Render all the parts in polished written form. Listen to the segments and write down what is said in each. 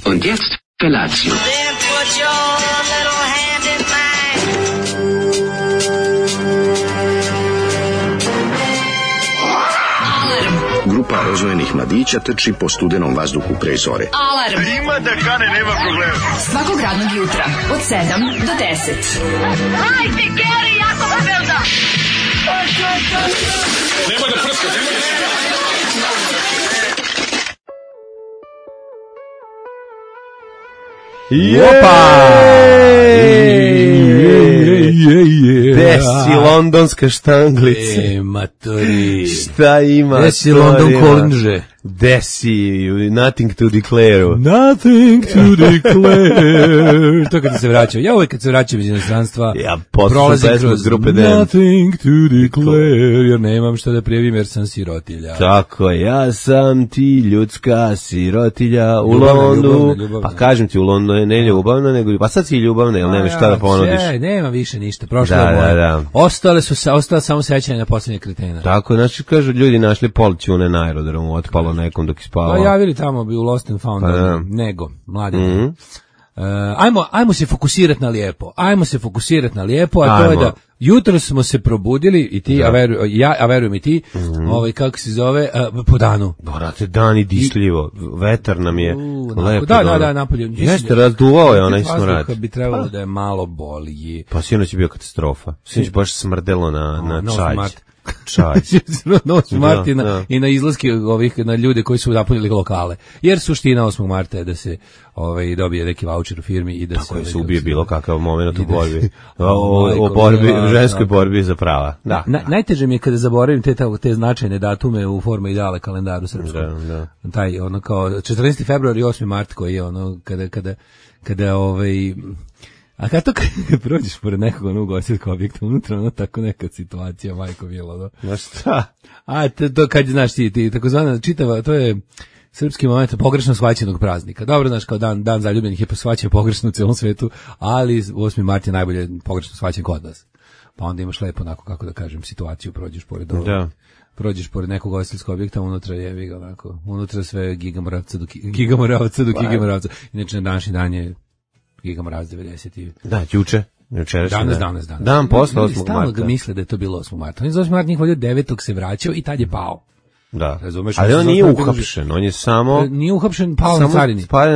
Und jetzt Felatio. Then put your little hand in mine. Grupa rozvojenih mladića trči po studenom vazduhu pre zore. Alarm! Ima da kane, nema problema. Svakog radnog jutra, od 7 do 10. Hajde, Geri, jako se velda! Nema da prska, nema da prska. Opa! Desi londonska štanglica. Matori. Šta ima? Desi London Kolindže. Desi, nothing to declare. Nothing to declare. To kad se vraćam. Ja uvek kad se vraćam iz inostranstva, ja prolazim kroz grupe Dance. Nothing to declare. Jer nemam šta da prijavim jer sam sirotilja. Tako, ja sam ti ljudska sirotilja u Londonu. Pa kažem ti, u Londonu je ne ljubavna, nego pa sad si ljubavna, jer nema šta da ponudiš. Nema više ništa, prošlo je moje. Da. Ostala samo sećanja na posljednje kretena. Tako, znači, kažu, ljudi našli polćune na aerodromu, otpalo nekom dok ispavao. Pa javili tamo bi u Lost and Found, nego, mladi. Ajmo se fokusirati na lijepo, a to je da jutro smo se probudili i ti, a verujem i ti, kako se zove, po danu. Brate, dan i disljivo, vetar nam je lepo. Da, napolje. Jeste, razduvao je onaj smrad. Bi trebalo da je malo bolji. Pa sinoć je bio katastrofa. Sinoć baš smrdelo na čaj. Na 8. marta i na izlaske na ljude koji su napunili lokale. Jer suština 8. marta je da se dobije neki vaučer u firmi i da tako se ubije bilo kakav moment u borbi. O ženskoj borbi za prava. Da. Najteže mi je kada zaboravim te značajne datume u forma ideale kalendaru srpskom. Da. Taj kao 14. februar i 8. mart koji je kada a kada prođeš pored nekog ugostiteljskog objekta, unutra tako neka situacija, majko bilo, da. Na šta? A to kad znaš ti takozvana čitava, to je srpski moment pogrešno shvaćenog praznika. Dobro, znaš, kao dan zaljubljenih je shvaćen pogrešno u celom svetu, ali 8. mart je najbolje pogrešno shvaćen kod nas. Pa onda imaš lepo onako, kako da kažem, situaciju, prođeš pored ovog. Da. Prođeš pored nekog ugostiteljskog objekta, unutra je onako, unutra sve gigamoravca do gigamoravca. Inače, na današnji dan je Gigamorac 90. Da, juče. Danas. Dan posle 8. marta. Stalno ga misle da je to bilo 8. marta. On je za 8. marta njih volio 9. se vraćao i tad je pao. Da. Razumeš? Ali on nije uhapšen, on je samo... Nije uhapšen, pao na carini. Pao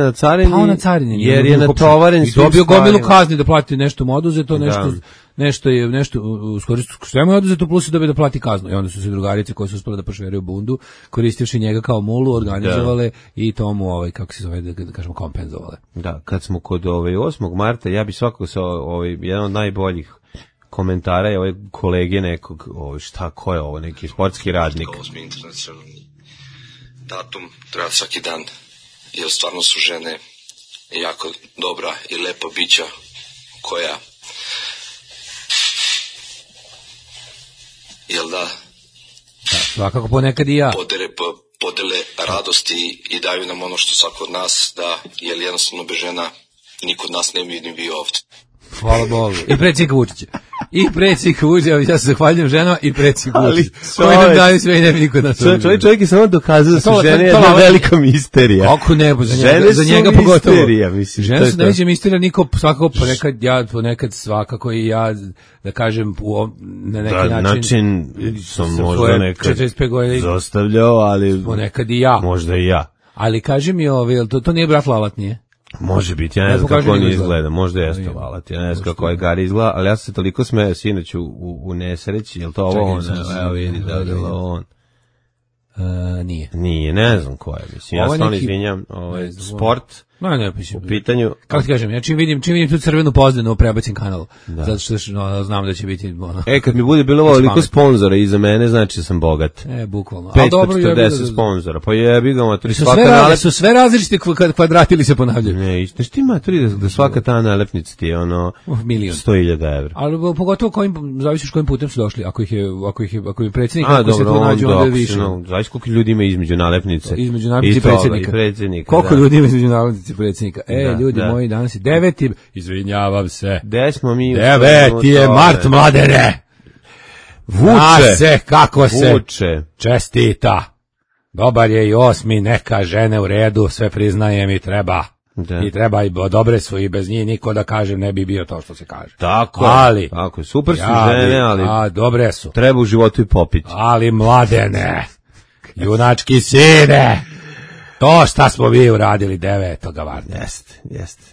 na carini, jer je natovaren svim stvarima. I dobio gomilu kazni da plati nešto mu oduzeto, nešto sve mu je oduzeto, plus je dobio da plati kaznu. I onda su se drugarice koje su uspjele da prošveraju bundu, koristivši njega kao mulu, organizovale i tomu, kako se zove, da kažemo, kompenzovale. Da, kad smo kod 8. marta, ja bi svakako jedan od najboljih komentara je ove kolege nekog, šta, ko je ovo, neki sportski radnik. 8. internacionalni datum treba svaki dan, jer stvarno su žene jako dobra i lepa bića koja, jel da, svakako ponekad i ja. Podele radosti i daju nam ono što svako od nas da, jer jednostavno bez žena niko od nas ne bi ni bio ovdje. Hvala Bogu. I predsjednik Vučića. Ja se zahvaljujem ženama i predsjednik Vučića. Koji nam daju sve i ne bi niko nas ovdje. Čovjek je samo dokazao da su žene jedna velika misterija. Ako ne, za njega pogotovo. Žene su najveća misterija, niko svakako ponekad svakako i ja, da kažem, na neki način sam možda nekad zostavljao, ali ponekad i ja. Možda i ja. Ali kaži mi, to nije brat Lalat, nije? Može biti, ja ne znam kako on izgleda, možda jeste Lalat, ja ne znam kako je Gari izgleda, ali ja sam se toliko smeo sinoć u nesreći, je li to ovo on? Evo vidi, da je on. Nije, ne znam ko je, mislim, ja stvarno izvinjam, sport, u pitanju. Kako ti kažem, ja čim vidim tu crvenu pozdenu u prebacim kanalu, zato što znam da će biti... Kad mi bude bilo ovoliko sponzora iza mene, znači da sam bogat. Bukvalno. 540 sponzora, pa jebi ga maturi, svaka nalepnica... Su sve različite kvadrati ili se ponavljaju? Ne, znaš ti maturi da svaka ta nalepnica ti je ono... 100.000 evra. Ali pogotovo zavisi s kojim putem su došli, ako je predsjednik, ako se tu nađu, onda je više. Zavisi koliko ljudi ima između nalepnice. Između nalepnice i predsjednika. Koliko ljudi ima između nalepnice predsjednika. Ljudi moji, danas je 9. Izvinjavam se. 9. je mart, mladene. Vuče. Kako se čestita. Dobar je i 8. Neka žene u redu, sve priznajem i treba. I treba i dobre su i bez njih niko da kažem ne bi bio to što se kaže. Tako je. Super su žene, ali dobre su. Treba u životu i popiti. Ali mladene, junački sine, to šta smo mi uradili 9. marta. Jeste.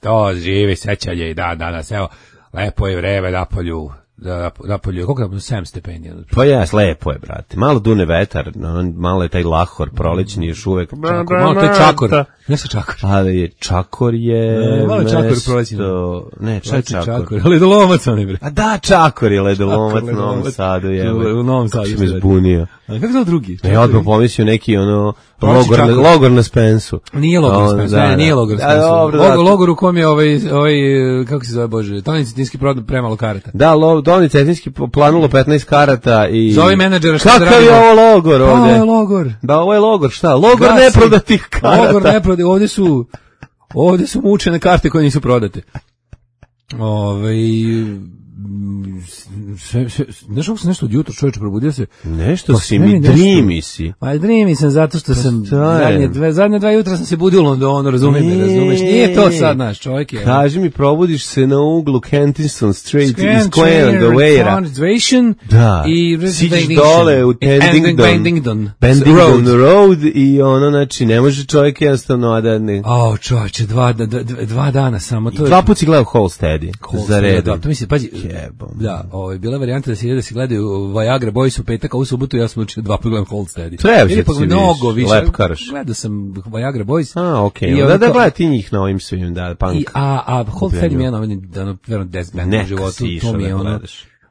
To živi sećanje i dan danas. Evo, lepo je vreme napolju, koliko je 7 stepeni? Pa jes, lepo je, brate. Malo dune vetar, malo je taj lahor prolećni još uvek. Malo to je čakor. Ne sa čakor. Ali čakor je... Malo čakor prolećni. Ne, čakor. Ledolomac on je, bre. A da, čakor je ledolomac u Novom Sadu. U Novom Sadu. Kako me zbunio. A kako je drugi? Ja odmah pomislio neki logor na Spensu. Nije logor na Spensu, nije logor na Spensu. Logor u kom je kako se zove, Bože, Toni Cetinski prodao premalo karata. Da, Toni Cetinski planulo 15 karata i... Zove menadžera šta da radi. Kakav je ovo logor ovdje? Pa, ovo je logor. Da, ovo je logor, šta? Logor neprodatih karata. Logor neprodatih, ovdje su mučene karte koje nisu prodate. Znaš kako sam nešto od jutra, čovječe, probudio se? Nešto si mi, dreami si. Pa dreami sam zato što sam zadnje dva jutra sam se budio u Londonu, razumiješ? Nije to sad naš čovjek je. Kaži mi, probudiš se na uglu Kensington Street i Square and Gavera. Da, siđeš dole u Bendington Road i znači ne može čovjek jednostavno da ne... Čovječe, dva dana samo. Dva put si gledao Halsteadi za redom. To misli, pazi, da, bila varijanta da se gledaju Viagra Boys u petak, a u subotu ja sam učio 2 puta gledam Halsteadi. Trebaš da si viš, lepkaraš. Gledao sam Viagra Boys. Okej, da gledaj ti njih na ovim svim, da, punk. A Halsteadi mi je verovatno 10 benda u životu, to mi je ono...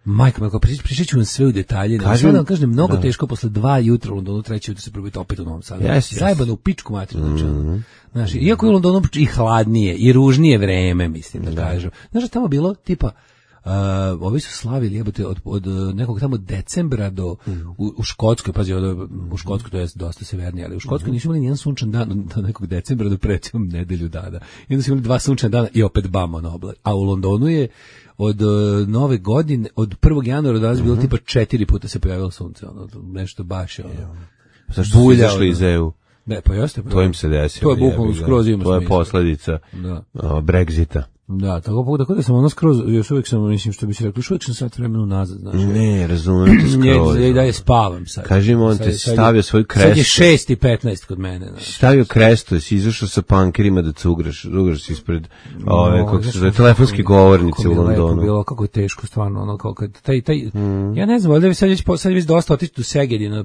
Majko, pričat ću vam sve u detalje. Sve da vam kažem, mnogo teško posle 2 jutra u Londonu, 3 jutra se probiti opet u Novom Sadu. Zajebano u pičku materinu. Znači, iako je u Londonu i hladnije, i ružnije vreme, mislim da kažem. Znaš da tamo bilo, tipa, ovi su slavili jebote od nekog tamo decembra do u Škotskoj, pazi, u Škotskoj to je dosta severnije, ali u Škotskoj nisu imali nijedan sunčan dan do nekog decembra do recimo nedelju dana. I onda su imali 2 sunčana dana i opet bam na oblaci. A u Londonu je od nove godine, od 1. januara do danas bilo tipa 4 puta se pojavilo sunce, nešto baš je zašto su izašli iz EU? Ne, pa jeste. To im se desilo. To je bukvalno skroz ima smisla. To je posljedica Brexita. Da, tako da sam skroz, još uvijek sam, mislim što bi se rekli, još uvijek sam sad vremenu nazad, znaš. Ne, razumijem te skroz. Da je spavam sad. Kaži mi, on te stavio svoju krestu. Sad je 6:15 kod mene, znaš. Stavio krestu, jesi izašao sa pankerima da cugraš si ispred kako se zove, telefonske govornice u Londonu. Bilo kako je teško, stvarno, ono, kako ja ne znam, ali sad je već dosta otići do Segedina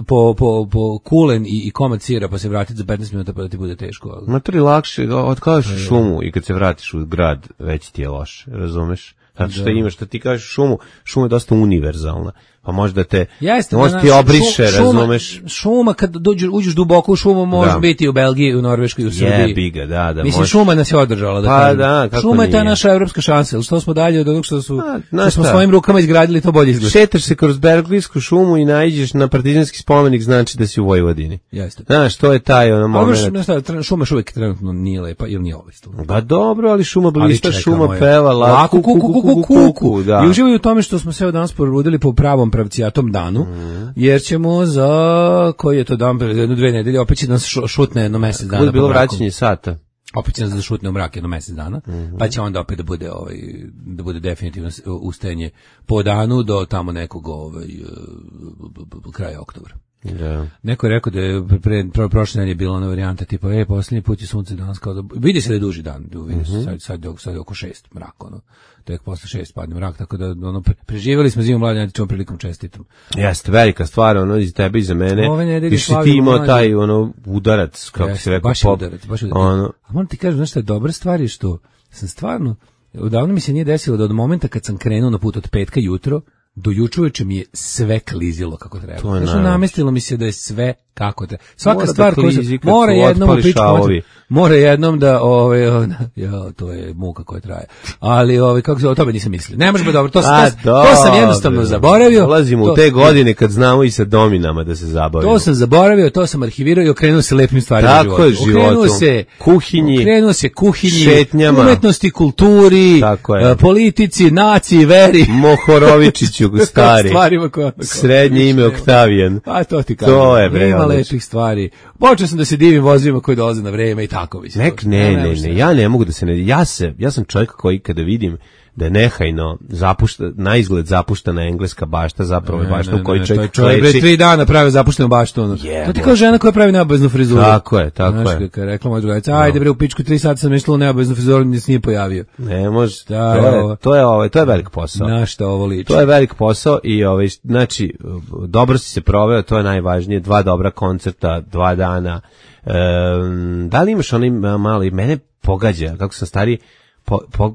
po kulen i komad sira pa se vratiti za 15 minuta pa da ti bude teško. Ma to je lakše, otkažeš šumu i kad se vratiš u grad već ti je loše, razumeš? Zato što imaš, što ti kažeš šuma je dosta univerzalna. Pa možda te ti obriše, razumeš? Šuma, kad uđeš duboko u šumu, može biti u Belgiji, u Norveškoj, u Srbiji. Jebi ga, da. Mislim, šuma nas je održala. Šuma je ta naša evropska šansa. Što smo dalje od onog što smo svojim rukama izgradili, to bolje izgleda. Šetaš se kroz Berglijsku šumu i naiđeš na Partizanski spomenik, znači da si u Vojvodini. Jeste. Znaš, to je taj moment. Šuma još uvijek trenutno nije lepa ili nije ovista. Ba dobro, ali šuma blista, šuma peva, kuku. I uživaju u tome što smo se danas porudili po pravom pravcijatom danu, jer ćemo za koji je to dan, 1-2 nedelje, opet će nas šutne jedno mesec dana. Bude bilo vraćanje sata. Opet će nas da šutne u mrak jedno mesec dana, pa će onda opet da bude definitivno ustajanje po danu do tamo nekog kraja oktobra. Da. Neko je rekao da je prošle nedelje bila ona varijanta tipa, posljednji put je sunce danas kao da vidi se da je duži dan, sad je oko 6 mrak, tek posle 6 padne mrak, tako da preživjeli smo zimu mladi, ćemo prilikom čestitom. Jeste, velika stvar, iz tebe i za mene. Više ti imao taj udarac, kako se rekao. Baš udarac. A moram ti kažem, znaš šta je dobra stvar je što sam stvarno, odavno mi se nije desilo da od momenta kad sam krenuo na put od petka jutro, do juče uveče mi je sve klizilo kako treba. Znači, namestilo mi se da je sve kako treba. Svaka mora stvar koja se mora jednom mora jednom da to je muka koja traje. Ali kako se o tome nisam mislio. Ne može dobro, to sam jednostavno zaboravio. Ulazimo u te godine kad znamo i sa dominama da se zabavimo. To sam zaboravio, to sam arhivirao i okrenuo se lepim stvarima u životu. Okrenuo se kuhinji, šetnjama, umetnosti, kulturi, politici, naciji, veri. Mohorovičiću stari. Srednje ime Oktavijan. A to ti kažem. To je bre. Ima lepih stvari. Počeo sam da se divim vozima koji dolaze na vreme i tako bi se. Ne, ja ne mogu da se ne. Ja sam čovjek koji kada vidim da je nehajno na izgled zapuštena engleska bašta, zapravo je bašta u kojoj čovjek kleči. 3 dana pravi zapuštenu baštu. To ti kao žena koja pravi neobaveznu frizuru. Tako je. Znaš, kako je rekla moja drugačica, ajde bre, u pičku 3 sata sam išla u neobaveznu frizuru, nis nije pojavio. Ne može, to je velik posao. Na šta ovo liči? To je velik posao i znači, dobro si se proveo, to je najvažnije, 2 dobra koncerta, 2 dana. Da li imaš onaj mali, mene pogađa, kako sam stariji,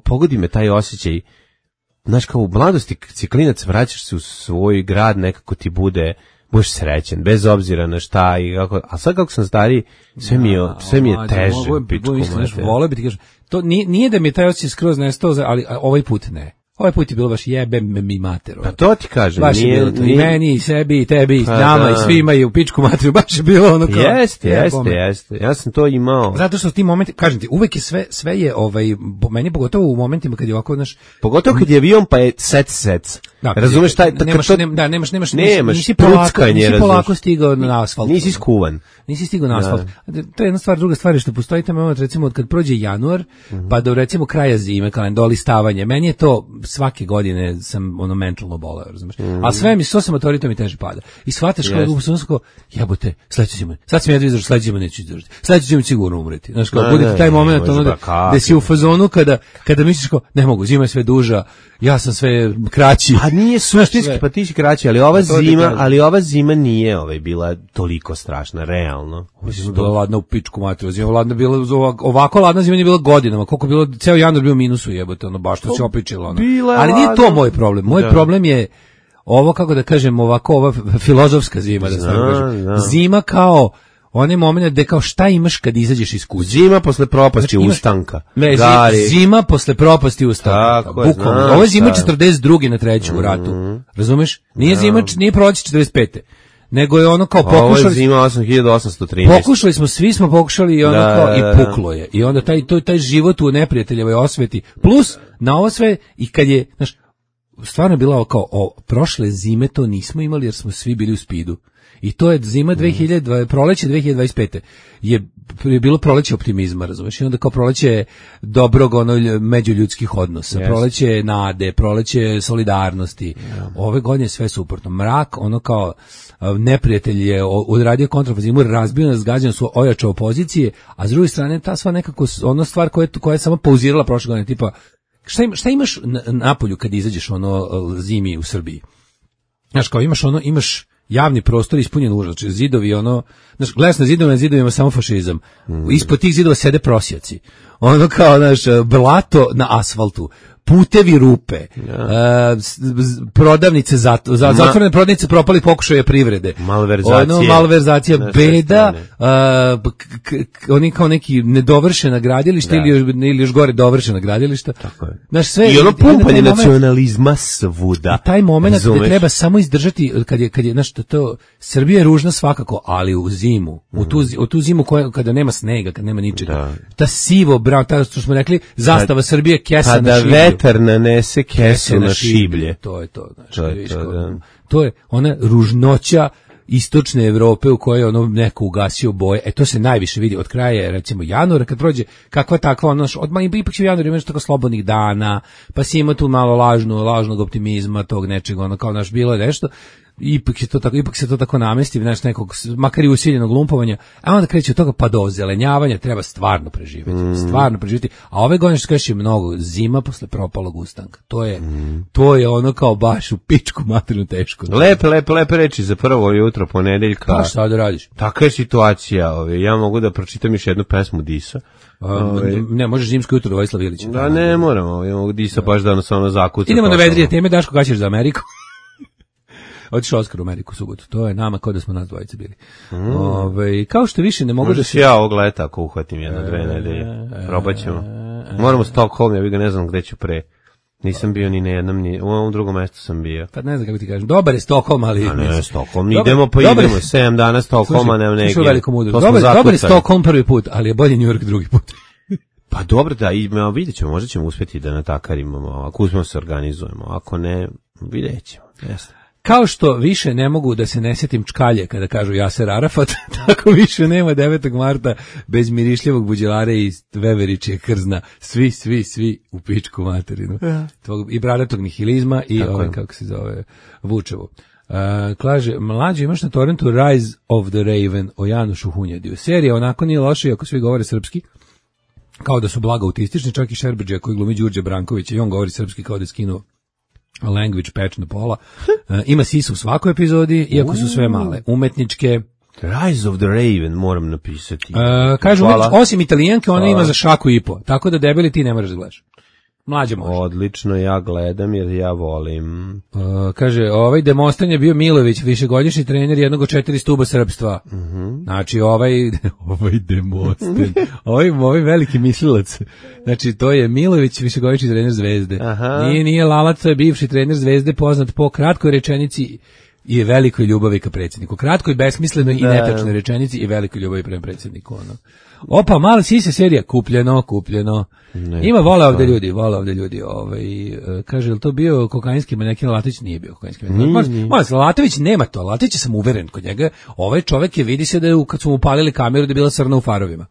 pogodi me taj osjećaj, znaš, kao u mladosti ciklinac vraćaš se u svoj grad, nekako ti budeš srećen, bez obzira na šta i kako, a sad kako sam stariji, sve mi je teže, pičku mater. Voleo bi ti kažem, to nije da mi je taj osjećaj skroz nestao, ali ovaj put ne. Ovaj put je bilo baš jebem mi mater. Pa to ti kažem. Baš je bilo to. I meni, i sebi, i tebi, i nama, i svima, i u pičku materiju. Baš je bilo ono kao... Jeste. Ja sam to imao. Zato što ti momenti, kažem ti, uvek je sve je, meni pogotovo u momentima kad je ovako, znaš... Pogotovo kad je avion, pa je sec. Da, razumeš taj... Nisi polako stigao na asfalt. Nisi skuvan. Nisi stigao na asfalt. To je jedna stvar, druga stvar je što postoji taj moment, recimo, kad prođe januar, pa do recimo kraja zime, do listavanja. Meni je to svake godine sam mentalno boleo, razumeš. A sve mi s motoritom mi teže pada. I shvataš kao jebote, sledeće zime. Sad sam ja izdržao, sledeće zime neću izdržati. Sledeće zime sigurno umreti. Znaš, kao bude taj moment da si u fazonu kada misliš kao ne mogu, zima je sve duža, ja sam sve kraći. A nije suštinski, pa ti si kraći, ali ova zima nije bila toliko strašna, realno. Mislim, bila ladna u pičku materiju. Zima ladna bila, ovako ladna zima nije bila godinama. Koliko bilo, ceo januar bio minusu, jebote, baš to se opičilo. Ali nije to moj problem. Moj problem je ovo, kako da kažem, ova filozofska zima, da stvarno kažem. Zima kao onaj moment gde kao šta imaš kad izađeš iz kuće. Zima posle propasti ustanka. Ne, zima posle propasti ustanka. Bukvalno. Ovo je zima 42. na 3. u ratu. Razumeš? Nije zima, nije proleće 45. Nego je ono kao pokušali... Ovo je zima 8813. Pokušali smo, svi smo pokušali i ono kao i puklo je. I onda taj život u neprijateljevoj osveti. Plus, na ovo sve, i kad je, znaš, stvarno je bila kao, prošle zime to nismo imali jer smo svi bili u spidu. I to je zima proleće 2025. je bilo proleće optimizma, razumeš? I onda kao proleće dobrog međuljudskih odnosa, proleće nade, proleće solidarnosti. Ove godine sve suprotno. Mrak, ono kao neprijatelj je odradio kontrafazimu, razbio nas, gađan su, ojačao pozicije, a s druge strane ta sva nekako ono stvar koja je samo pauzirala prošle godine, tipa šta imaš napolju kad izađeš zimi u Srbiji? Znaš, kao imaš javni prostor ispunjen užas, znači zidovi znaš, gledaš na zidovima samo fašizam. Ispod tih zidova sede prosjaci. Kao, znaš, blato na asfaltu. putevi rupe, prodavnice zatvorene prodavnice propalih pokušaja privrede, malverzacija, beda, oni kao neki nedovršena gradilišta ili još gore dovršena gradilišta. Znaš, sve, i ono pumpanje nacionalizma svuda. I taj moment gde treba samo izdržati, kad je znaš, to Srbija je ružna svakako, ali u zimu, u tu zimu kada nema snega, kad nema ničega, ta sivo brown, ta što smo rekli, zastava Srbije, kesa na šiblju. Kada vetar nanese kesu na šiblje. To je to, znači, to je ona ružnoća istočne Evrope u kojoj ono neko ugasio boje. To se najviše vidi od kraja, recimo januara, kad prođe kakva takva, ono, odmah ipak će u januaru imaš tako slobodnih dana, pa si ima tu malo lažnog optimizma, tog nečeg, ono, kao naš bilo je nešto, ipak se to tako namesti, znaš, nekog, makar i usiljenog lumpovanja, a onda kreće od toga pa do ozelenjavanja, treba stvarno preživjeti, a ove godine što kažeš je mnogo zima posle propalog ustanka, to je ono kao baš u pičku materinu teško. Lepe reči za prvo jutro ponedeljka. Pa šta da radiš? Taka je situacija, ja mogu da pročitam još jednu pesmu Disa. Ne, možeš zimsko jutro Vojislav Ilić. Da, ne moramo, ja mogu Disa baš da ono zakuca. Idemo na vedrije teme, Daško, kada ćeš za Ameriku? Otišao Oskar u Ameriku subotu, to je nama kao da smo nas dvojice bili. Kao što više ne mogu možda da se... ja ovog leta ako uhvatim 1-2 nedelje, probat ćemo. Moramo Stockholm, ja ne znam gde ću pre. Nisam bio ni na jednom, ni u ovom drugom mestu sam bio. Pa ne znam kako ti kažem, dobar je Stockholm, ali... A ne, Stockholm, idemo 7 dana Stockholma, nema negdje. Dobar je Stockholm prvi put, ali je bolje New York drugi put. Pa dobro da, vidjet ćemo, možda ćemo uspjeti da natakarimo, ako uspijemo se organizujemo, ako ne, vidjet ćemo, jasno. Kao što više ne mogu da se ne sjetim čkalje kada kažu Jaser Arafat, tako više nema 9. marta bez mirišljivog buđelare i Veveričije krzna. Svi u pičku materinu. Ja. I bradatog nihilizma i kako se zove, Vučevo. Kaže, mlađe imaš na torrentu Rise of the Raven o Janušu Hunjadiju. Serija onako nije loša ako svi govore srpski, kao da su blago autistični, čak i Šerbeđija koji glumi Đurđe Branković i on govori srpski kao da je skinuo language patch na pola. Ima sisu u svakoj epizodi, iako su sve male. Umetničke. Rise of the Raven moram napisati. Kaže, osim Italijanke, ona ima za šaku i po. Tako da debeli ti ne moraš da gledaš. Mlađe može. Odlično, ja gledam jer ja volim. Kaže, ovaj Demostan je bio Milović, višegodišnji trener jednog od 4 stuba srpstva. Znači, ovaj Demostan, ovaj veliki mislilac. Znači, to je Milović, višegodišnji trener Zvezde. Nije Lalac, to je bivši trener Zvezde, poznat po kratkoj rečenici i velikoj ljubavi ka predsjedniku. Kratkoj, besmislenoj i netačnoj rečenici i velikoj ljubavi prema predsjedniku. Opa, mala sisa serija, kupljeno. Ima vole ovde ljudi. Kaže, je li to bio kokainski manekin? Latić nije bio kokainski manekin. Latović nema to, Latić sam uveren kod njega. Ovaj čovek je, vidi se da je, kad su mu palili kameru, da je bila crna u farovima.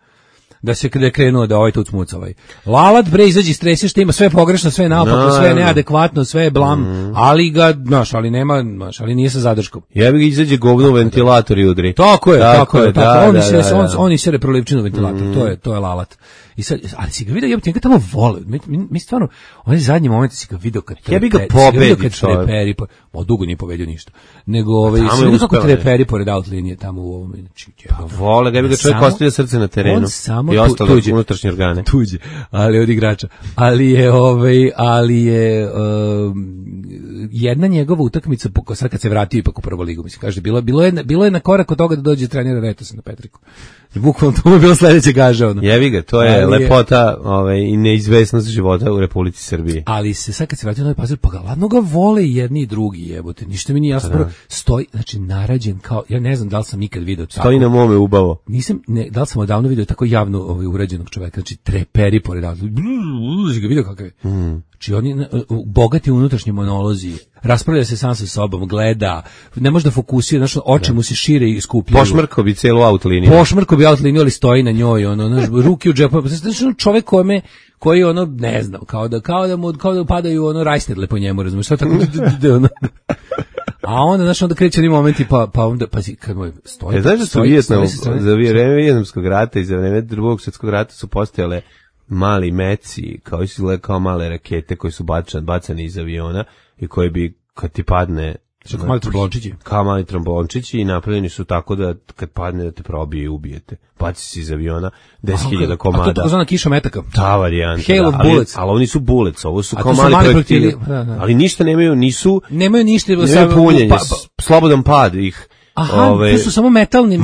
Da se krenuo da ovaj tu smuca ovaj. Lalat bre izađi stresi što ima sve pogrešno, sve naopako, sve neadekvatno, sve je blam, ali ga, ali nema, ali nije sa zadrškom. Jebi ga izađe govno u ventilator i udri. Tako je. Oni se reprolipčinu ventilator, to je Lalat. I sad, ali si ga vidio, njega tamo vole. Mi stvarno, onaj zadnji moment si ga vidio kad treperi, dugo nije pobedio ništa. Nego, si vidio kako treperi pored out linije tamo u ovom. Pa vole, ga bi ga čovjek ostavio srce na terenu. I ostalo unutrašnje organe. Tuđe, ali od igrača. Ali je jedna njegova utakmica, sad kad se vratio ipak u prvu ligu, mislim, kaže, bilo je na korak od toga da dođe trenera Retosa na Petriku. Bukvalno to mu je bilo sledeće gaža. Jevi ga, to je lepota i neizvesnost života u Republici Srbiji. Ali se sad kad se vratio na ovaj Pazar, pa ga ladno ga vole i jedni i drugi, jebote. Ništa mi nije jasno. Stoji, znači narađen kao, ja ne znam da li sam ikad video tako. Stoji na mome ubavo. Da li sam odavno video tako javno urađenog čoveka, znači treperi pored auta. Ga video kakav je. Znači oni bogati unutrašnji monolozi, raspravlja se sam sa sobom, gleda, ne može da fokusira, znači oči mu se šire i skupljaju. Pošmrko bi celu outliniju. Ali stoji na njoj, ruke u džepu. Znači čovjek koji ne znam, kao da padaju rajsterle po njemu, razumiješ, šta tako a onda, onda kreće oni momenti, pa onda, pazi, kad mu stoji. Znaš da su za vreme Vijetnamskog rata i za vreme Drugog svjetskog rata su postojale mali meci, kao male rakete koji su bacani iz aviona i koji bi, kad ti padne Kao mali tromblončići. Kao mali tromblončići i napravljeni su tako da kad padne da te probije i ubijete. Baci se iz aviona 10.000 komada. A to je takozvana kiša metaka. Ta varijanta. Hail of bullets. Ali oni su bullets, ovo su kao mali projektili. Ali ništa nemaju, nemaju punjenje, slobodan pad ih. Aha, to su samo metalni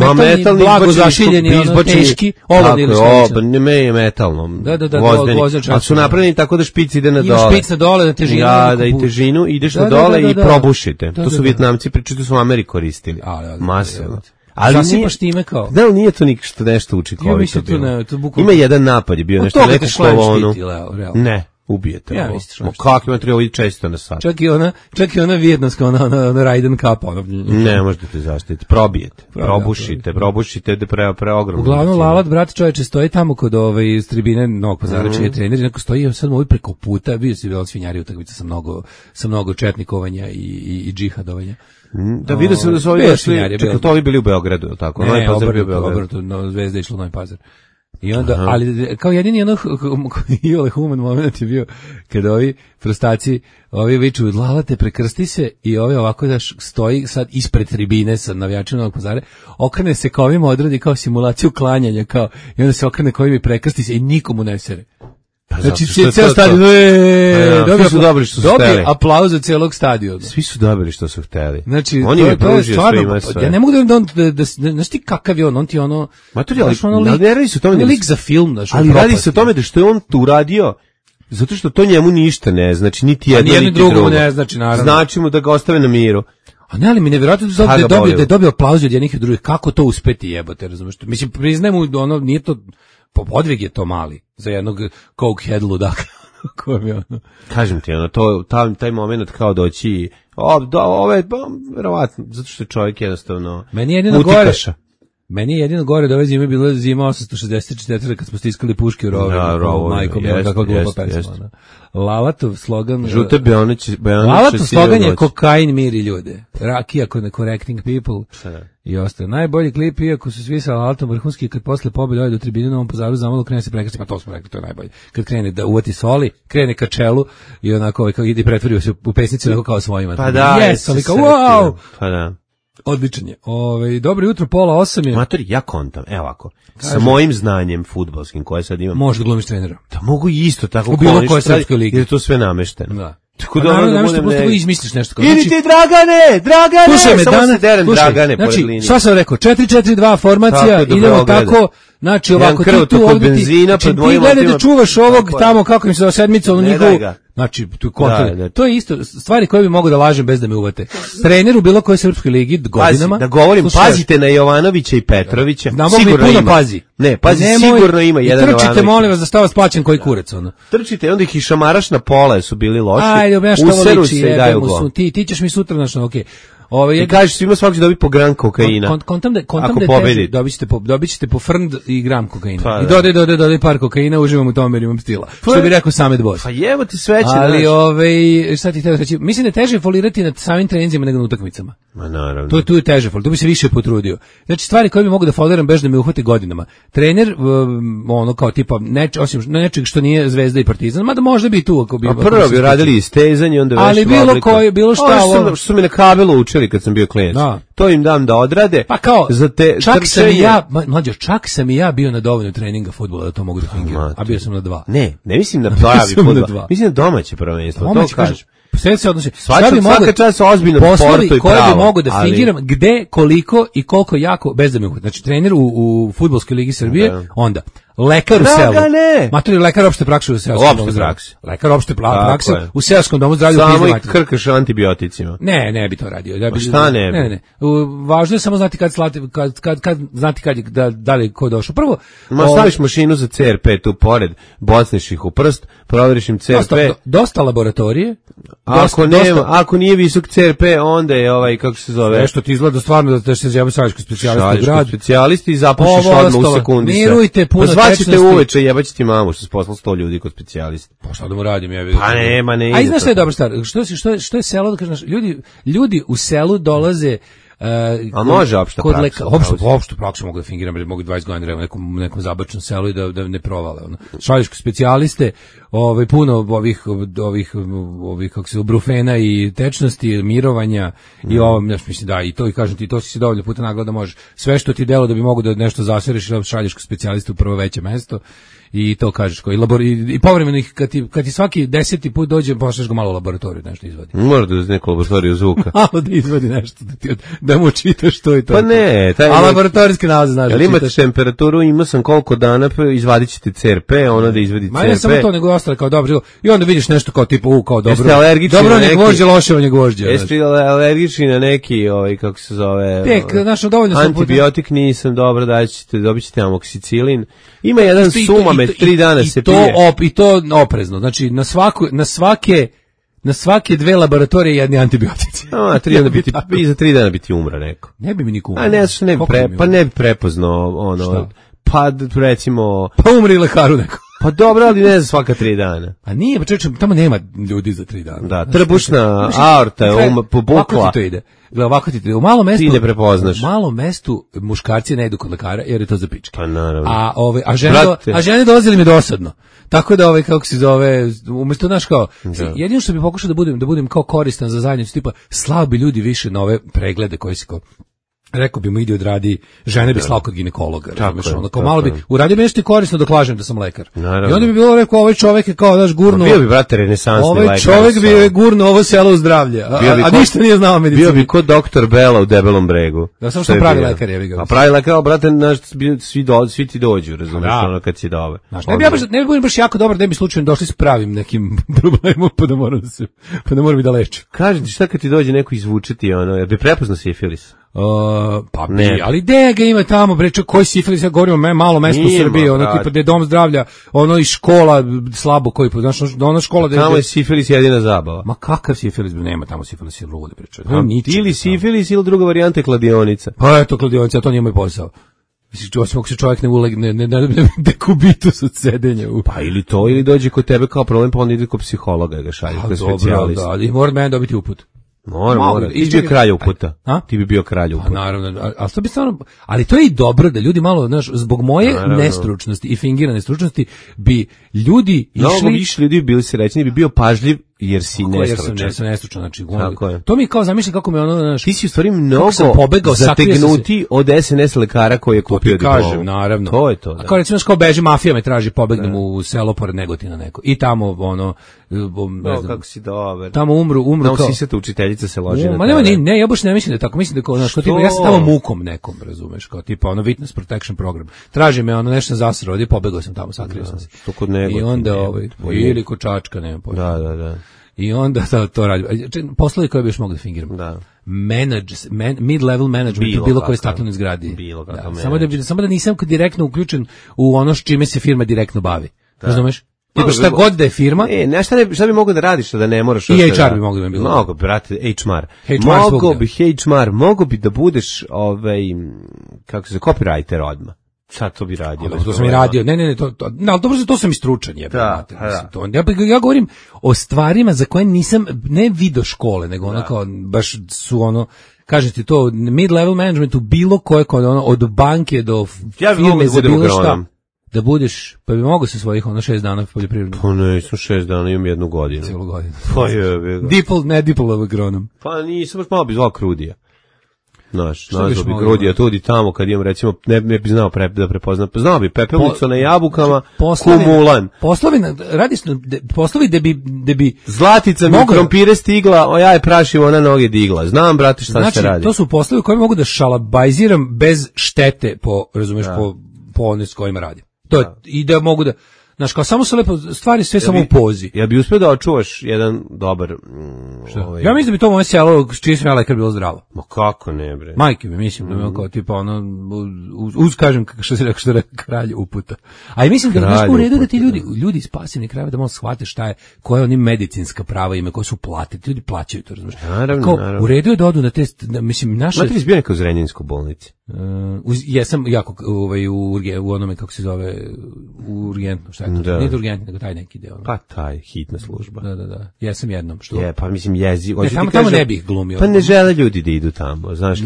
blago zašiljeni, teški, olovni ili slično. Ne je metalno, vozdeni, ali su napravljeni tako da špic ide na dole. Ima špic na dole, na težinu. Da i težinu, ideš na dole i probušite. To su Vijetnamci pričali, to su u Americi koristili. Masivno. Zasipaš time kao. Da, nije to nešto učinkovito bilo. Ima jedan napad je bio, nešto neko kolonu. Ne. Ubijete. Ja mislim. Kako ima treba često na sat. Čak i ona vijetnamska, ona Raiden kapa. Ne možete te zaštiti. Probijete. Probušite da preogromno. Uglavnom, Lalat, brat čoveče, stoji tamo kod iz tribine Novog Pazara, čiji je trener, neko stoji sad mu preko puta, bio si svinjari utakmica sa mnogo četnikovanja i džihadovanja. Da, vidio sam da su ovi došli, čekaj, to ovi bili u Beogradu, tako? Ne, obrnuto, Zvezda išla u Novi Pazar. I onda, ali kao jedini iole human moment je bio kada ovi prostaci, ovi viču Lalate prekrsti se i ovi ovako da stoji sad ispred tribine sa navijačima Novog Pazara, okrene se kao ovim odradi kao simulaciju klanjanja kao, i onda se okrene kao ovim i prekrsti se i nikomu ne sere. Znači, ceo stadion, svi su dobili što su hteli. Dobije aplauz od celog stadiona. Svi su dobili što su hteli. Znači, on je pružio svima sve. Ja ne mogu da znaš ti kakav je on ti ono... Ali ne radi se o tome... lik za film, ali radi se o tome da što je on tu uradio, zato što to njemu ništa ne znači, niti jedno, niti drugo. Ne znači, naravno. Znači mu da ga ostave na miru. A ne, ali mi nevjerojatno da je dobio aplauz od jednih i drugih. Kako to uspeti jebote, razumiješ? Mislim, priznajemo, ono, nije to... Podvig je to mali za jednog cokehead ludaka. Kažem ti, taj moment kao doći verovatno, zato što je čovjek jednostavno mutikaša. Meni je jedino gore da ove zime bila zima 864 kad smo stiskali puške u rovu. Majko mi, kako glupa pesma. Lalatov slogan... Žute Beonić. Lalatov slogan je kokain miri ljude. Rakija correcting people. I ostaje. Najbolji klip, iako su svi sa Lalatom vrhunski, kad posle pobjede ode do tribine na Novom Pazaru, zamalo krene se prekrsti, pa to smo rekli, to je najbolje. Kad krene da uvati soli, krene ka čelu i onako ide i pretvorio se u pesnicu onako kao svojima. Pa da, wow! Pa da. Odličan je. Dobro jutro, 7:30 je. Matori, ja kontam, evo ovako. Sa mojim znanjem fudbalskim koje sad imam. Možda glumiš trenera. Da mogu isto tako u bilo kojoj srpskoj ligi. Jer je to sve namešteno. Da. Tako da naravno izmisliš nešto kao. Ili ti Dragane, slušaj me samo Dragane znači, pored linije. Šta sam rekao? 4-4-2 formacija, idemo tako. Znači ovako tu ovdje benzina pred mojim otima. Ti gledaj da čuvaš ovog tamo kako im se sedmica onu njihovu. Znači tu kontra. To je isto stvari koje bi mogu da lažem bez da me uvate. Trener u bilo kojoj srpskoj ligi godinama. Da govorim, pazite na Jovanovića i Petrovića. Sigurno ima. Ne, pazi, sigurno ima jedan Jovanović. Trčite, molim vas, da stava splaćen koji kurac ono. Trčite, onda ih i šamaraš na pola, su bili loši. Ajde, useru se i daju gol. Ti ćeš mi sutra našo, okej. I kažeš svima svaki će dobiti po gram kokaina. Kontam da je dobit ćete po frnd i gram kokaina. Pa, i dodaj par kokaina, uživam u tome jer imam stila. Što bi rekao Samet Boss. Pa jevo ti sveće. Ali šta ti htio reći? Mislim da je teže folirati na samim treninzima nego na utakmicama. Ma naravno. Tu je teže folirati, tu bi se više potrudio. Znači stvari koje bi mogu da foliram bez da me uhvate godinama. Trener, ono kao tipa, osim nečeg što nije Zvezda i Partizan, mada možda bi tu ako bi... A prvo bi radili istezanje, onda ali bilo šta što su mi na kabelu učili kad sam bio klijent. Da. To im dam da odrade. Pa kao, za te čak sam i ja bio na dovoljno treninga fudbala da to mogu da fingiram. A bio sam na 2. Ne mislim na pravi fudbal. Mislim na domaće prvenstvo. To kažeš. Sve se odnosi. Svaka čast ozbiljno sportu i pravo. Koje bi mogu da fingiram gde, koliko i koliko jako bez da me uhvati. Znači trener u fudbalskoj ligi Srbije, onda lekar u selu. Matori, lekar opšte prakse u seoskom domu zdravlja. Lekar opšte prakse u seoskom domu zdravlja. Samo ih krkaš antibioticima. Ne bi to radio. Šta ne bi? Ne. Važno je samo znati kad znati da li ko došao. Prvo, staviš mašinu za CRP tu pored, bocneš ih u prst, proveriš im CRP. Dosta laboratorije. Ako nije visok CRP, onda je kako se zove? Nešto ti izgleda stvarno da se zove šaljsko specijalisti i zapušiš odmah u sekundi. Mirujte puno tečnosti. Uveče jebaće ti mamu što se poslao 100 ljudi kod specijalista. Pa šta da mu radim? Pa nema, ne. A znaš šta je dobra stvar? Što je selo, da kažeš, ljudi u selu dolaze a može opšta praksa. Opšta praksa mogu da fingiram, jer mogu 20 godina u nekom zabačnom selu i da ne provale. Šalješ specijaliste, puno ovih kako se brufena i tečnosti, mirovanja i ovo, mislim da i to i kažem ti, to si se dovoljno puta nagleda možeš. Sve što ti delo da bi mogu da nešto zasereš ili šalješ kod specijalista u prvo veće mesto. I to kažeš i povremeno ih kad ti svaki 10. put dođe pošalješ ga malo u laboratoriju nešto izvadi. Mora da uz neku laboratoriju zvuka. Malo da izvadi nešto da mu čitaš to i to. Pa ne, a laboratorijski nalaz znaš. Jel imate temperaturu, imao sam koliko dana, izvadit ćete CRP, ono da izvadi CRP. Ma ne samo to, nego ostale kao dobro. I onda vidiš nešto kao tipa kao dobro. Jeste alergični dobro ne gvožđe, loše on je gvožđe. Jeste alergični na neki kako se zove. Dovoljno antibiotik nisam, dobro, dobit ćete amoksicilin. Ima jedan sumamet, 3 dana se pije. I to oprezno, znači na svake 2 laboratorije jedni antibiotici. Za 3 dana bi ti umra neko. Ne bi mi niko umra. Ne bi prepoznao ono, pa recimo... Pa umri lekaru neko. Pa dobro, ali ne za svaka 3 dana. A nije, pa čovječe, tamo nema ljudi za 3 dana. Da, trbušna aorta je pobukla. Ovako ti to ide. Ovako ti to ide. U malom mestu... Ti ne prepoznaš. U malom mestu muškarci ne idu kod lekara jer je to za pičke. Pa naravno. A žene dolazili mi dosadno. Tako da kako se zove, umjesto naš kao, jedino što bi pokušao da budem kao koristan za zajednicu, tipa slao bi ljudi više na ove preglede koji se kao, rekao bi mu ide odradi, žene bi slao kod ginekologa, malo bi uradio bi nešto korisno dok lažem da sam lekar. Naravno. I onda bi bilo rekao, ovaj čovjek je kao daš gurno. Bio bi brate renesansni lekar. Ovaj čovjek bi gurno ovo selo u zdravlje. A ništa nije znao medicinu. Bio bi kod doktor Bela u Debelom bregu. Da samo što pravi lekar je ga. A pravi lekar, brate, svi ti dođu, razumiješ, ono kad si dobar. Ne bi budem baš jako dobar, ne bi slučajno došli s pravim nekim problemom, pa da moram i da lečim. Kaži ti šta kad ti dođe neko izvučeti, jer bi prepoznao sifilis. Pa ne, ali gde ga ima tamo, bre, koji sifilis, ja govorim o malo mesto u Srbiji, ono tipa gde je dom zdravlja, ono i škola slabo koji, znaš, ona škola tamo je sifilis jedina zabava. Ma kakav sifilis, nema tamo sifilis, je ludi, bre, ili sifilis ili druga varijanta je kladionica. Pa eto, kladionica, to nije moj posao. Mislim, ako se čovjek ne ulegne, ne dekubitus od sedenja. Pa ili to, ili dođe kod tebe kao problem, pa onda ide kod psihologa ga šalje, kod specijalista. Da, i mora mene dobiti uput. Mora. Ti bi bio kralj uputa. Ti bi bio kralj uputa. Naravno, ali to je i dobro da ljudi malo, znaš, zbog moje nestručnosti i fingirane stručnosti bi ljudi išli... Mnogo više ljudi bili srećni, bi bio pažljiv jer si nestručan. Ja sam nestručan, znači... To mi kao zamišljam kako me ono, znaš... Ti si u stvari mnogo zategnuti od SNS lekara koji je kupio diplomu. Kažem, naravno. To je to, da. A kao recimo, kao beži mafija me traži, pobegnem u selo pored Negotina neko. I tamo, ono... Ne znam, kako si dobar. Tamo umru kao... Tamo sisata učiteljica se loži na tebe. Ne, ja baš ne mislim da je tako. Mislim da kao, znaš, tipa, ja sam tamo mukom nekom, razumeš, kao tipa, ono, witness protection program. Traži me, ono, nešto zasrao, ovdje pobegao sam tamo, sakrio sam se. To kod Negotina. I onda, ili kod Čačka, nema pojma. Da. I onda to radi. Poslovi koje bi još mogu da fingiram. Da. Mid-level management u bilo koje staklenoj zgradi. Samo da nisam direktno uključen u ono s čime se firma direktno bavi. Razumeš? Tipa šta god da je firma. Šta bi mogao da radiš da ne moraš... I HR bi mogao da bilo. Mogu, brate, HR. Mogu bi da budeš, kako se, copywriter odmah. Sad to bi radio. To sam i radio. Ne, ali dobro, to sam i stručan. Ja govorim o stvarima za koje nisam, ne video škole, nego ono kao, baš su ono, kažete to, mid-level management u bilo koje, od banke do firme za bilo šta. Da budeš, pa bi mogao se svojih 6 dana poljoprivredno. Pa nisam 6 dana, imam 1 godinu. Cijelu godinu. Pa je. Ne dipl agronom. Pa nisam, baš malo bi zvao Krudija. Nazvao bi Krudija tudi tamo kad imam, recimo, ne bi znao da prepoznam. Znao bi pepelnicu na jabukama, kumulan. Poslovi da bi Zlatica mi krompire stigla, ja je prašim, ona noge digla. Znam, brate, šta se radi. To su poslovi koji mogu da šalabajziram bez štete po one s kojima radim. To je, i da mogu da, znaš, kao samo se lepo stvari sve samo u pozi. Ja bi uspio da očuvaš jedan dobar... Ja mislim da bi to moje selo, čiji sam ja lekar, bilo zdravo. Ma kako ne, bre? Majke mi, mislim da je kao tipa ono, kažem što se rekao kralj uputa. A i mislim da je u redu da ti ljudi iz pasivnih krajeva da malo shvate šta je, koje oni medicinska prava ime, koje su plate, ti ljudi plaćaju to, razumiješ. Naravno. U redu je da odu na te, mislim, naše... Znate li zbio neka u Zrenjaninskoj bolnici? Jesam jako u onome, kako se zove, u urgentno, šta je to? Nije urgentno, nego taj neki deo. Pa taj, hitna služba. Da. Jesam jednom. Što? Pa mislim jezi. Tamo ne bih glumio. Pa ne žele ljudi da idu tamo. Znaš,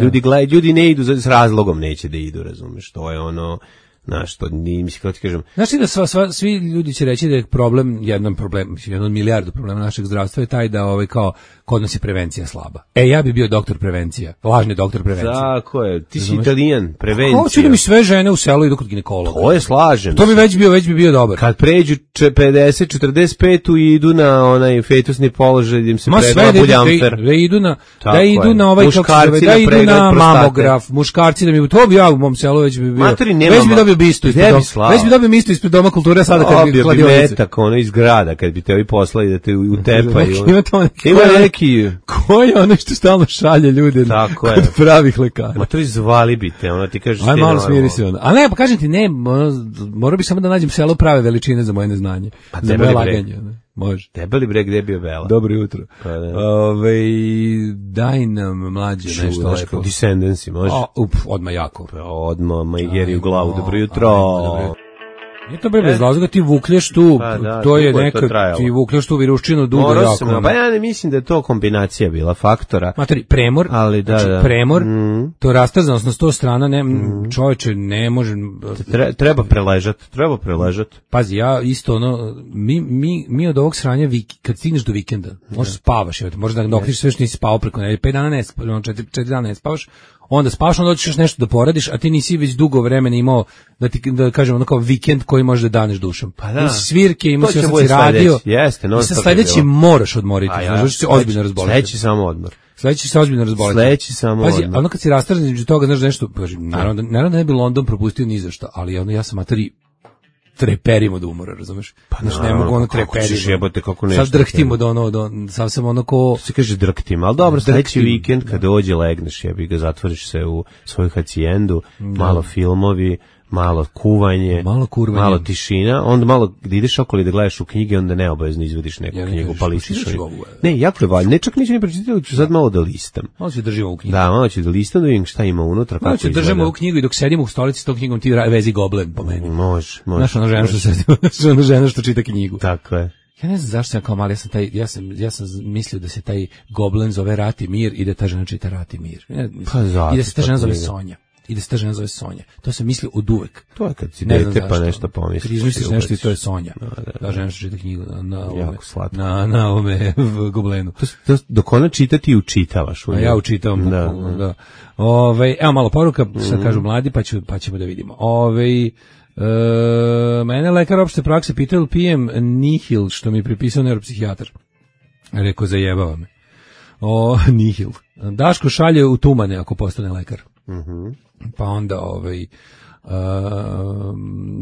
ljudi ne idu s razlogom neće da idu, razumeš. To je ono, Znaš, to nije, mislim, kako ti kažem. Znaš ti da svi ljudi će reći da je problem, jedan od milijardu problema našeg zdravstva je taj da kao kod nas je prevencija slaba. Ja bi bio doktor prevencija, lažni doktor prevencije. Tako je, ti si Italijan, prevencija. Hoću da mi sve žene u selu idu kod ginekologa. To je slažem. To bi već bi bio dobar. Kad pređu 50-45 i idu na onaj fetusni položaj, im se predla buljamfer. Da idu na ovaj, da idu na mamograf, muškarci da mi, to bi ja u mom selu već bi bio. Već bi dobio bistu ispred doma kulture, sada kad bi kladionice. Metak, ono iz grada, kad bi te ovi poslali da te utepaju. Ima neki... Ko je ono što stalno šalje ljude kod pravih lekara? Ma to izvali bi te, ono ti kažeš... Aj, malo smiri se ono. A ne, pa kažem ti, ne, morao bi samo da nađem selo prave veličine za moje neznanje. Pa za moje laganje. Može. Debeli breg, gde je bio Bela? Dobro jutro. Daj nam mlađe nešto lepo. Descendancy, može? Odmah jako. Odmah, majgeri u glavu, dobro jutro. Nije to bez razloga, ti vuklješ tu, to je neka, ti vuklješ tu viruščinu dugo jako. Pa ja ne mislim da je to kombinacija bila faktora. Materi, premor, ali premor, to rastazanost na 100 strana, čovječe ne može... Treba preležat. Pazi, ja isto mi od ovog sranja, kad stigneš do vikenda, možeš spavaš, možda da dokliš sve što nisi spavao preko nedelje, 5 dana ne spavaš, 4 dana ne spavaš, onda spavaš, onda hoćeš nešto da poradiš, a ti nisi već dugo vremena imao, da kažemo, ono kao vikend koji možeš da daneš dušom. Pa da. Imao si svirke, imao si sad si radio, i sa sledeći moraš odmoriti, znači se ozbiljno razboliti. Sledeći samo odmor. Sledeći se ozbiljno razboliti. Pazi, ono kad si rastaran između toga, znaš nešto, naravno da ne bi London propustio ni za šta, ali ja sam materi treperim od umora, razumeš? Pa ne mogu ono treperim. Sad drhtim od sad sam ono ko... Se kaže drhtim, ali dobro, sledeći vikend kad dođe legneš, jebi ga, zatvoriš se u svoju hacijendu, malo filmovi, malo kuvanje, malo tišina, onda malo da ideš okolo da gledaš u knjige, onda neobavezno izvediš neku knjigu, pa listiš. Ne, jako je valjno, ne čak neću ni pročitati, ali ću sad malo da listam. Malo ću držimo u knjigu. Da, malo ću da listam, da vidim šta ima unutra, kako izgleda. Malo ću držimo u knjigu i dok sedimo u stolici s tom knjigom ti vezi Goblen po meni. Može. Znaš ona žena što čita knjigu. Tako je. Ja ne znam zašto sam kao mali, ja sam mislio da se taj Goblen zove Rat i mir i da ta žena čita Rat i mir. I da se ta žena zove Sonja. To sam mislio od uvek. To je kad si dete pa nešto pomisliš. Kad izmisliš nešto i to je Sonja. Da žena što čita knjigu na ovome Goblenu. Dok ona čita ti učitavaš. A ja učitavam. Da. Evo malo poruka, sad kažu mladi pa ćemo da vidimo. Mene lekar opšte prakse pitao ili pijem Nihil, što mi je pripisao neuropsihijatar. Rekao, zajebava me. Nihil. Daško šalje u tumane ako postane lekar. Pa onda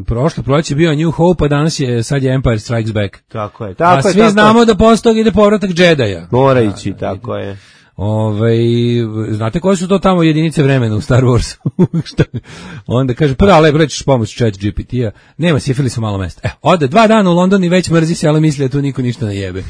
prošlo proleće bio New Hope, a sad je Empire Strikes Back. Tako je. A svi znamo da posle toga ide povratak Jedija. Mora ići, tako je. Znate koje su to tamo jedinice vremena u Star Warsu? Onda kaže, rećeš pomoć chat GPT-a, nema sifilisa malo mesta. Ode 2 dana u London i već mrzi se, ali misli da tu niko ništa ne jebe.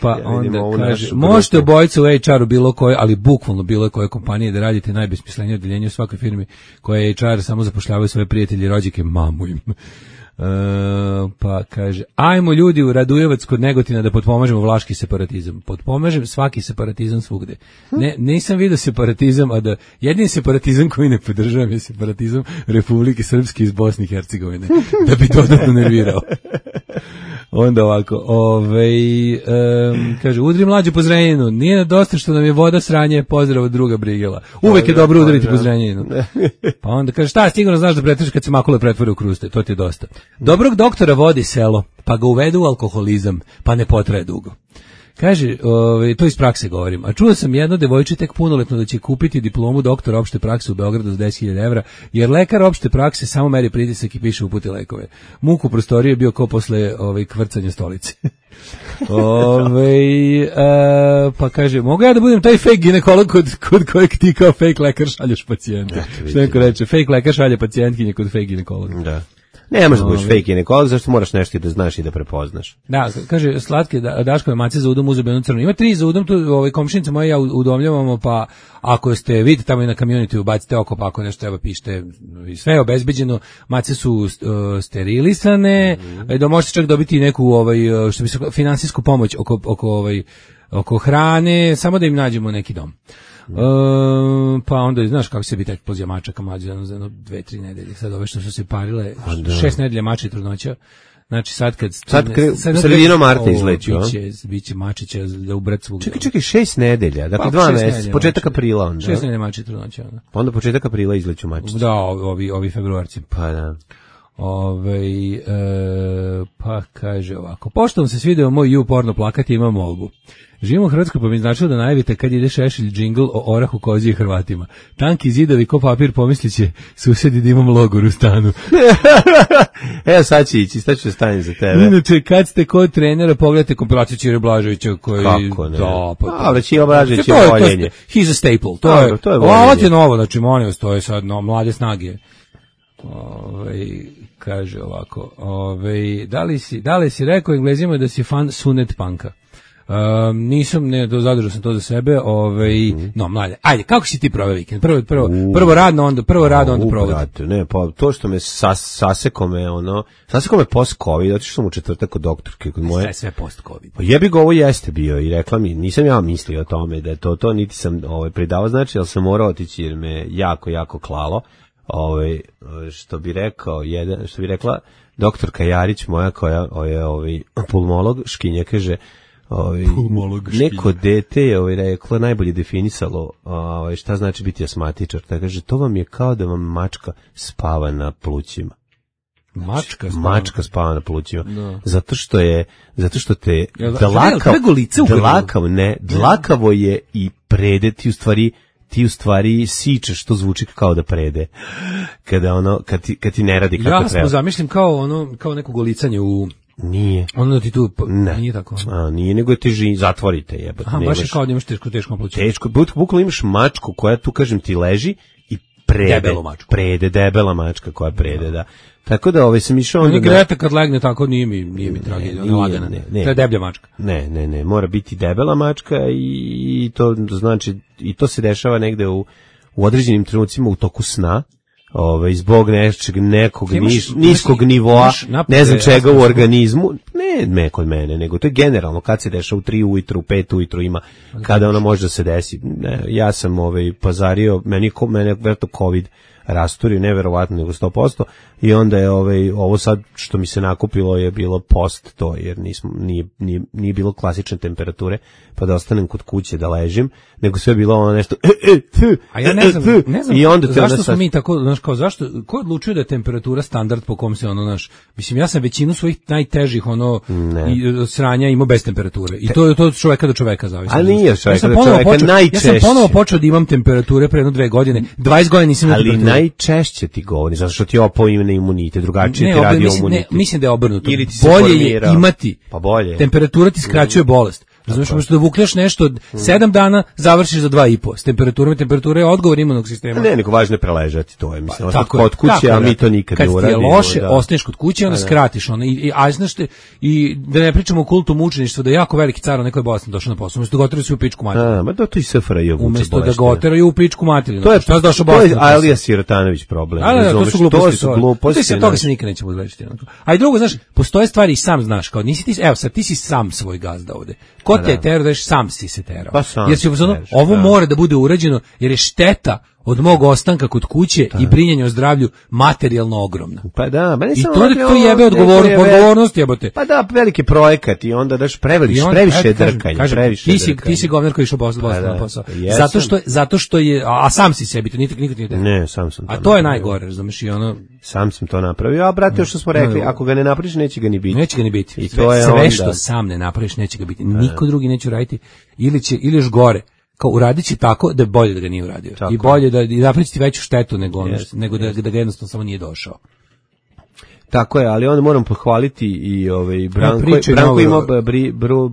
Pa onda kaže, možete obojice u HR-u bilo koje, ali bukvalno bilo koje kompanije da radite najbesmislenije odeljenje u svakoj firmi koje HR samo zapošljavaju svoje prijatelje i rođake, mamu im. Pa kaže, ajmo ljudi u Radujevac kod Negotina da potpomažemo vlaški separatizam. Potpomažem svaki separatizam svugde. Nisam vidio separatizam, a da jedini separatizam koji ne podržavam je separatizam Republike Srpske iz Bosne i Hercegovine, da bi dodatno nervirao. Onda ovako, kaže, udri mlađu po Zrenjaninu, nije dosta što nam je voda sranje, pozdrav od druga Brigela. Uvek je dobro udariti po Zrenjaninu. Pa onda kaže, šta, sigurno znaš da pretvoriš kad se makule pretvore u kruste, to ti je dosta. Dobrog doktora vodi selo, pa ga uvedu u alkoholizam, pa ne potraje dugo. Kaže, to iz prakse govorim, a čuo sam jedno devojče tek punoletno da će kupiti diplomu doktora opšte prakse u Beogradu za 10.000 evra, jer lekar opšte prakse samo meri pritisak i piše upute lekove. Muk u prostoriji je bio kao posle kvrcanja stolice. Pa kaže, mogu ja da budem taj fake ginekolog kod kojeg ti kao fake lekar šalješ pacijente? Što neko reče, fake lekar šalje pacijentkinje kod fake ginekologa. Da. Ne možeš budeš fake ginekolog, zašto moraš nešto da znaš i da prepoznaš. Da, kaže, slatke Daškove mace za udom uzeo crno. Ima 3 za udom, tu komšinice moje ja udomljavamo, pa ako ste vidite tamo i na community ubacite oko, pa ako nešto treba pišite, sve je obezbeđeno, mace su sterilisane, da možete čak dobiti neku što bi se finansijsku pomoć oko hrane, samo da im nađemo neki dom. Pa onda, znaš kako se bi tek pozija mačaka mlađe, za 2-3 nedelje. Sad ove što su se parile, 6 nedelja mača i trudnoća. Znači sad sredinom marta izleću, biće mačića da ubrat svugdje. Čekaj, 6 nedelja, dakle 2 meseca, početak aprila onda. 6 nedelja mača i trudnoća. Onda početak aprila izleću mačiće. Da, ovi februarci. Pa da. Pa kaže ovako, pošto vam se svideo moj porno plakat, imam molbu. Živimo u Hrvatskoj, pa mi značilo da najavite kad ide Šešelj džingl o orahu, kozi i Hrvatima. Tanki zidovi ko papir, pomisliće susedi da imam logor u stanu. Evo sad će ići, sad ću stanje za tebe. Inače, kad ste kod trenera, pogledajte kompilaciju Ćire Blaževića koji... Kako ne? Da, pa Ćire Blažević je voljenje. He's a staple. To je voljenje. Ovo je novo, znači molim vas, to je sad mlade snage. Kaže ovako, da li si rekao Englezima da si fan Sunet Punka? Nisam, zadržao sam to za sebe. No, mlade, ajde, kako si ti proveo vikend? Prvo radno, onda provod. Ne, pa to što me saseko me post-covid, zato što sam u četvrtak kod doktorke kod moje. Sve post-covid. Pa jebi ga, ovo jeste bio i rekla mi, nisam ja mislio o tome da je to niti sam pridavao, znači, ali sam morao otići jer me jako, jako klalo. Što bi rekla doktorka Jarić moja koja je pulmolog škinja, kaže neko dete je rekla, najbolje definisalo šta znači biti asmatičar, tako kaže, to vam je kao da vam mačka spava na plućima. Mačka spava na plućima. No. Zato što te dlakavo je i prede, ti u stvari sičeš, što zvuči kao da prede. Kad ti ne radi kako treba. Ja zamišljam kao neko golicanje u... Nije. Ono ti tu... Nije tako. Nije, nego ti zatvorite jebate. Baš je kao da imaš teško pluće. Teško, bukvalno imaš mačku koja tu, kažem ti, leži i prede, debela mačka koja prede, da. Tako da sam išao onda... Greta kad legne tako nije mi tragedija, ona lagana. To je deblja mačka. Ne, mora biti debela mačka i to znači, i to se dešava negde u određenim trenucima u toku sna, zbog nekog niskog nivoa, ne znam čega u organizmu, ne kod mene, nego to je generalno kad se dešava u 3 ujutru, u 5 ujutru ima, kada ono može da se desi. Ja sam pazario, mene verovatno COVID rasturio, neverovatno, nego 100%, i onda je ovo sad što mi se nakupilo je bilo post to, jer nije bilo klasične temperature, pa da ostanem kod kuće da ležim, nego sve je bilo ono nešto a ja ne znam i onda zašto smo mi tako, znaš, kao zašto, ko odlučuje da je temperatura standard po kom se mislim, ja sam većinu svojih najtežih sranja imao bez temperature i to od čoveka do čoveka zavisi. A nije čoveka do čoveka, najčešće. Ja sam ponovo počeo da imam temperature pre 2 godine, 20 godina nisam imao temperature. Ali najčešće ti govori, zato što ti opao imunitet, drugačije ti radi imunitet. Mislim da je obrnuto. Bolje je imati. Pa bolje. Temperatura ti skraćuje bolest. Razumiješ, možeš da vukljaš nešto od 7 dana, završiš za 2,5. Temperatura je odgovor imunog sistema. Ne, nego važno je preležati, to je, mislim, kod kuće, a mi to nikad ne uradimo. Kad ti je loše, ostaneš kod kuće, onda skratiš ono. I da ne pričamo o kultu mučeništva, da je jako veliki car nekoj bolesni došao na posao, umjesto da ga oteraju u pičku materiju. Ma da to i SFRJ vuče bolesni. Umjesto da ga oteraju u pičku materiju. To je Alija Sirotanović problem. To su gluposti. Toga se nikad nećemo izlečiti. A i drugo, znaš, postoje stvari i sam znaš, kao nisi ti, evo sad ti si sam svoj gazda ovde. Ko te je terao, da sam si se terao. Pa sam jer ovo mora da bude urađeno, jer je šteta od mog ostanka kod kuće i brinjanja o zdravlju materijalno ogromna. Pa da, i to jebe odgovornost jebote. Pa da, veliki projekat i onda daš previše drkanja, ti si govnar koji išao na posao. Zato što je, a sam si sebi, to nikad nije terao. Ne, sam sam to. A to je najgore, razumiješ, i ono... Sam sam to napravio, a brate, što smo rekli, ako ga ne napraviš, neće ga ni biti. Neće ga ni biti. I to je sve što sam ne napraviš, neće ga biti. Niko drugi neće uraditi, ili još gore. Kao uradit će tako da je bolje da ga nije uradio. Tako. I bolje da napravi ti veću štetu nego da ga jednostavno samo nije došao. Tako je, ali onda moram pohvaliti i Branko imao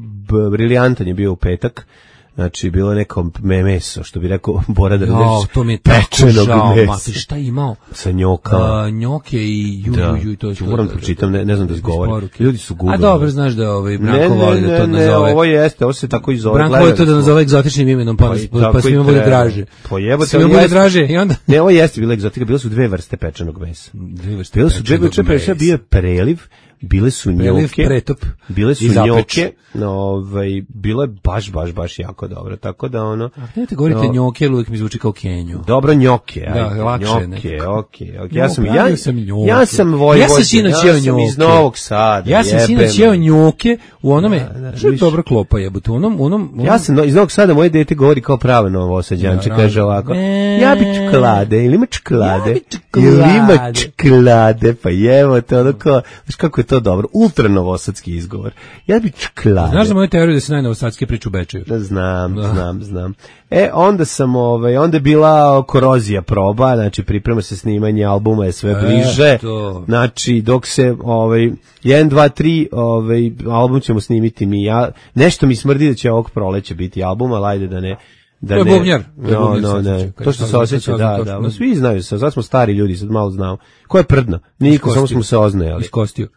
briljantan je bio u petak. Znači, bilo je neko meso, što bi rekao Bora Drnjanić, to mi je tako žao, mati, šta je imao? Sa njokama. Njoke i i to. Moram pročitam, ne znam da izgovorim. Ljudi su googlali. A dobro, znaš da Branko voli da to nazove. Ovo se tako i zove. Branko voli to da nazove egzotičnim imenom, pa svima bude draže. Svima bude draže i onda... Ne, ovo jeste bila egzotika, bilo su 2 vrste pečenog mesa. Bilo su 2 vrste pečenog mesa, bio je preliv, bile su njoke, bile su njoke, bilo je baš jako dobro, tako da ono... A gdje govorite njoke, uvijek mi zvuči kao Kenju. Dobro, njoke, lakše njoke. Ja sam Vojvodin, ja sam iz Novog Sada. Ja sam sinoć jeo njoke u onome, što je dobra klopa jebote, ja sam iz Novog Sada, moje dete govori kao pravo Novosađanče, kaže ovako, ja bi čokolade, ili ima čokolade, ili ima čokolade, pa jevo te, ono kao, znaš kako je to dobro, ultra novosadski izgovor, ja bi čokolade. Znaš za moju teoriju da se najnovosadski priču u Bečeju? Znam. Onda sam, onda je bila korozija proba, znači priprema se snimanje albuma, je sve bliže, znači dok se, 1, 2, 3, album ćemo snimiti mi, nešto mi smrdi da će ovog proleća biti album, ali ajde da ne. To je bubnjar. To što se osjeća, da. Svi znaju se, sad smo stari ljudi, sad malo znamo. Ko je prdno? Niko, samo smo se oznajali. Iskostio.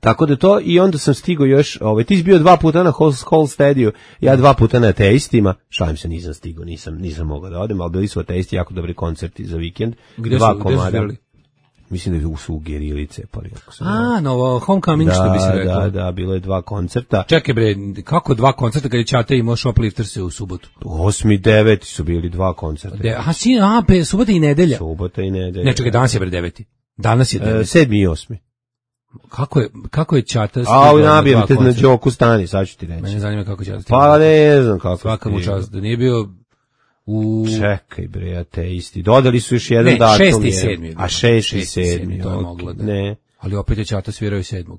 Tako da to, i onda sam stigao još, ti si bio 2 puta na Hall Stadiu, ja 2 puta na Ateistima, šalim se, nisam stigao, nisam mogao da odem, ali bili su Ateisti, jako dobri koncerti za vikend. Gde su bili? Mislim da su u Gerilice. Novo Homecoming, što bi se rekao. Da, bilo je 2 koncerta. Čekaj bre, kako 2 koncerta kad je Ćata imao Shoplifter se u subotu? 8. i 9. su bili 2 koncerta. Subota i nedelja. Ne, čekaj, danas je bre 9. Danas je 9. 7. i 8. Kako je Ćata stigao na 2 koncerta? Nabijem te na Đoku stani, sad ću ti reći. Mene zanima kako Ćata stigao. Pa ne znam kako. Svaka mu čast, da nije bio... Čekaj bre, Ateisti. Dodali su još jedan datum. 6. i 7. A 6. i 7. To je moglo da. Ne. Ali opet je Ćata svirao i 7.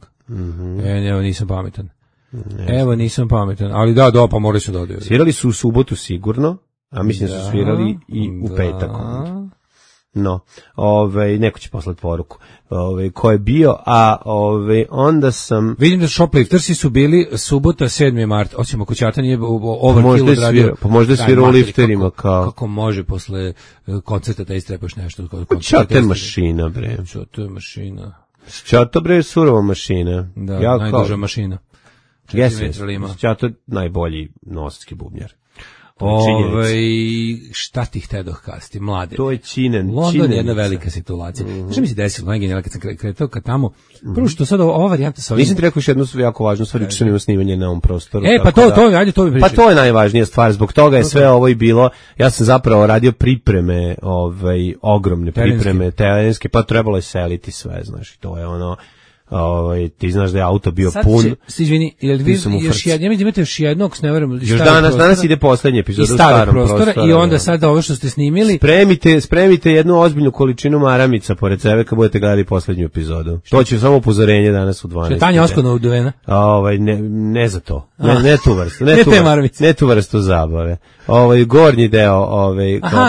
Evo, nisam pametan. Ali da, pa morali su dodaju. Svirali su u subotu sigurno, a mislim da su svirali i u petak. No, neko će poslati poruku, ko je bio, a onda sam... Vidim da Shopliftersi su bili subota 7. mart, osim ako Ćata nije overkill odradio. Pa možda je svirao u lifterima kao... Kako može posle koncerta da istrepaš nešto? Ćata je mašina, bre. Ćata je mašina. Ćata, bre, je surova mašina. Da, najduža mašina. Ćata je najbolji novosadski bubnjar. Šta ti htedoh kasti, mlade? To je činen. London je jedna velika situacija. Što mi se desilo, najgenijalno kad sam kretao ka tamo, prvo što sad ova varijanta sa ovim... Nisam ti rekao još jednu jako važnu stvar, što imamo snimanje na ovom prostoru. Pa to mi pričaj. Pa to je najvažnija stvar, zbog toga je sve ovo i bilo. Ja sam zapravo radio pripreme, ogromne pripreme terenske, pa trebalo je seliti sve, znaš, to je ono... ti znaš da je auto bio pun. Izvini, jel vi imate još jednog, s neverom, još danas ide poslednji epizod u starom prostoru. I onda sad ovo što ste snimili. Spremite jednu ozbiljnu količinu maramica pored sebe kad budete gledali poslednju epizodu. To će samo upozorenje danas u 12. Što je Tanja Oskona uduvena? Ne za to. Ne tu vrstu. Ne tu vrstu zabave. Gornji deo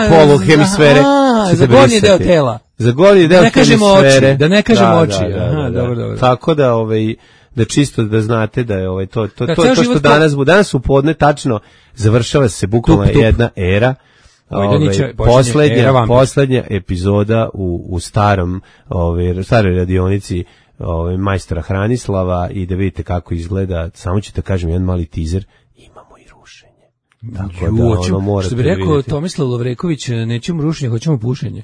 poluhemisfere. Za gornji deo tela. Za gornji deo hemisfere. Da ne kažemo oči. Dobro. Tako da da čisto da znate da je to što danas u podne tačno završava se bukvalno jedna era. Poslednja epizoda u staroj radionici majstora Hranislava, i da vidite kako izgleda. Samo ću da kažem jedan mali teaser, imamo i rušenje. Tako da ono morate što bi rekao Tomislav Lovreković, nećemo rušenje, hoćemo pušenje.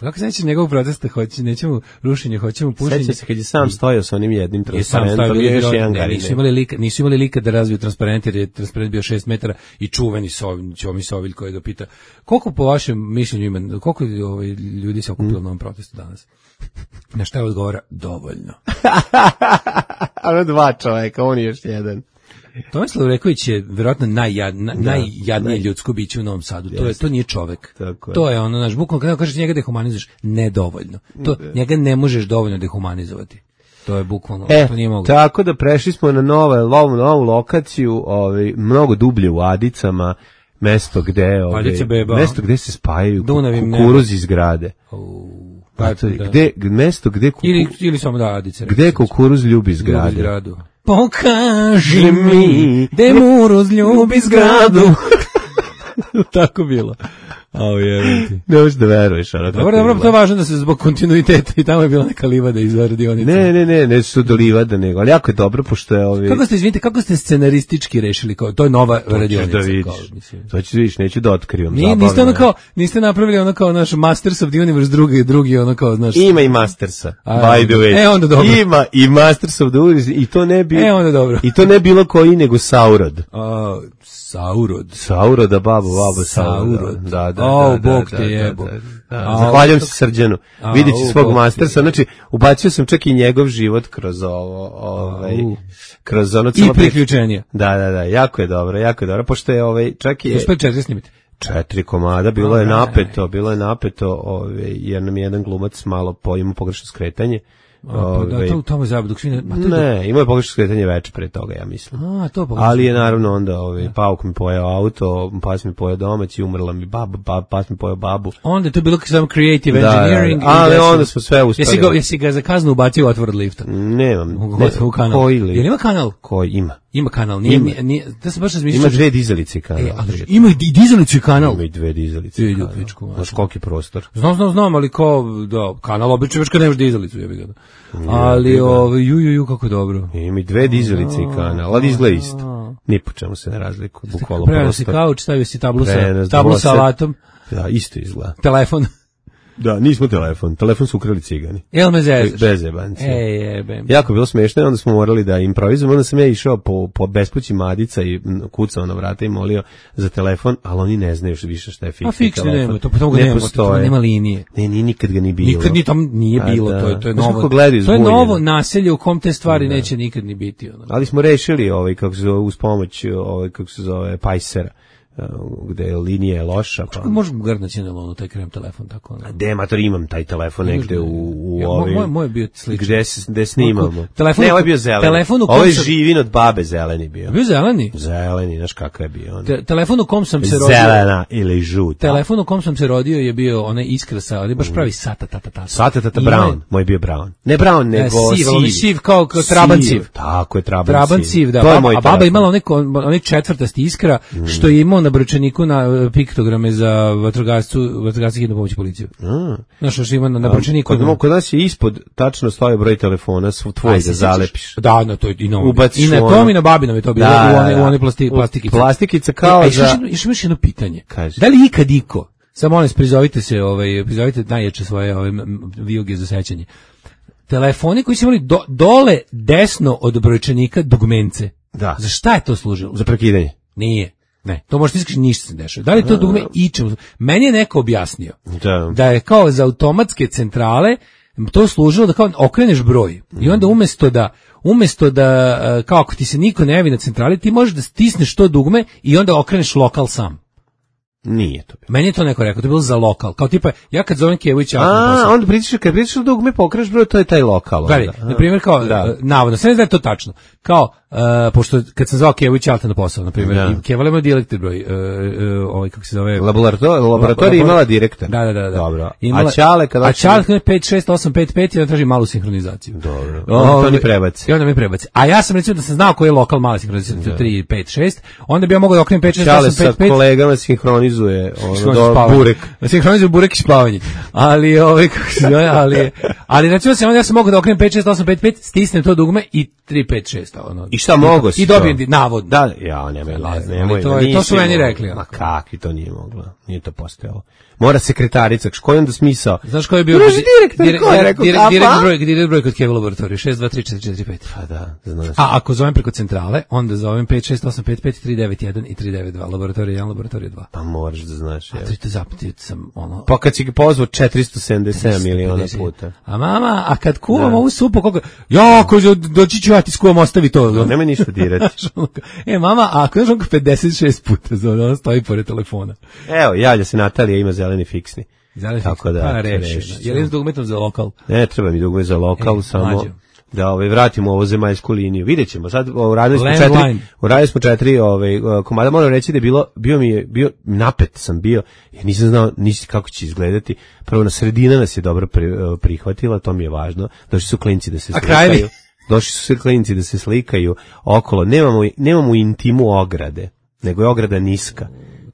Kako se neće njegovog protesta, nećemo rušenje, hoćemo pušenje. Seća se kad je sam stojao sa onim jednim transparentom i još jedan garine. Nisu imali lika da razviju transparent, jer je transparent bio 6 metara i čuveni Ćomi Sovilj koji ga pita koliko po vašem mišljenju ima, koliko ljudi se okupilo na ovom protestu danas? Na šta je odgovora? Dovoljno. Ono 2 čoveka, on je još jedan. Tomislav Lovreković je vjerojatno najjadnije ljudsko biće u Novom Sadu. To nije čovek. To je ono, znaš, bukvalno kada kažeš njega dehumanizuješ, nedovoljno. Njega ne možeš dovoljno dehumanizovati. To je bukvalno, to nije moguće. Tako da prešli smo na novu lokaciju, mnogo dublje u Adicama, mesto gde se spajaju kukuruzi iz grade. Mesto gde ili samo da Adice. Gde kukuruz ljubi zgrade. Pokaži mi gde Muruz ljubi zgradu. Tako bilo. Ne možeš da veruješ. Dobro, to je važno da se zbog kontinuiteta i tamo je bila neka livada iz radionice. Ne su do livada, nego, ali jako je dobro, pošto je Kako ste scenaristički rešili, to je nova radionica. To ću da vidiš, to ću vidiš, neću da otkrivam. Niste napravili ono kao naš Masters of the Universe, drugi ono kao, znaš. Ima i Mastersa, by the way. Onda dobro. Ima i Masters of the Universe, i to ne bi... onda dobro. I to ne bilo koji, nego Saurod. Sauroda, babo Saurod. Da. Bog te jebo. Zahvaljujem se Srđanu. Vidjet ću svog Mastersa, znači ubacio sam čak i njegov život kroz kroz ono i priključenje. Da, jako je dobro, pošto je čak i... Uspeli 4 snimiti? 4 komada, bilo je napeto, jer nam je jedan glumac malo imao pogrešno skretanje. To u tome zabavu dok svi ne, imao je pogrešno skretanje veče pre toga, ja mislim. Ali je naravno onda pauk mi pojeo auto, pas mi pojeo domać i umrla mi baba, pas mi pojeo babu. Onda je to bilo samo creative engineering. Ali onda smo sve uspeli. Jesi ga za kaznu ubacio u otvor od lifta? Nemam. Koji lift? Jel ima kanal? Koji ima? Ima kanal, da se baš razmišljam. Ima 2 dizalice kanal. Ima i dizalice kanal. Ima i 2 dizalice kanal. Znaš koliki prostor? Znam, ali kanal obično već kad nemaš dizalicu, jebi ga. Ali, kako dobro. Ima i 2 dizalice kanal, ali izgleda isto. Ni po čemu se ne razlikuje, bukvalno prostor. Preveo si kauč, stavio si tablu sa alatom. Da, isto izgleda. Telefon. Da, nismo telefon su ukrali cigani. Jel me zezaš? Bez jebanci. Jako je bilo smiješno i onda smo morali da improvizujemo, onda sam ja išao po bespući Madica i kucao na vrata i molio za telefon, ali oni ne znaju više šta je fiksni telefon. Nema, to nema linije. Ne, nikad ga ni bilo. Nikad tam nije bilo, to je novo. To je novo naselje u kom te stvari neće nikad ni biti. Ali smo rešili uz pomoć kako se zove Pajsera. Gde je linija loša. Pa možemo grdnaći na taj krem telefon tako. Demator, imam taj telefon negde u ovim. Moj je bio sličan. Gde snimamo. Ne, ovo je bio zeleni. Ovo je živin od babe zeleni bio. Bio zeleni? Zeleni, znaš kakav je bio on. Telefon u kom sam se rodio. Zelena ili žuta. Telefon u kom sam se rodio je bio onaj iskrasa, ali baš pravi Sata Brown. Moj je bio Brown. Ne Brown, nego siv kao trabanciv. Tako je trabanciv, da. A baba imala onaj četvrtasti iskra što je imao na brčaniku na piktograme za vatrogasci hitnu pomoć policiju. Znaš što ima na brčaniku? Kod nas je ispod tačno stoji broj telefona, tvoj da zalepiš. Da, to je i novo. I na tom i na babinom je to bilo u one plastikice. Plastikica kao za... Još jedno pitanje. Da li ikad iko, samo molim, prizovite najjače svoje vijuge za sećanje. Telefoni koji su imali dole desno od brojčanika dugmence. Da. Za šta je to služilo? Za prekidanje. Nije. Ne, to možete iskriti, ništa se dešava. Da li to dugme ičemu? Meni je neko objasnio da je kao za automatske centrale to služilo da kao okreneš broj i onda umjesto da kao ako ti se niko ne javi na centrali, ti možeš da stisneš to dugme i onda okreneš lokal sam. Nije to bilo. Meni je to neko rekao, to je bilo za lokal. Kao tipa, ja kad zovem Kevovića... onda kad pritišeš dugme, pokreneš broj, to je taj lokal. Gledaj, na primjer, kao, navodno, sve ne znam da je to tačno. Kao, pošto kad sam zvao Kevovića Alta na posao, na primjer, i Kevala ima direktor broj, kako se zove... Laboratorija imala direktor. Da. Dobro. A Čale kada 56855 i onda traži malu sinhronizaciju. Dobro. To mi prebaci. I onda mi prebaci. A ja sam recimo da sam znao koji je lokal mala sinhronizacija, 3, 5, 6, onda bi ja mogao da okrenem 56855. Čale sa kolegama sinhronizuje burek. Sinhronizuje burek i spavanje. Ali kako se zove, ali recimo ja sam mogao da okrenem 56855, stisnem to dugme i 356. I šta mogo si? I dobijem navodno. Da, nemoj. To su meni rekli. Ma kakvi to nije moglo. Nije to postojalo. Mora sekretarica, koji onda smisao? Znaš koji je bio direktor broj kod Keva laboratoriju? 6234445. Pa da, znaš. A ako zovem preko centrale, onda zovem 56855 391 i 392. Laboratorija 1, laboratorija 2. Pa moraš da znaš. A to zapitio sam ono... Pa kad si ga pozvao 477 miliona puta. A mama, a kad kuvam ovu supu, koliko... ako doći ću ja ti skuvam, ostavi to. Nema ništa dirati. Mama, a ako je onko 56 puta zove, ona stoji pored telefona. Evo, javlja se Natalija, ima zeleni fiksni. Tako da, pa reši. Je li s dugmetom za lokal? Ne, treba mi dugme za lokal, samo da vratimo ovo zemaljsku liniju. Vidjet ćemo, sad uradili smo 4 komada, moram reći da je bio napet sam bio, jer nisam znao kako će izgledati. Prvo na sredina nas je dobro prihvatila, to mi je važno, došli su klinci da se slikaju. Došli su sve klinci da se slikaju okolo, nemamo intimu ograde, nego je ograda niska.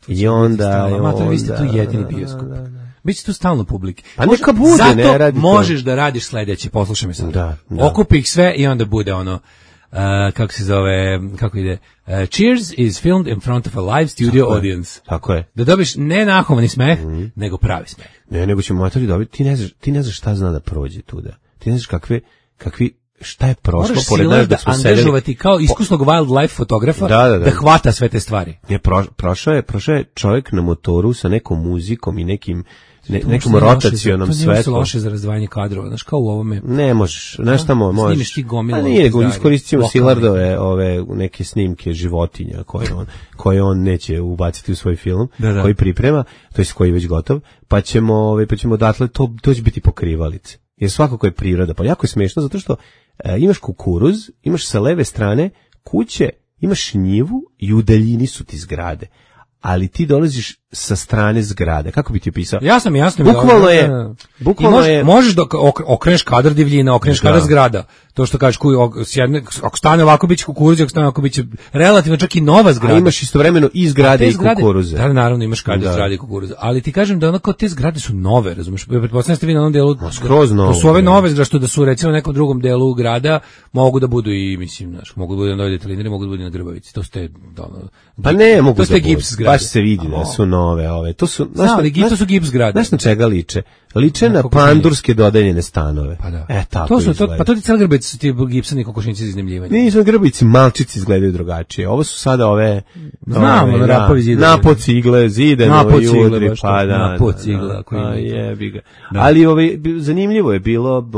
I onda... Vi ste tu jedini bioskop. Biće tu stalno publike. Pa neka bude, zato ne radi to. Možeš da radiš sledeće, poslušaj me sad. Da. Okupi ih sve i onda bude ono, kako se zove, kako ide, Cheers is filmed in front of a live studio audience. Tako je. Da dobiš ne nahovani smeh, nego pravi smeh. Ne, nego ćemo matori dobiti, ti ne znaš šta zna da prođe tuda. Ti ne znaš kakvi šta je prošlo pored nas da smo sedeli. Angažovati kao iskusnog wildlife fotografa da hvata sve te stvari. Prošao je čovjek na motoru sa nekom muzikom i nekom rotacionom svetlom. To nije loše za razdvajanje kadrova, znaš, kao u ovome. Ne možeš, znaš tamo možeš. Snimiš ti gomilu. A nije, nego iskoristimo Silardove neke snimke životinja koje on neće ubaciti u svoj film, koji priprema, to je koji je već gotov, pa ćemo odatle, to će biti pokrivalice. Jer svakako je priroda, pa jako je smiješno, zato što imaš kukuruz, imaš sa leve strane kuće, imaš njivu i u daljini su ti zgrade. Ali ti dolaziš sa strane zgrade. Kako bi ti opisao? Jasno. Bukvalno je. Možeš da okreneš kadar divljina, okreneš kadar zgrada. To što kažeš, ako stane ovako biće kukuruz, ako stane ovako biće relativno čak i nova zgrada. A imaš istovremeno i zgrade i kukuruze. Da, naravno imaš kadar zgrade i kukuruze. Ali ti kažem da onako te zgrade su nove, razumiješ? Pretpostavljam ste vi na onom delu. Skroz nove. To su ove nove zgrade, što da su recimo na nekom drugom delu grada, mogu da budu i, mislim, znaš, mogu da budu na Novoj Detelinari, mogu da budu na Grbavici. To ste, pa ne mogu to ste gips zgrade. Baš se vidi da su nove. To su, to su gips zgrade. Znaš na čega liče? Liče na pandurske dodeljene stanove. Pa da. Tako pa to ti cijela Grbavica su ti gipsani kokošnici za iznajmljivanje. Nisu Grbavici, malčici izgledaju drugačije. Ovo su sada ove... Znamo, rapovi zidane. Napo cigle, zidane i udri, pa da. Napo cigle. Jebi ga. Ali zanimljivo je bilo,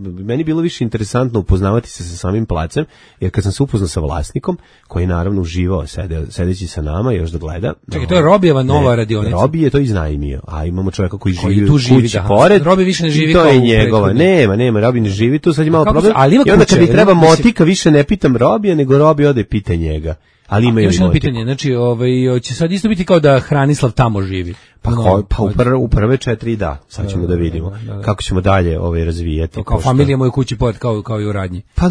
meni bilo više interesantno upoznavati se sa samim placem, jer kad sam se upoznao sa vlasnikom, koji je naravno uživao sedeći sa nama još da gleda. Čekaj, to je Robijeva nova radionica. Robi je to iznajmio, a imamo čovjeka koji živi u kući pored. Robi više ne živi kao u to je njegova. Nema, Robi ne živi tu, sad je malo problem. I onda kad mi treba motika, više ne pitam Robija, nego Robi ode pita njega. Ali imaju još jedno pitanje, znači, će sad isto biti kao da Hranislav tamo živi. Pa u prve 4 da, sad ćemo da vidimo kako ćemo dalje razvijati. Kao familija moje kući pored, kao i u radnji. Pa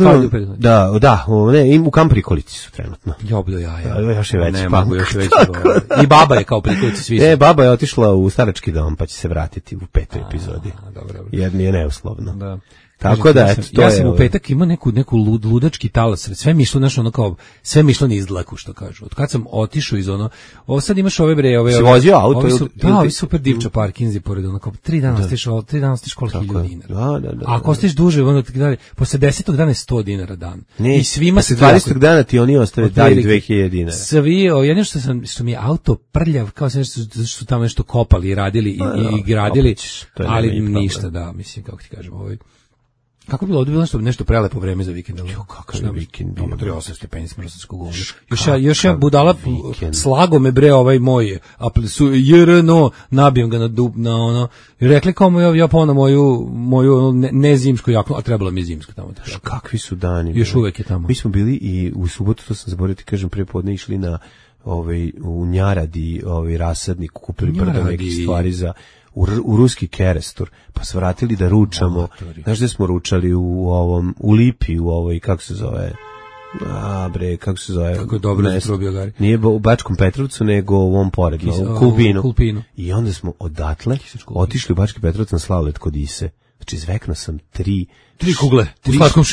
u Kamp Prikolici su trenutno. Još je veći punk. I baba je kao Prikolici svi su. Baba je otišla u starački dom, pa će se vratiti u 5. epizodi. Jer nije neuslovno. Da. Tako da, eto, to ja sam u petak imao neku ludački talas, sve mi išlo, znaš, ono kao, sve mi išlo niz dlaku, što kažu. Od kad sam otišao iz ovo sad imaš ove si vozio auto? Ovi super divča parkinzi pored, ono kao, 3 dana stiš koliko 1000 dinara. Da. A ako stiš duže, ono tako dalje, posle 10. dana je 100 dinara dan. I svima se 20. dana ti oni ostave daju 2000 dinara. Svi, jedino što mi je auto prljav, kao se nešto, su tamo nešto kopali i radili i gradili, ali ništa, da, mislim, kako ti kažem, kako bi bilo ovdje bilo nešto prelepo vreme za vikend? Kakav je vikend bio? 38 stepeni smrsanskog govna. Još ja budala slago me moj JRNO, nabijem ga na ono, i rekli kao ja pa moju nezimsku jaknu, a trebalo mi je zimsko tamo. Kakvi su dani? Još uvek je tamo. Mi smo bili i u subotu, to sam zaboravio ti kažem, prije podne išli na u Njaradi, rasadnik, kupili brdo nekih stvari u ruski Kerestur, pa se vratili da ručamo. Znaš gde smo ručali? U Lipi, kako se zove? Kako se zove? Kako je dobro da probio Gari. Nije u Bačkom Petrovcu, nego u ovom poredu, u Kulpinu. I onda smo odatle otišli u Bački Petrovac na sladoled kod Ise. Znači, izvekno sam 3 kugle,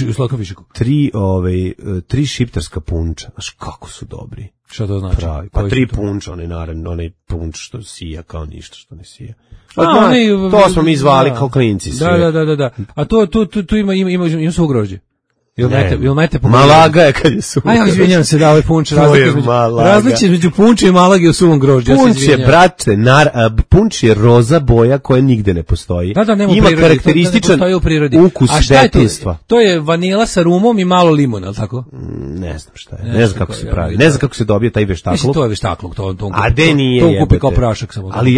u slatkom višeku. 3 šiptarska punča. Znaš, kako su dobri. Šta to znači? Pravi. Pa 3 punča, onaj punč što sija kao ništa što ne sija. To smo mi zvali kao klinci. Da. A tu ima su ugrožđe. Malaga je kad je suvo. Ja izvinjam se da ovaj punč različite između punča i Malage u suvom grožđu. Punč je, brate, punč je roza boja koja nigde ne postoji. Ima karakterističan ukus detinjstva. To je vanila sa rumom i malo limona, ali tako? Ne znam šta je. Ne znam kako se pravi. Ne znam kako se dobije taj veštakluk. Mislim, to je veštakluk. A de nije jebate. To kupi kao prašak samo. Ali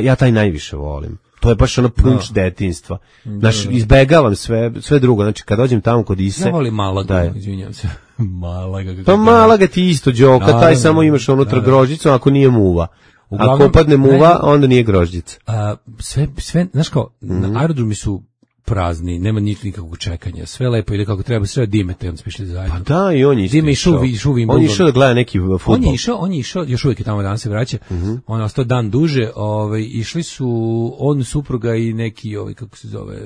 ja taj najviše volim. To je baš ono punč detinjstva. Znači, izbegavam sve drugo. Znači, kad dođem tamo kod Ise... Ja volim Malaga, izvinjam se. Malaga. Pa Malaga ti isto džoka, taj samo imaš unutra grožđicu, ako nije muva. Ako opadne muva, onda nije grožđica. Sve, znaš kao, na aerodromi su prazni, nema nikakvog čekanja, sve lepo ide kako treba, sve Dimete, on spišli zajedno. Pa da, i on je išao. On je išao da gleda neki fudbal. On je išao, još uvijek je tamo, danas se vraća, on je ostao dan duže, išli su on, supruga i neki, kako se zove,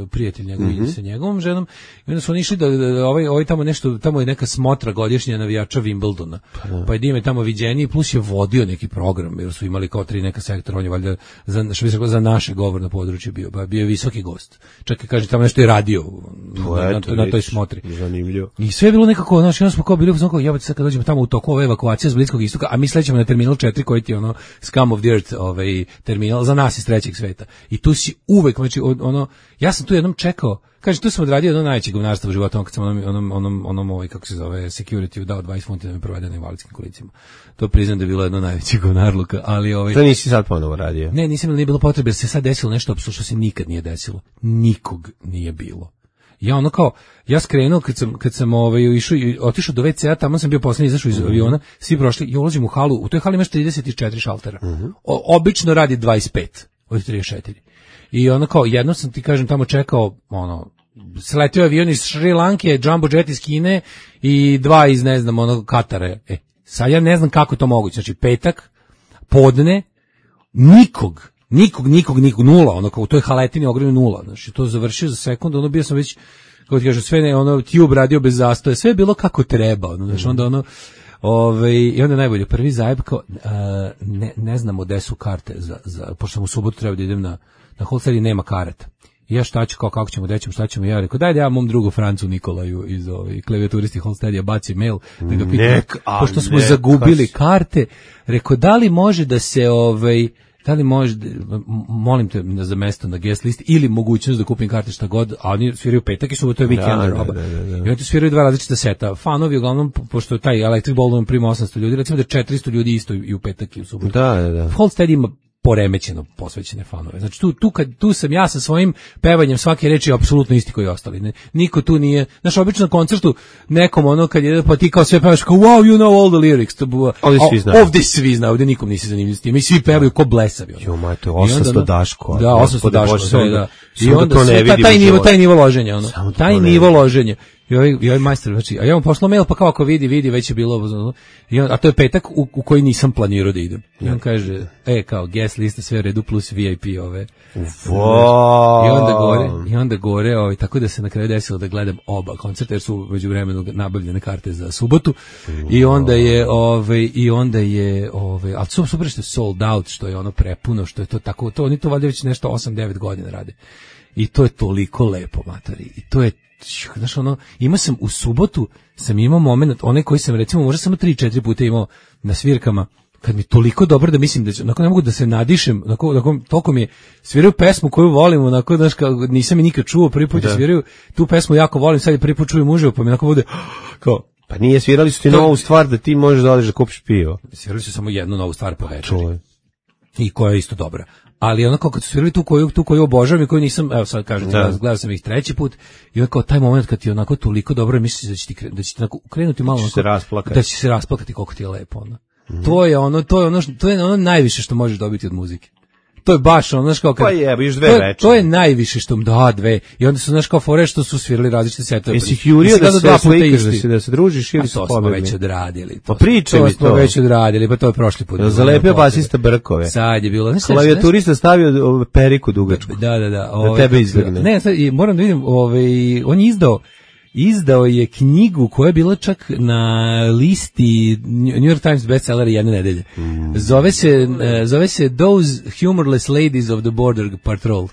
prijatelj njegov, ide sa njegovom ženom, i onda su oni išli da tamo nešto, tamo je neka smotra godišnja navijača Wimbledona, pa je Dime tamo viđeniji, plus je vodio neki program, jer su imali kao 3 neka sektora, on je valjda za naše govorno područje bio je visoki gost. Čak i kaže tamo nešto je radio na toj smotri. Zanimljivo. I sve je bilo nekako, znači onda smo kao bili u jebote, sad kad dođemo tamo u toku ove evakuacije s Bliskog istoka, a mi slećemo na terminal 4 koji ti je ono scum of the earth, terminal za nas iz trećeg sveta. I tu si uvek, znači ja sam tu jednom čekao, kaže tu sam odradio jedno najveće govnarstvo u životu, kad sam onom kako se zove, security dao 20 funti da me provede na invalidskim kolicima. To priznam da je bilo jedno najveće govnarluka, ali To nisi sad ponovo radio? Ne, nisam, nije bilo potrebe, jer se sad desilo nešto apsolutno što se nikad nije desilo. Nikog nije bilo. Ja skrenuo kad sam otišao do WC-a, tamo sam bio posljednji, izašao iz aviona, svi prošli i ulazim u halu, u toj hali imaš 34 šaltera. Obično radi 25 od 34. I jedno sam ti kažem tamo čekao, sletio avion iz Šri Lanke, Jumbo jet iz Kine i 2 iz, ne znam, Katara. Sad ja ne znam kako je to moguće, znači petak, podne, nikog, nula, u toj haletini ogromno nula, znači to završio za sekundu, bio sam već, kako ti kažem, sve tube radio bez zastoja, sve je bilo kako treba, znači onda i onda najbolje, prvi zajeb kao, ne znamo gde su karte pošto sam u subotu treba da idem na Holstead i nema karata. I ja šta ću, kako ćemo, gde ćemo, šta ćemo, ja rekao, daj da ja mom drugu Francu Nikolaju iz klaviaturisti Holsteadija baci mail, da ga pitam, pošto smo zagubili karte, rekao, da li može da se, da li može, molim te za mesto na guest listi ili mogućnost da kupim karte šta god, a oni sviraju petak i subotu je weekend roba. I oni sviraju 2 različita seta. Fanovi uglavnom, pošto taj Electric Ballroom prima 800 ljudi, recimo da 400 ljudi isto i u petak i u subotu. Da. Holstead ima poremećeno posvećene fanove. Znači tu sam ja sa svojim pevanjem svake reči apsolutno isti koji ostali. Niko tu nije, znaš, obično na koncertu nekom kad je, pa ti kao sve pevaš kao wow, you know all the lyrics. Ovdje svi znaju, ovdje nikom nisi zanimljiv s tim. I svi pevaju ko blesavi. Jo, majte, 800 Daško. Da, 800 Daško, sve, da. I onda taj nivo loženja, taj nivo loženja. I ovaj majstor, znači, a ja mu poslao mail, pa kao ako vidi, već je bilo, a to je petak u koji nisam planirao da idem. I on kaže, kao guest lista, sve u redu, plus VIP ove. I onda gore, tako da se na kraju desilo da gledam oba koncerta, jer su među vremenu nabavljene karte za subotu. I onda je, ali super što je sold out, što je prepuno, što je to tako, oni to valjda već nešto 8-9 godina rade. I to je toliko lepo, materi. I to je, znaš, imao sam u subotu, sam imao moment, onaj koji sam recimo možda samo 3-4 puta imao na svirkama, kad mi toliko dobro da mislim da će, ne mogu da se nadišem, toliko mi je, sviraju pesmu koju volim, znaš, nisam je nikad čuo, prvi put sviraju, tu pesmu jako volim, sad je prvi put čujem uživo, pa mi bude, kao, pa nije, svirali su ti novu stvar da ti možeš da odeš da kupiš pivo. Svirali su samo jednu novu stvar po večeri. I koja je isto dobra. Ali kad su svirali tu koju obožavam i koju nisam, evo sad kažem, gledao sam ih 3. put i kao taj moment kad ti onako toliko dobro misliš da će ti krenuti malo, da će se rasplakati koliko ti je lepo. To je ono najviše što možeš dobiti od muzike. To je baš znaš kao kad još 2 večeri. To je najviše što 2. I onda su znaš kao fore što su svirali različite setove. Jesi ih jurio da se slikaš, da se družiš ili to smo već odradili. Pa pričaj mi to. Smo već odradili, pa to je prošli put. Zalepio basista brkove. Sad je bilo. Klavijaturista stavio periku dugačku. Da. Da tebe izvrgne. Ne, sad moram da vidim, on je izdao je knjigu koja je bila čak na listi New York Times bestsellera jedne nedelje. Zove se Those Humorless Ladies of the Border Patrol.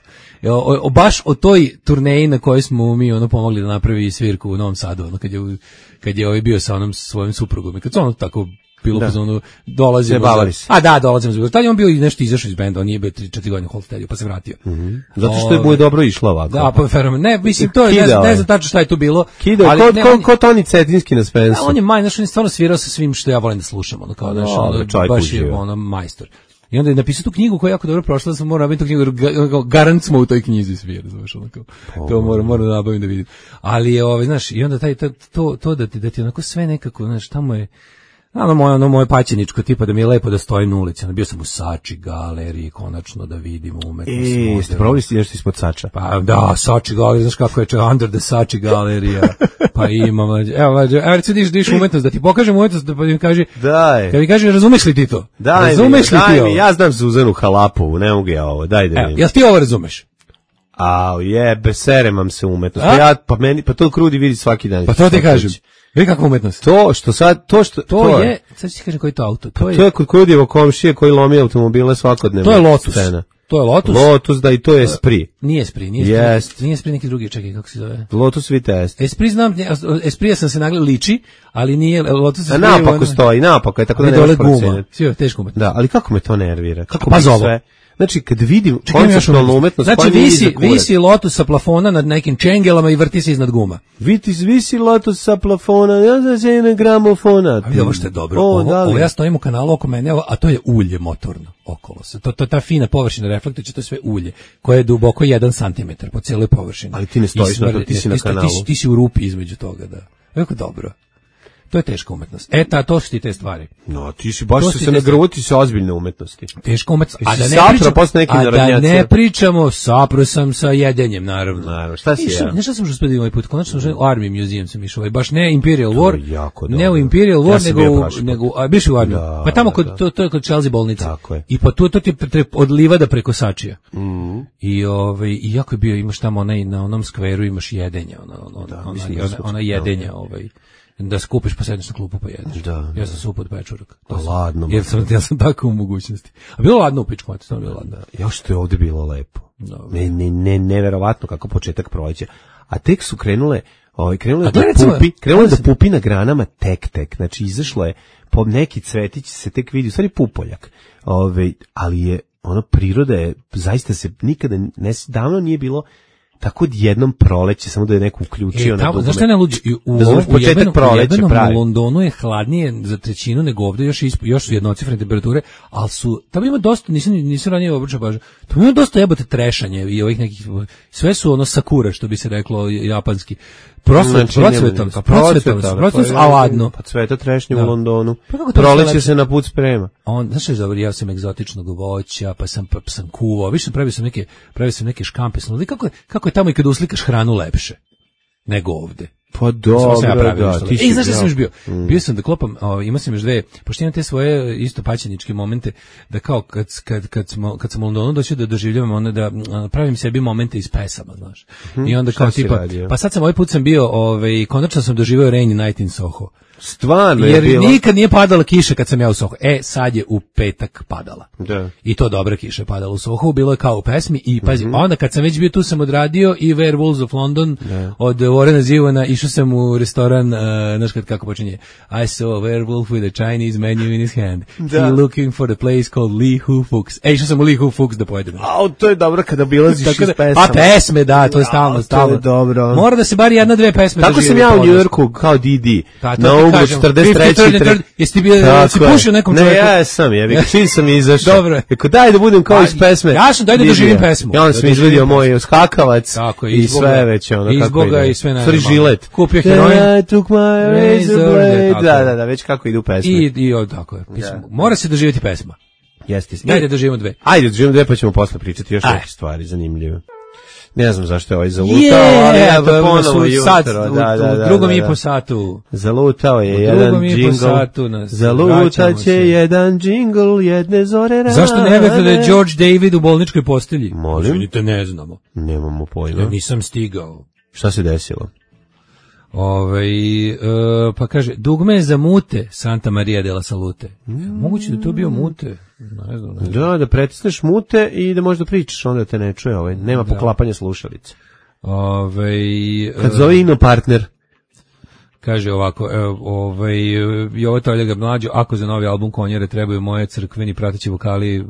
Baš o toj turneji na kojoj smo mi pomogli da napravi svirku u Novom Sadu, kad je bio sa onom svojim suprugom i kad su tako bilo pozvano, dolazimo. Dolazimo za. Tad je on bio i nešto izašao iz benda, on nije bio 3-4 godine u Holsteadu, pa se vratio. Zato što je bude dobro išlo ovako. Da, pa fenomen. Ne, mislim, to je, ne znam tačno šta je tu bilo. Kidao, ko Toni Cetinski na Spensu. On je stvarno svirao sa svim što ja volim da slušam, baš je majstor. I onda je napisao tu knjigu koja je jako dobro prošla, da sam morao nabaviti tu knjigu, garant smo u toj knjizi svirali, znaš, to moram nabaviti da vidim. Ali je, znaš, i onda to da ti onako sve nekako, znaš, tamo je, Ono moje paćeničko, tipa da mi je lepo da stojim na ulici. Bio sam u Sači galeriji, konačno da vidimo umetnost. Ste probali si nešto ispod Sača? Pa da, Sači galerija, znaš kako je Under the Sači galerija. Pa imam, evo recimo diš umetnost, da ti pokažem umetnost, da pa mi kaže, kad mi kaže, razumeš li ti to? Razumeš li ti ovo? Ja znam Zuzanu Halapovu, ne mogu ja ovo, daj da vidim. Jel ti ovo razumeš? Serem vam se umetnost. Pa to Krudi vidi svaki dan. Pa to ti kažem. Vidi kakva umetnost. To je, sad ću ti kažem koji je to auto. To je kod Krudijevo komšije koji lomi automobile svakodnevno. To je Lotus. To je Lotus. Lotus, da, i to je Esprit. Nije Esprit, nije Esprit neki drugi, čekaj, kako se zove? Lotus Vitesse. Esprit znam, Esprit sam se nagledao liči, ali nije Lotus. A napako stoji, napako je, tako da ne možeš proceniti. Sve je teško umetnost. Da, ali kako me to nervira? Kako pa bi sve... Znači, kad vidim konceptualnu umetnost... Znači, visi Lotus sa plafona nad nekim čengelama i vrti se iznad guma. Visi Lotus sa plafona, ja znam se na gramofona. A vidi ovo što je dobro. Ovo ja stojim u kanalu oko mene, a to je ulje motorno okolo se. To je ta fina površina reflektora, to je sve ulje, koje je duboko 1 centimetar po cijeloj površini. Ali ti ne stojiš na to, ti si na kanalu. Ti si u rupi između toga, da. Jako dobro. To je teška umetnost. To su ti te stvari. No, ti si baš se nagruti sa ozbiljne umetnosti. Teška umetnost. A da ne pričamo, sapro sam sa jedenjem, naravno. Šta si ja? Nešto sam što spedio ovaj put, konačno u Army Museum sam išao, baš ne Imperial War, ne u Imperial War, nego biš u Army. Pa tamo to je kod Chelsea bolnice. I pa to ti od livada preko Sačija. I jako je bio, imaš tamo na onom skveru, imaš jedenja, ona jedenja, da skupiš pa sedneš na klupu pa jedeš. Da. Ja sam suput pečurak. Ladno. Ja sam tako u mogućnosti. A bilo ladno u pičku, stvarno bilo ladno. Još što je ovdje bilo lepo. Neverovatno kako početak proleća. A tek su krenule da pupi na granama tek. Znači izašlo je po neki cvetić se tek vidi, u stvari pupoljak. Ali je priroda je zaista se nikada davno nije bilo tako jednom proleće, samo da je neko uključio na dugme. Znaš šta ne luđi? U jednom Londonu je hladnije za trećinu nego ovdje, još su jednocifrene temperature, ali tamo ima dosta, nisam ranije obraćao baš, tamo ima dosta jebote trešanje i ovih nekih, sve su sakura, što bi se reklo japanski. Procvetom, a ladno. Pa cveta trešnje u Londonu. Proleće se na put sprema. Znaš što je, ja sam egzotičnog voća, pa sam kuvao, više pravio sam neke škampe, kako je tamo i kada uslikaš hranu lepše nego ovde. Pa dobro, znaš šta sam još bio? Bio sam da klopam, imao sam još dve, pošto imam te svoje isto paćeničke momente, da kao kad sam u Londonu došao da doživljavam da pravim sebi momente iz pesama, znaš. I onda kao tipa, pa sad sam ovaj put sam bio, konačno sam doživio Rainy Night in Soho. Stvarno jer nikad nije padala kiša kad sam ja u Soho. Sad je u petak padala. Da. I to dobra kiša je padala u Soho, bilo je kao u pesmi i pazi, onda kad sam već bio tu sam odradio i Werewolves of London od Warrena Zevona, išao sam u restoran, znaš kako počinje, I saw a werewolf with a Chinese menu in his hand. He looking for the place called Li Hu Fux. Išao sam u Li Hu Fux da pojedem. To je dobro kada obilaziš iz pesama. A pesme, da, to je stalno. To je dobro. Mora da se bar jedna-dve pesme tako sam ja u New Yorku kao Didi. Na uglu 43. Jesi ti pušio nekom čovjeku? Ne, ja sam, čim sam izašao. Dobro. Eko daj da budem kao iz pesme. Ja sam, daj da doživim pesmu. Ja onda sam izvadio moj skakavac i sve već ono kako ide. Izboga i sve najbolje. Žilet. Kupio heroin. I took my razor blade. Da, već kako idu pesme. I tako je. Mora se doživjeti pesma. Jeste. Daj da doživimo dve. Ajde, doživimo dve pa ćemo posle pričati još neke stvari zanimljive. Ne znam zašto je ovaj zalutao, ali ja to ponovo jutro. U drugom i po satu. Zalutao je jedan džingl. Zalutat će jedan džingl jedne zore rane. Zašto ne vete da je George David u bolničkoj postelji? Molim? Izvinite, ne znamo. Nemamo pojma. Ja nisam stigao. Šta se desilo? Pa kaže, dugme je za mute Santa Maria della Salute. Moguće da to bio mute. Ne znam. Da pretisneš mute i da možda pričaš, onda te ne čuje. Nema poklapanja slušalice. Kad zove Ino partner. Kaže ovako, Jovo Toljaga mlađo, ako za novi album Konjere trebaju moje crkveni prateći vokali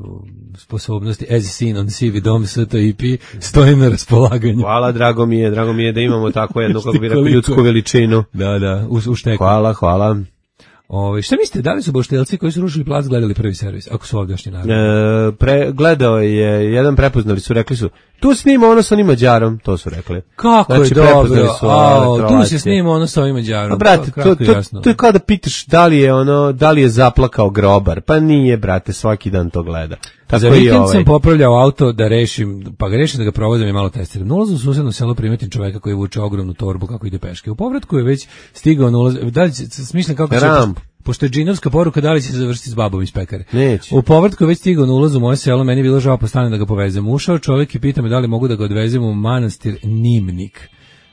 sposobnosti as seen on CV Dom STIP, stojim na raspolaganju. Hvala, drago mi je da imamo tako jednu, kako bi rekao, ljudsku veličinu. Da, u šteku. Hvala. Šta mislite, da li su boštelci koji su rušili plac gledali prvi servis, ako su ovdjašnji narod? Gledao je jedan, prepoznali su, rekli su, Tu snima ono sa onim Mađarom, to su rekli. Kako znači, je dobro, tu se snima ono sa ovim Mađarom. A brate, to je kao da pitaš da li je zaplakao grobar, pa nije, brate, svaki dan to gleda. Tako za vikend sam popravljao auto da rešim, pa ga rešim da ga provozim i malo testiram. Na ulazu u susedno selo primetim čoveka koji vuče ogromnu torbu kako ide peške. U povratku je već stigao na ulaz, da li smišljam kako će... Pošto je džinovska poruka, da li će se završiti s babom iz pekare. Neće. U povratku je već stigao na ulazu u moje selo, meni je bilo žao postane da ga povezem. Ušao čovjek i pita me da li mogu da ga odvezem u manastir Nimnik.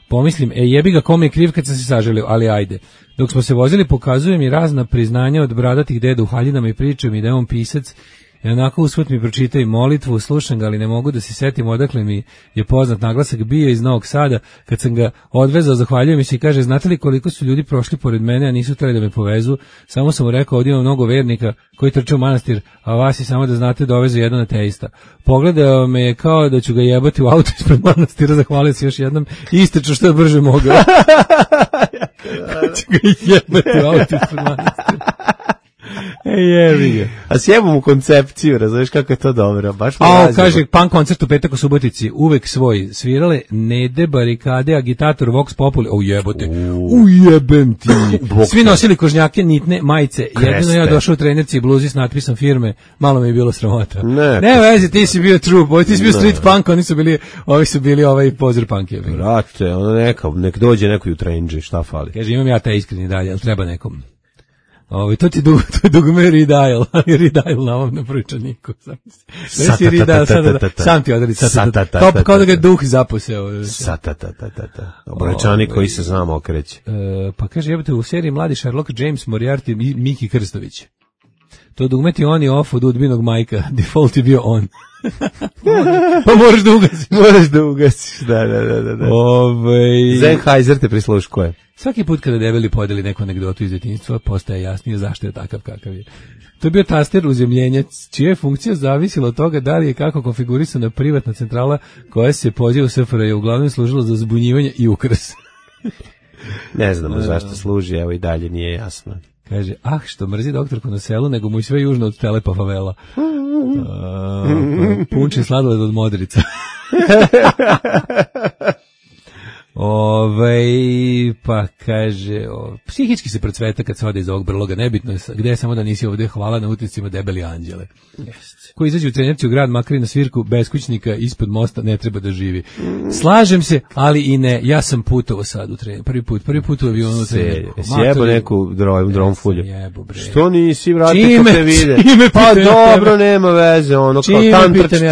Pomislim, jebi ga, kom je kriv kad sam se saželio, ali ajde. Dok smo se vozili, pokazuje mi razna priznanja od bradatih deda u haljinama i priča mi da je on pisac. I onako usput mi pročita i molitvu, slušam ga, ali ne mogu da se setim odakle mi je poznat naglasak, bio iz Novog Sada. Kad sam ga odvezao, zahvaljujem mi se i kaže, znate li koliko su ljudi prošli pored mene, a nisu htjeli da me povezu? Samo sam mu rekao, ovdje ima mnogo vernika koji trče u manastir, a vas je samo da znate dovezu jedan ateista. Pogledao me je kao da ću ga jebati u auto ispred manastira, zahvalio se još jednom i istrčao što je brže mogao. Ću ga jebati u auto ispred manastira. Jevi ga. A sjebom u koncepciju, razumiješ kako je to dobro. Baš kaže, punk koncert u petak u Subotici, uvek svoj, svirale Nede, Barikade, Agitator, Vox Populi, jebote, ujebem ti. Svi nosili kožnjake, nitne, majice, jedino ja došao u trenerci i bluzi s natpisom firme, malo mi je bilo sramota. Ne vezi, ti si bio true, ti si bio street punk, ovi su bili pozor punk. Brate, nek dođe neko i u trenđi, šta fali. Kaže, imam ja taj iskreni dalje, ali treba nekom. To ti dugme Ridail, ali Ridail na ovom napričaniku. Sam ti odredi, kao da ga duh zaposeo. Obračanik koji se znam okreće. Pa kaže, jebate, u seriji Mladi Sherlock, James Moriarty i Miki Krstović. To dugme ti on i off od Udbinog majka, default je bio on. Pa moraš da ugasiš. Da. Sennheiser te prisluškuje. Svaki put kada debeli podeli neku anegdotu iz djetinjstva, postaje jasnije zašto je takav kakav je. To je bio taster uzemljenjac, čija je funkcija zavisila od toga da li je kako konfigurisana privatna centrala koja se poziva u SFRJ, uglavnom služila za zbunjivanje i ukras. Ne znamo zašto služi, evo i dalje nije jasno. Kaže, što mrzi doktorku na selu, nego mu i sve južno od Telepa favela. Punči sladoled od Modrica. Pa kaže, psihički se procveta kad se ode iz ovog brloga, nebitno je gde je, samo da nisi ovde, hvala na uticima debeli anđele. Ko izađe u trenerci u grad, makar i na svirku, beskućnika ispod mosta ne treba da živi. Slažem se, ali i ne, ja sam putovao sad u trenerci, prvi put u avionu u trenerku. Sjebo neku dromfulju. Što nisi, vrati kad te vide? Pa dobro, nema veze, ono kao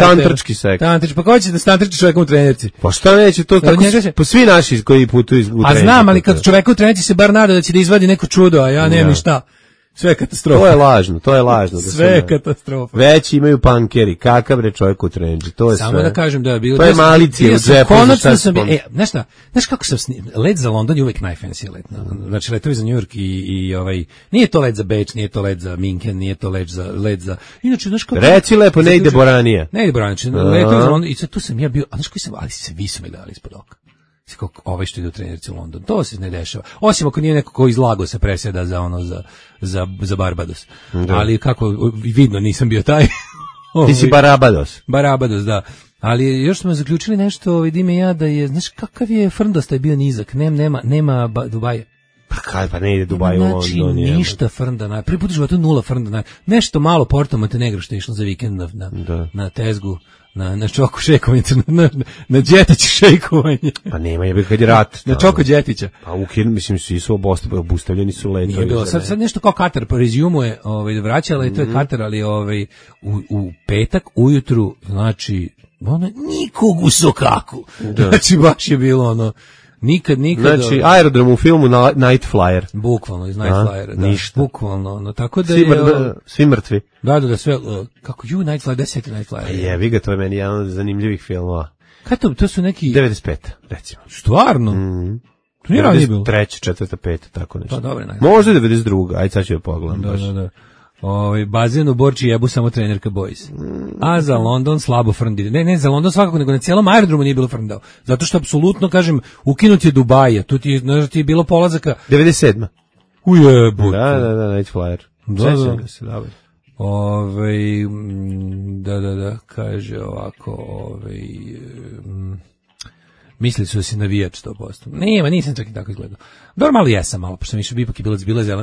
tantrčki seks. Pa ko će da tantrči čovekom u trenerci? Pa šta neće, to tako, pa svi naši koji putuju u trenerci. A znam, ali kad čoveka u trenerci se bar nada da će da izvadi neko čudo, a ja nemam ni šta. Sve katastrofa. To je lažno. Sve katastrofa. Već imaju pankeri, kakav bre čovjek u trenđi, to je samo sve. Samo da kažem da je bilo... To je malicija u džepu. Konačno sam... Znaš kako sam... Let za London je uvijek najfancy let. Znači, letovi za New York i nije to let za Beč, nije to let za Minken, nije to let za... Inače, znaš kako... Reci lepo, ne ide Boranija. Ne ide Boranija, letovi za London, i sad tu sam ja bio... A znaš koji sam... Ali svi su me dali ispod oka. Ovaj što ide u trenerci u London. To se ne dešava. Osim ako nije neko ko iz Lagosa presjeda za Barbados. Da. Ali kako, vidno nisam bio taj. Ti si Barabados. Barabados, da. Ali još smo zaključili nešto, vidim ja da je, znaš kakav je frndost, je bio nizak. Nema Dubaja. Pa ne ide Dubaj u London. Znači ništa frnda. Prvi put u životu 0 frnda. Nešto malo Porto Montenegro što je išlo za vikend na tezgu. Na čoko šekovanje, na džetić šekovanje. Pa nema je kad je rat. Na čoko džetića. Pa mislim svi su obustavljeni su letovi. Nije bilo, sad nešto kao Katar, po rezijumu je vraćala i to je Katar, ali u petak ujutru, znači, nikog u sokaku. Znači baš je bilo Nikad. Znači, aerodrom u filmu Night Flyer. Bukvalno, iz Night Flyera. Da, ništa. Bukvalno, tako da svi mrtvi. Da, sve, kako Night Flyer, 10 Night Flyer. Jevi ga, to je meni jedan od zanimljivih filmova. Kad to su neki... 95, recimo. Stvarno? To nije ranije bilo. 93, 4, 5, tako nešto. Pa dobro, možda 92, ajde sad ću joj pogledam. Da. Bazen u Borči jebu samo trenerka boys. A za London slabo frndi. Ne za London svakako, nego na cijelom aerodromu nije bilo frndao. Zato što apsolutno, kažem, ukinut je Dubaja. Tu ti je bilo polazaka... 97. Ujebote. Da, Night Flyer. Da. Se, dobro. Da, kaže ovako, mislili su da si navijač 100%. Nisam čak i tako izgledao. Dobro, malo jesam, pošto sam ipak je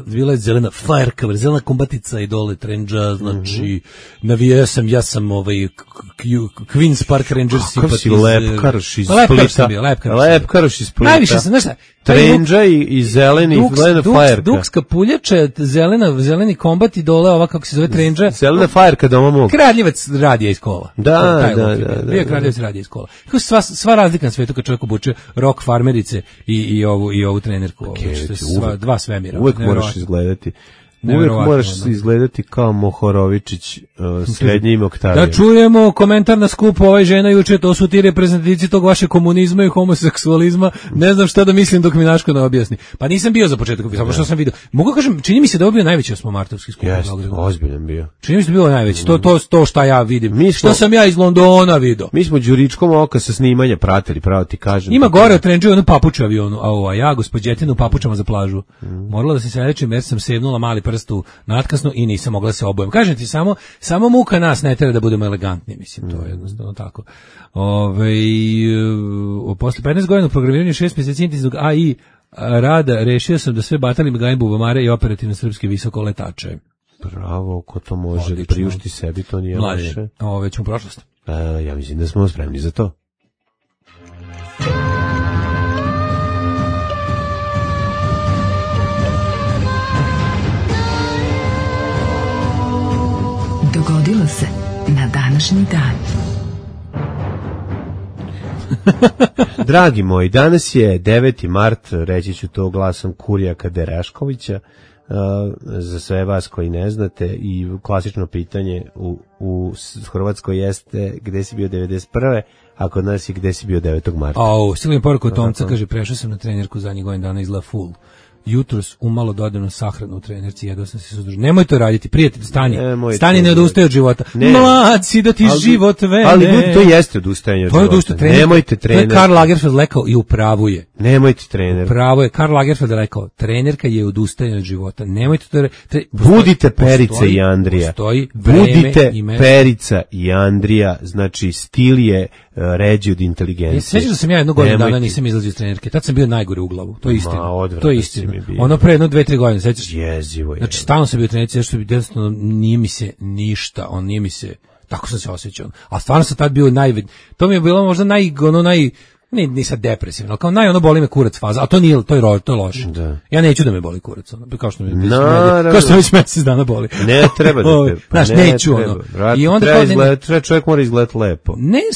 bila je zelena fire cover, zelena kombatica i dole trendža, znači, navijao sam, ja sam Queen's Park Rangers. Kako si lepkaroš iz Splita. Lepkaroš iz Splita. Najviše sam, znaš šta? Trendža i zelena fireca. Dukska puljača, zeleni kombat i dole ova, kako se zove, trendža. Zelena fireca doma mog. Kradljivac radija iz kola. Da. Bio Kradljivac radija iz kola. Sva razlika na svetu kad čovjek obuče rock farmerice i ovu trenerku. Dva svemira. Uvek moraš izgledati. Uvek moraš izgledati kao Mohorovičić, srednjim Oktavijom. Da čujemo komentar na skupu, žena juče, to su ti reprezentativci tog vaše komunizma i homoseksualizma, ne znam šta da mislim dok mi Naško ne objasni. Pa nisam bio za početak, samo što sam vidio. Mogu kažem, čini mi se da je bio najveći osmomartovski skup. Jeste, ozbiljan bio. Čini mi se da je bio najveći, to šta ja vidim. Što sam ja iz Londona vidio. Mi smo Đuričkom oka sa snimanja pratili, pravo ti kažem. Ima gore od Trendžu onu papuču avionu, a ja gospođetinu papučama za plažu. Morala da se selečim jer sam sevnula mali prstu natkasno i nisam mogla se obujem. Kažem ti, samo muka nas ne tera da budemo elegantni, mislim, to je jednostavno tako. Posle 15 godina u programiranju 6 mjeseci intenzivnog AI rada rešio sam da sve batalim gajim bubamare i operativne srpske visokoletače. Bravo, ko to može da priušti sebi, to nije loše. Već smo u prošlost. Ja mislim da smo spremni za to. Dogodilo se na današnji dan. Dragi moji, danas je 9. mart, reći ću to glasom Kurijaka Dereškovića, za sve vas koji ne znate, i klasično pitanje u Hrvatskoj jeste gde si bio 91. a kod nas je gde si bio 9. marta. Stigla mi poruka od Tomca, kaže, prešao sam na trenerku zadnjih godina dana, izgleda full. Jutros umalo dodano sahranu u trenerci, jedva sam se suzdržao. Nemoj to raditi, prijatelj, stani, ne odustaje od života. Mlad si da ti život vene. Ali to jeste odustajanje od života. Nemojte trener. To je Karl Lagerfeld rekao i u pravu je. Nemojte trener. Pravo je, Karl Lagerfeld rekao, trenerka je odustajanje od života. Nemojte to. Budite Perica i Andrija. Budite Perica i Andrija, znači stil je ređi od inteligencije. Sjećaš da sam ja jednog godina dana nisam izlazio iz trenerke, tad sam bio najgore u glavu, to je istina. To je istina. Ono pre 1-2-3 godine, sećaš? Jezivo je. Znači, stalno sam bio u trenerci, što jednostavno nije mi se ništa, nije mi se, tako sam se osjećao. A stvarno sam tad bio to mi je bilo možda ni sad depresivno, ali kao boli me kurac faza, a to nije, to je loše. Da. Ja neću da me boli kurac, kao što mi već mesec dana boli. Ne treba da te, znaš, neću I onda čovjek mora izgledati lepo.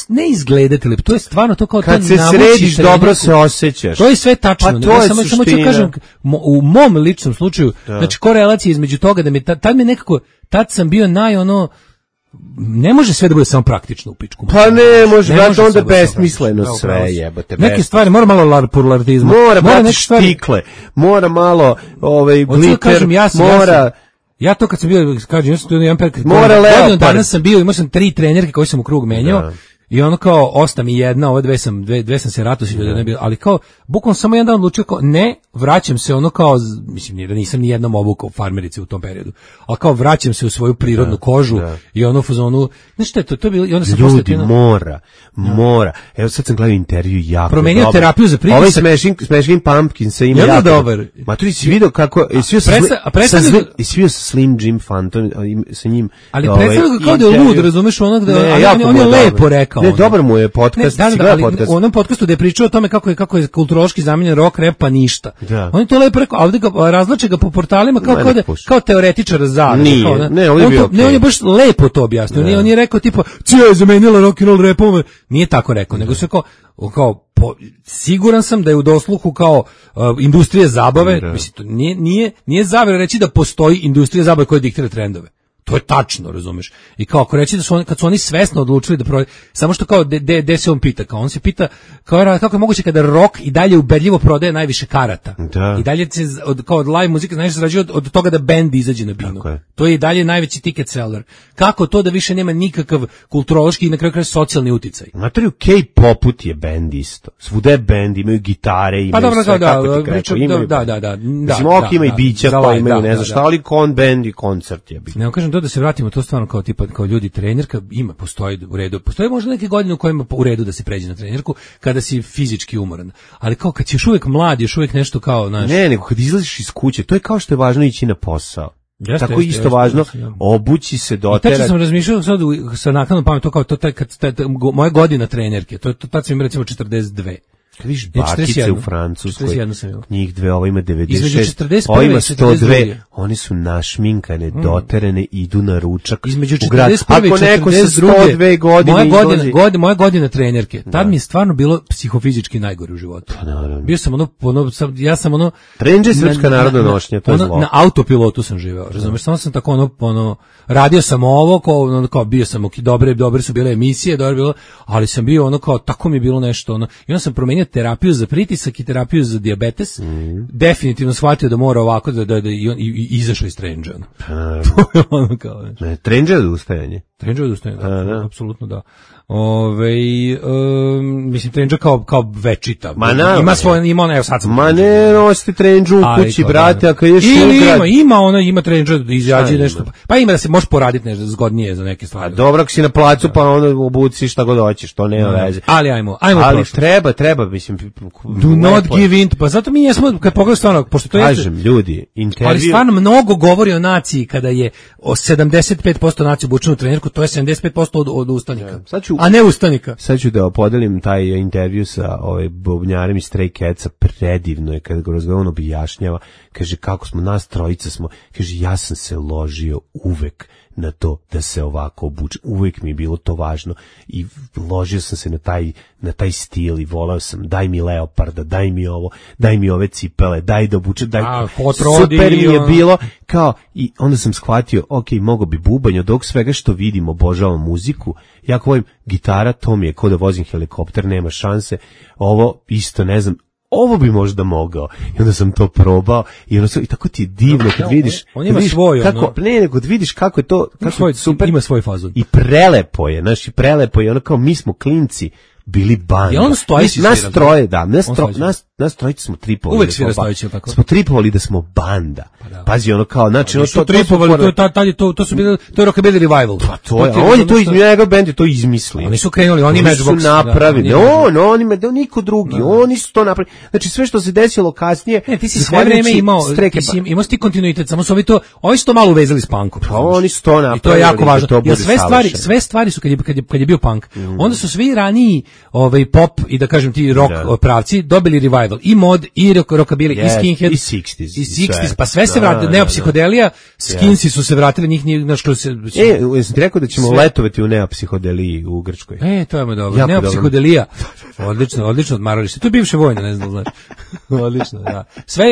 Ne izgledati lepo, to je stvarno to kao kad se središ, dobro se osjećaš. To je sve tačno. Pa to je suština. Samo ću kažem, u mom ličnom slučaju, znači korelacija između toga da mi tad mi nekako, tad sam bio ne može sve da bude samo praktično u pičku. Pa ne može, zato onda besmisleno sve jebote. Neke stvari, mora malo larpurlartizma. Mora neke štikle, mora malo gliter, mora... Ja to kad sam bio, kažem, ja sam tu jedan period, mora leopard. Danas sam bio, imao sam 3 trenerke koje sam u krug menjao. I ono kao, osta mi jedna, ove dve sam se ratosio, ali kao, bukvalno samo jedan dan odlučio kao, ne, vraćam se ono kao, mislim, da nisam ni jednom obukao farmerice u tom periodu, ali kao vraćam se u svoju prirodnu kožu i ono u fazonu, znaš šta je to je bilo, i onda sam ljudi, mora. Evo sad sam gledao intervju jako promenio dobar. Terapiju za pritisak. Ovaj Smashing Pumpkins se ima jako dobar. Ma tu si vidio kako, i svio sa Slim Jim Phantom, sa njim. Ali predstavljaju ga kao da je lud, razumeš onog da, on je lepo rekao. Ne, dobar mu je podcast. Ali u onom podcastu da je pričao o tome kako je kulturološki zamenjen rock, rap, pa ništa. On je to lepo rekao, a ovdje ga razlače ga po portalima kao teoretičar zavere. On je baš lepo to objasnio. On je rekao tipa, cija je zamenila rock and roll rapom. Nije tako rekao, nego se kao siguran sam da je u dosluhu kao industrija zabave, mislim, to nije zavere reći da postoji industrija zabave koja diktira trendove. To je tačno, razumeš. I kao ako reći da kad su oni svesno odlučili da samo što kao de se on pita, kao on se pita kako je moguće kada rock i dalje ubedljivo prodaje najviše karata. Da. I dalje se od live muzike najviše zarađuje od toga da bend izađe na binu. To je i dalje najveći ticket seller. Kako to da više nema nikakav kulturološki i na kraju socijalni uticaj? Znate li, u K-poput je bend isto. Svuda je bend, imaju gitare, imaju sve, kako ti kreću. Mislim, ima i bića koji imaju, ne znam šta, ali kon bend i koncert je. Ne, kažem, da se vratimo to stvarno kao tipa kao ljudi trenerka postoji u redu. Postoji možda neke godine u kojima u redu da se pređe na trenerku kada si fizički umoran. Ali kao kad si još uvijek mlad, još uvijek nešto kao, znaš. Ne, nego kad izlaziš iz kuće, to je kao što je važno ići na posao. Tako isto važno obući se, doterati. Tačno sam razmišljao sad sa naknadnom pametom kao to moja godina trenerke, tad sam im recimo 42. Kad vidiš bakice u Francuskoj, njih dve, ova ima 96, ova ima 102, oni su našminkane, doterene, idu na ručak između 41 i 42. Ako neko sa 102 godine moja godina trenerke, tad mi je stvarno bilo psihofizički najgore u životu. Bio sam ja sam Trendže srpska narodna nošnja, to je zlo. Na autopilotu sam živeo, razumeš, samo sam tako radio sam ovo, kao bio sam dobre su bile emisije, dobro bilo, ali sam bio kao, tako mi je bilo nešto, i onda sam promenio terapiju za pritisak i terapiju za dijabetes, definitivno shvatio da mora ovako i izašao iz Trendža. Trendža je odustajanje. Trendža je odustajanje, da, apsolutno da. Mislim Trendža kao večita. Ima svoje, evo sad sam. Ma ne, nosite Trendžu u kući, brate, ako ješ ima Trendža, izađe nešto. Pa ima da se može poraditi nešto zgodnije za neke stvari. A dobro, ako si na placu, pa onda obuci šta god hoćeš, to nema veze. Ali ajmo treba, mislim. Do not give in, pa zato mi jesmo, kad pogledam stvarno, pošto to je... Kažem, ljudi, intervju... Ali stvarno mnogo govori o naciji, kada je 75% nacije obučeno u trenerku, to je 75% od ustanika. A ne ustanika. Sad ću da podelim taj intervju sa bubnjarem iz Stray Catsa, predivno je kada ga razgovaram, objašnjava, kaže kako smo, nas trojica smo, kaže ja sam se ložio uvek na to da se ovako obuče, uvek mi je bilo to važno i ložio sam se na taj stil i volao sam, daj mi leoparda, daj mi ovo, daj mi ove cipele, daj da obuče, super mi je bilo, kao, i onda sam shvatio, ok, mogo bi bubanj, od ovog svega što vidim, obožavam muziku, jako volim gitara, to mi je kao da vozim helikopter, nema šanse, ovo isto ne znam, ovo bi možda mogao. I onda sam to probao i tako ti je divno kad vidiš. On ima svoj, kad vidiš kako je to, kako je super. Ima svoj fazon. I prelepo je, prelepo je, ono kao mi smo klinci bili banda. Ja on stoji nas troje, da, nas trojice smo tripovali. Uvek svira stojići, tako. Smo tripovali da smo banda. Pazi, ono kao, znači, ono to tripovali, to su bili, to je rockabilly revival. Pa to je, on je to njegov bend je to izmislio. Oni su krenuli, oni su napravili. Niko drugi, oni su to napravili. Znači sve što se desilo kasnije, ti si sve vreme imao ti kontinuitet, samo su ovi su to malo uvezali s punkom. Pa oni su to napravili. I to je jako važno. Jer sve stvari su kad je bio punk. Onda su svi raniji pop i da kažem ti rock pravci dobili revival, i mod, i rockabilly, i skinhead, i 60s, pa sve se vratili, neopsihodelija, skinsi su se vratili, njih nije našlo se... Jesam ti rekao da ćemo letovati u neopsihodeliji u Grčkoj? To je dobro, neopsihodelija, odlično odmaralište, to je bivše vojne, ne znam, znači, odlično, da.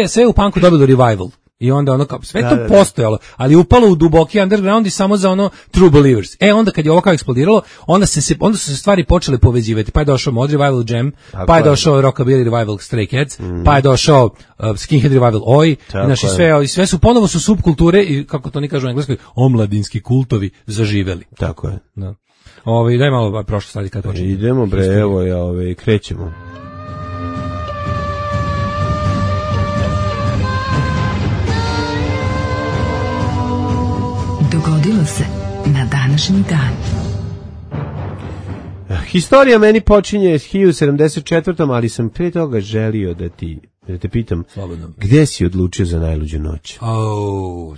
Sve u punku dobilo revival. I onda sve to postojalo, ali upalo u duboki underground i samo za true believers. Onda kad je ovo kao eksplodiralo, onda su se stvari počele povezivati. Pa je došao Mod Revival Jam, pa je došao Rockabilly Revival Stray Cats, pa je došao Skinhead Revival Oi, znači sve su ponovo su subkulture i kako to ni kažu u engleskoj, omladinski kultovi zaživeli. Tako je. Da. Daj malo prošlo stvari kad počne. Idemo bre, evo krećemo. Dogodilo se na današnji dan. Historija meni počinje s 1074. ali sam prije toga želio da te pitam, gde si odlučio za najluđu noć?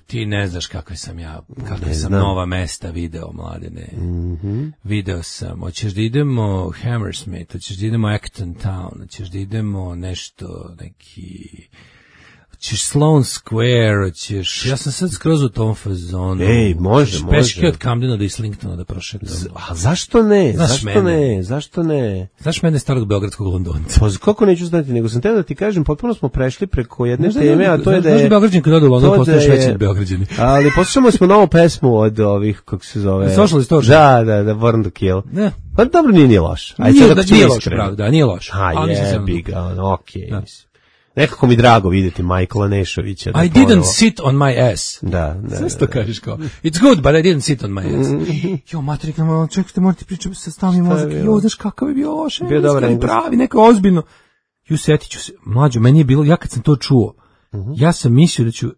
Ti ne znaš kakve sam nova mesta video, mladene. Video sam, hoćeš da idemo Hammersmith, hoćeš da idemo Acton Town, hoćeš da idemo nešto, neki... Ćeš Sloan Square, ja sam sad skroz u tom fazonu. Može. Peške od Camdena do Islingtona da prošetam. A zašto ne? Zašto ne? Znaš mene starog beogradskog Londonca? Pa kako neću znati, nego sam teo da ti kažem, potpuno smo prešli preko jedne teme, a to je da je... Znaš Beograđan kad ode u London, postaješ veći od Beograđani. Ali poslušamo smo novu pesmu od ovih, kako se zove... Social Distortion. Da, Born to Kill. Ne. Pa dobro, nije loš. Nije loš, pravda, nije loš. Jebi ga, okej, mislim. Nekako mi drago vidjeti Michaela Nešovića. I didn't sit on my ass. Da. Sve što kažeš kao, it's good, but I didn't sit on my ass. Matrik, čekajte, morate pričati sa stavnim mozak. Znaš kakav je bio loš. Bio dobar engleski. Pravi, neko ozbiljno. Setit ću se, mlađo, meni je bilo, ja kad sam to čuo, ja sam mislio da ću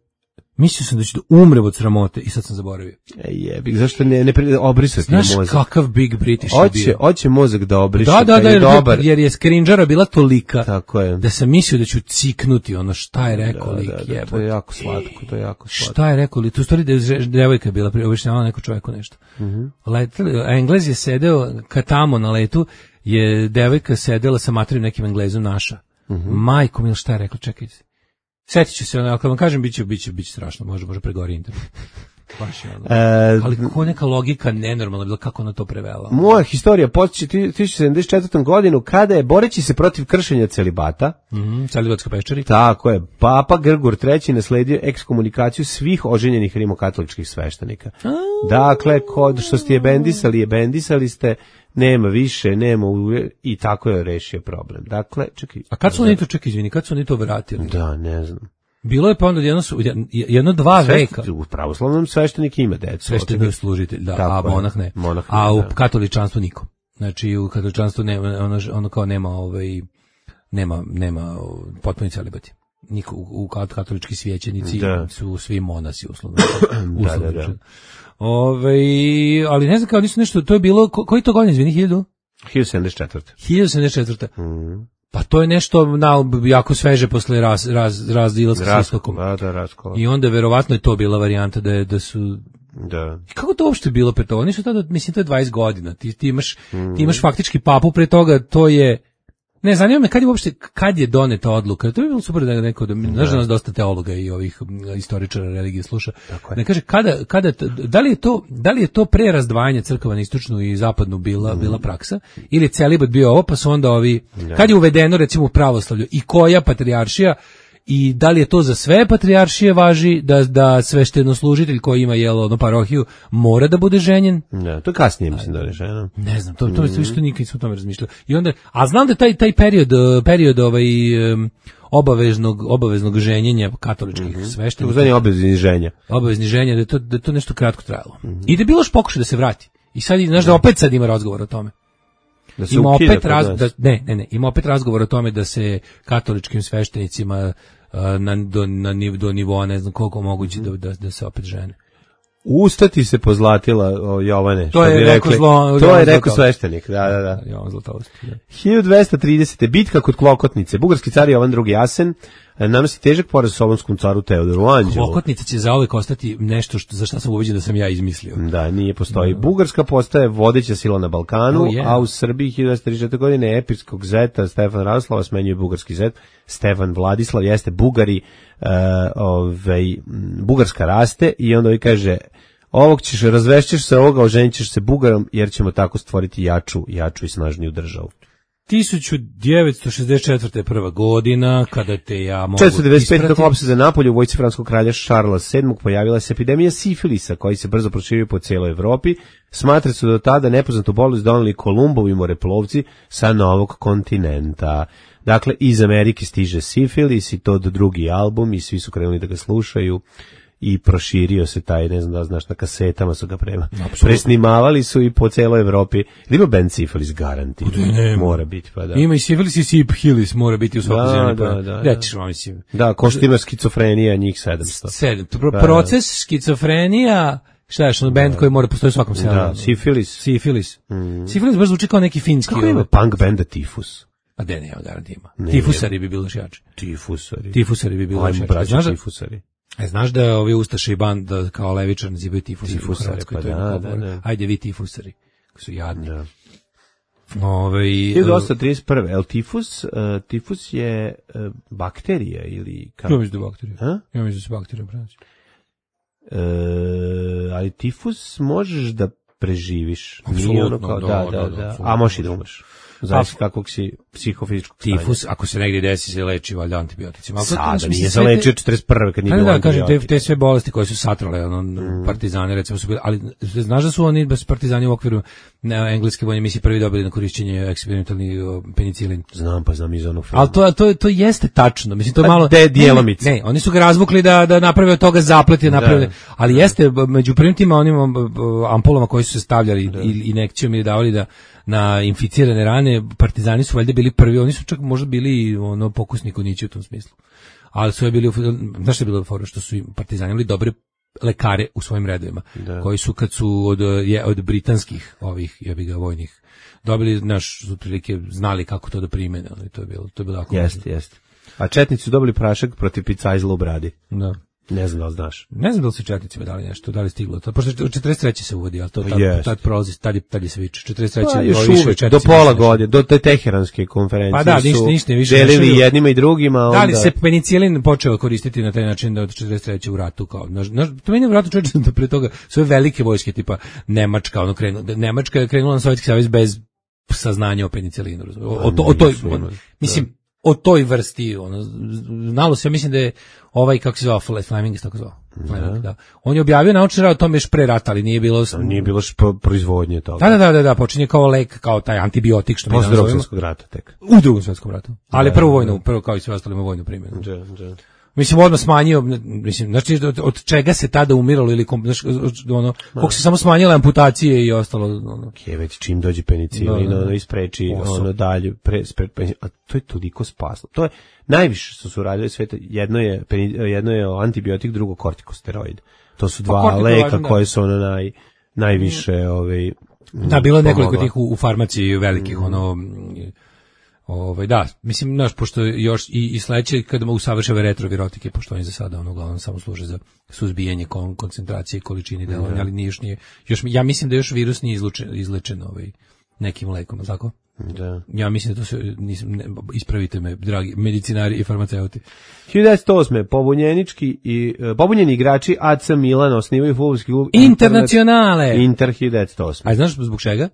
Mislio sam da ću da umrem od sramote i sad sam zaboravio. Jebik, zašto ne obrisati mozak? Znaš kakav Big British je bio? Hoće mozak da obriše, jer je skrinđara bila tolika tako je. Da sam mislio da ću ciknuti ono šta je rekao lik, jebote. To je jako slatko, Šta je rekao lik? Tu stvari da je devojka bila, objašnjavala neko čoveku nešto. Englez je sedeo, tamo na letu je devojka sedela sa materim nekim Englezom naša. Majko mil, šta je rekao, čekajte. Setit ću se, ako vam kažem, bit će strašno, može pregori internet. Baš je ono. Ali kako neka logika nenormalna bila, kako ona to prevela. Moja historija počeće 1974. godinu, kada je, boreći se protiv kršenja celibata, celibatska peščari, tako je, Papa Grgur III nasledio ekskomunikaciju svih oženjenih rimokatoličkih sveštenika. Dakle, kod što ste jebendisali ste, nema više, i tako je rešio problem. Dakle, čekaj. A kad su oni to, kad su oni to vratili? Da, ne znam. Bilo je pa onda jedno-dva veka. U pravoslavnom sveštenik ima decu. Sveštenik je služitelj, da, a monah ne. A u katoličanstvu niko. Znači u katoličanstvu ono kao nema potpuni celibati. Niko u katolički svećenici su svi monasi uslovno. Da. Ali ne znam kao nisu nešto, to je bilo, koji to godin, izvini, 1074. 1074. Pa to je nešto jako sveže posle razdilaska s istokom. I onda verovatno je to bila varijanta da su... Da. Kako to uopšte bilo pre toga? Oni su tada, mislim, to je 20 godina. Ti imaš faktički papu pre toga, to je... Ne, zanima me kad je doneta odluka. To bi bilo super da neko, znaš da nas dosta teologa i ovih istoričara religije sluša. Ne kaže, da li je to pre razdvajanja crkava na istočnu i zapadnu bila praksa, ili je celibat bio ovo, pa su onda kad je uvedeno recimo u pravoslavlju i koja patrijaršija, i da li je to za sve patrijaršije važi da sveštenoslužitelj koji ima parohiju mora da bude ženjen? Ne, to kasnije mislim da je žena. Ne znam, to je što nikad nismo o tome razmišljali. I onda, a znam da taj period obaveznog ženjenja katoličkih sveštenika. Uzanje obavezni ženja, da je to nešto kratko trajalo. I da je bilo još pokušaj da se vrati. I sad, znaš da opet sad ima razgovor o tome. Ima opet razgovor o tome da se katoličkim sveštenicima do nivoa ne znam koliko moguće da se opet žene. Ustati se pozlatila Jovane. To je rekao sveštenik. Da. Jovan Zlatoust. 1230. Bitka kod Klokotnice. Bugarski car Jovan II Jasen nanosi težak poraz Solonskom caru Teodoru Anđelu. Klokotnica će zauvek ostati nešto za što sam ubeđen da sam ja izmislio. Da, nije postoji. Bugarska postaje vodeća sila na Balkanu, a u Srbiji 1234. godine epirskog zeta Stefan Radoslava smenjuje bugarski zet. Stefan Vladislav jeste Bugari, Bugarska raste i onda kaže razvešćeš se ovoga, oženit ćeš se Bugarom jer ćemo tako stvoriti jaču i snažniju državu. 1964. prva godina, kada te ja mogu 495. tokom opsade Napolja u vojsci francuskog kralja Šarla VII pojavila se epidemija sifilisa, koji se brzo proširio po cijeloj Evropi. Smatra se do tada nepoznatu bolest doneli Kolumbovi moreplovci sa novog kontinenta. Dakle, iz Amerike stiže sifilis i to drugi album i svi su krenuli da ga slušaju. I proširio se taj, ne znam da znaš, na kasetama su ga presnimavali su i po celoj Evropi. Ima band Sifilis garanti. Mora biti, pa da. Ima i Sifilis i Siphilis, mora biti u svakoj zemlji. Da, ko što ima skicofrenija, njih 700. Proces skicofrenija, šta je što band koji mora postoji u svakom selu? Da, Sifilis. Sifilis baš zvuči kao neki finski. Kako ima punk banda Tifus? A ne, garanti ima. Tifusari bi bilo jače. Tifusari bi bilo jače. Tifusari. Znaš da ovi ustaše i banda kao levičar nazivaju tifusari? Ajde vi tifusari, koji su jadni. Da. 1831. El tifus je bakterija ili... Ja mislim da je bakterija. Ja mislim da se bakterija prenosi. Ali tifus možeš da preživiš. Apsolutno, da. A možeš i da umreš. Znači kakvog si psihofizičkog stanja. Tifus, ako se negdje desi, se leči valjda antibioticima. Sada nije se lečio 41. kad nije bilo antibiotika. Kažem, te sve bolesti koje su satrale, partizani, recimo su bili, ali znaš da su oni, bez partizani u okviru engleske vojne misije prvi dobili na korišćenje eksperimentalni penicilin. Znam iz onog filma. Ali to jeste tačno, mislim, to je malo... Dijelomice. Ne, oni su ga razvukli da naprave od toga zaplet, ali jeste, među prvim tima onim ampulama koji su se stavljali ili injekcijom ili davali na inficirane rane, partizani su valjda bili prvi, oni su čak možda bili pokusni kunići u tom smislu. ali su bili, znaš što je bilo fora, što su im partizani imali dobre lekare u svojim redovima, koji su kad su od britanskih ovih jebiga vojnih dobili, naš, otprilike znali kako to da primene, ali to je bilo jako. Jeste. A četnici su dobili prašak protiv picajzla u bradi. Da. Ne znam da li znaš. Ne znam da li su četnicima dali nešto, da li stiglo to. Pošto 43. se uvodi, ali to tad prolazi, tad je se viče. 43. još uvek, do pola godine, do te teheranske konferencije pa da, ništa više delili jednima i drugima. Da li se penicilin počeo koristiti na taj način da od 43. u ratu, kao, to meni je u ratu čovječe da pre toga sve velike vojske tipa Nemačka, Nemačka je krenula na Sovjetski savez bez saznanja o penicilinu. Mislim, o toj vrsti, znalo se, ja mislim da je ovaj, kako se zvao, Fleming, tako zvao. Da. On je objavio naučni rad o tome još pre rata, ali nije bilo proizvodnje toga. Da, počinje kao lek, kao taj antibiotik što mi danas zovemo. Posle Drugog svjetskog rata tek. U Drugom svjetskom ratu. Ali prvo kao i sve ostalo ima vojnu primjenu. Mislim, odmah smanjio, mislim, znači, od čega se tada umiralo ili, koliko se samo smanjile amputacije i ostalo, već čim dođe penicilin, ispreči, dalje, a to je toliko spaslo. To je, najviše što su radili sveta, jedno je antibiotik, drugo kortikosteroid. To su dva leka koje su najviše, da, bilo je nekoliko tih u farmaciji velikih, da, mislim, znaš, pošto još i sledeće kada usavršava retrovirotike, pošto oni za sada uglavnom samo služe za suzbijanje koncentracije i količini delovanja, ali nije još, ja mislim da još virus nije izlečen nekim lekom, tako? Da. Ja mislim da to se, ispravite me, dragi medicinari i farmaceuti. 1908. Pobunjeni igrači AC Milan osnivaju fudbalski klub Internacionale. Inter 1908. A znaš zbog čega?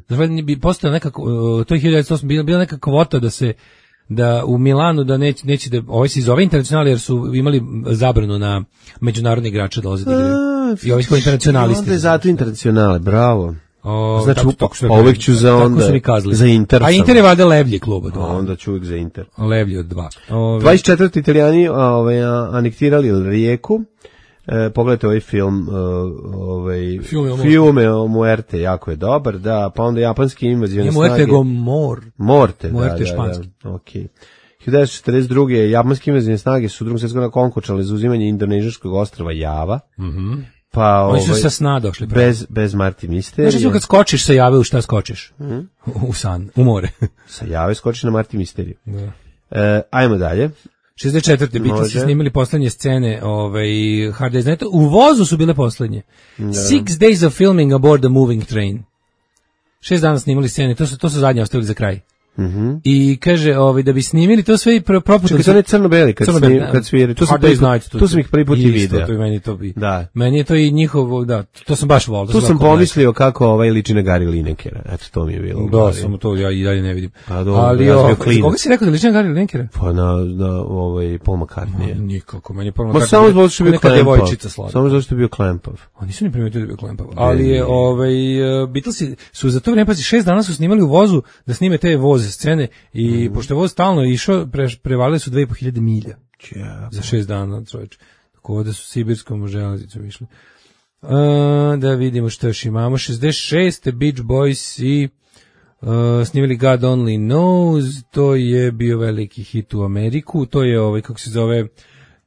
Znači bi postao nekako, to je 1908 bila neka kvota da u Milanu da neće da ovaj se zove Internacionale jer su imali zabranu na međunarodne igrače dolaze da igraju. I ovi su internacionalisti. Onda je zato Internacionale, bravo. Znači, uvek ću za Inter. A Inter je valjda levlji klub od 2. Onda ću uvek za Inter. Levlji od 2. 24. Italijani anektirali Rijeku. Pogledajte ovaj film, Fiume o Muerte, jako je dobar, da, pa onda japanski invazione snage. Muerte go Morte, da, španski. Okej. 1942. japanske invazione snage su u Drugom svjetskom ratu konkočale za uzimanje indonežanskog ostrva Java. Pa oni su sa sna došli. Bez Marti Misterije. Znači kad skočiš sa Jave, u šta skočiš? U san, u more. Sa Jave skočiš na Marti Misteriju. Ajmo dalje. 64. Beatlesi snimili poslednje scene Hard Day's Night. U vozu su bile poslednje. 6 days of filming aboard a moving train. 6 dana snimali scene, to su zadnje ostavili za kraj. I kaže da bi snimili to sve i propuštali. Čekaj, to ne crno-beli kad sviri. Tu sam ih prvi put i video. Meni je to i njihovo, da, to sam baš volio. Tu sam pomislio kako liči na Gary Linekera. Eto, to mi je bilo. Da, samo to ja i dalje ne vidim. Ali koga si rekao da liči na Gary Linekera? Pa na Paul McCartney. Nikako, meni je Paul McCartney. Samo zato što je bio klempav. Samo zato što je bio klempav. Oni su ni primetili da je bio klempav. Ali je, Beatlesi su za to vreme, 6 dana su snimali u vozu da snime te voze scene i pošto je voz stalno išao, prevalili su 2500 milja za 6 dana, čovječ. Tako da su sibirskom železnicom išli. Da vidimo što još imamo. 66. Beach Boys i snimili God Only Knows, to je bio veliki hit u Ameriku, to je kako se zove,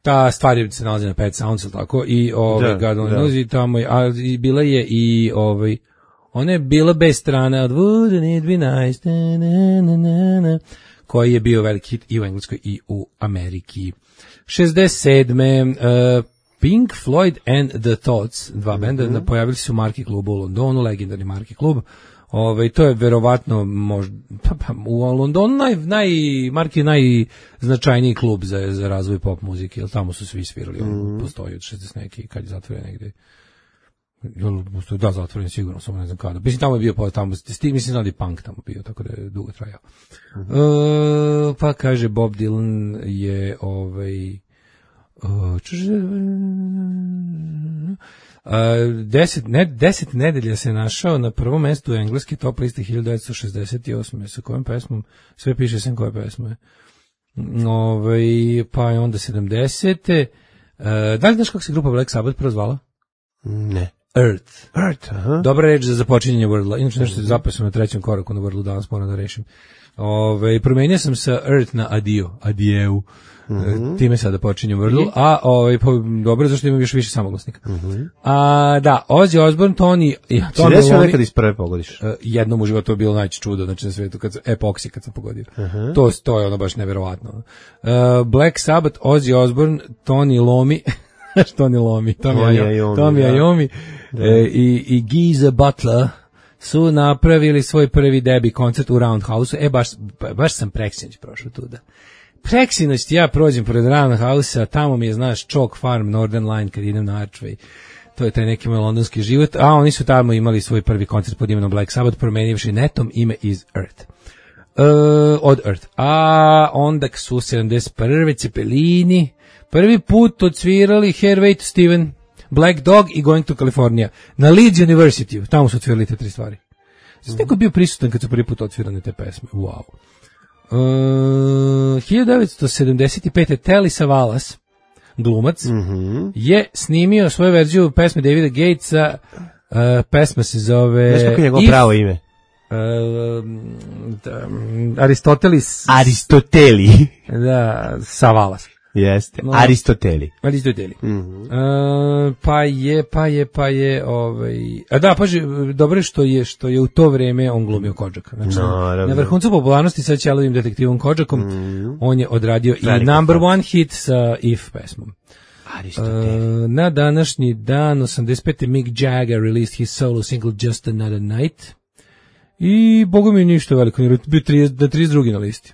ta stvar se nalazi na Pet Sounds, tako, i God Only Knows i tamo je, i bila je i ona je bila bez strane od Wouldn't it be nice, koji je bio veliki hit i u Engleskoj i u Ameriki. 67. Pink Floyd and the Thoughts, dva benda, pojavili su u Marki klubu u Londonu, legendarni Marki klub. To je verovatno u Londonu Marki je najznačajniji klub za razvoj pop muzike, jer tamo su svi svirali, postoji od 60 neki, kad je zatvoren negde. Da, zatvoren sigurno, samo ne znam kada. Mislim, tamo je bio, mislim da je punk tamo bio, tako da je dugo trajao. Pa kaže, Bob Dylan je 10 nedelja se našao na prvom mestu engleske top liste 1968. Sa kojom pesmom? Sve piše sem koje pesme. Pa je onda 70. Da li znaš kako se grupa Black Sabbath prozvala? Ne. Earth. Aha. Dobra reč za započinjanje Wordla. Inače nešto je zapisano na 3. koraku na Wordlu, danas moram da rešim. Promenio sam sa Earth na Adijeu. Time sada počinjem Wordlu, a dobro, zašto imam još više samoglasnika. Da, Ozzy Osbourne, Tony desio nekad iz prve pogodiš? Jednom u životu je bilo najče čudo, znači na svetu, epoksi kad sam pogodio. To je ono baš neverovatno. Black Sabbath, Ozzy Osbourne, Tony Iommi, Tommy Iommi i Geezer Butler su napravili svoj prvi debi koncert u Roundhouse-u. Baš sam preksinoć prošao tuda. Preksinoć ja prođem pored Roundhouse-a, tamo mi je, znaš, Chalk Farm, Northern Line, kad idem na Archway. To je taj neki moj londonski život, a oni su tamo imali svoj prvi koncert pod imenom Black Sabbath, promenivši netom ime iz Earth. Od Earth. A onda su 71. Cepelini prvi put odsvirali Hairway to Steven, Black Dog i Going to California na Leeds University. Tamo su odsvirali te 3 stvari. Znači, neko je bio prisutan kad su prvi put odsvirane te pesme. Wow. 1975. Telly Savalas, glumac, je snimio svoju verziju pesme Davida Gatesa. Pesma se zove... Znaš kako je njegovo pravo ime? Aristoteli. Da, Savalas. Jeste, Aristoteli. Dobro je što je u to vreme on glumio Kodžaka. Znači, na vrhuncu popularnosti sa Ćelovim detektivom Kodžakom, on je odradio i number one hit sa If pesmom. Na današnji dan, 85. Mick Jagger released his solo single Just Another Night. I, boga mi ništa veliko, bio 32. na listi.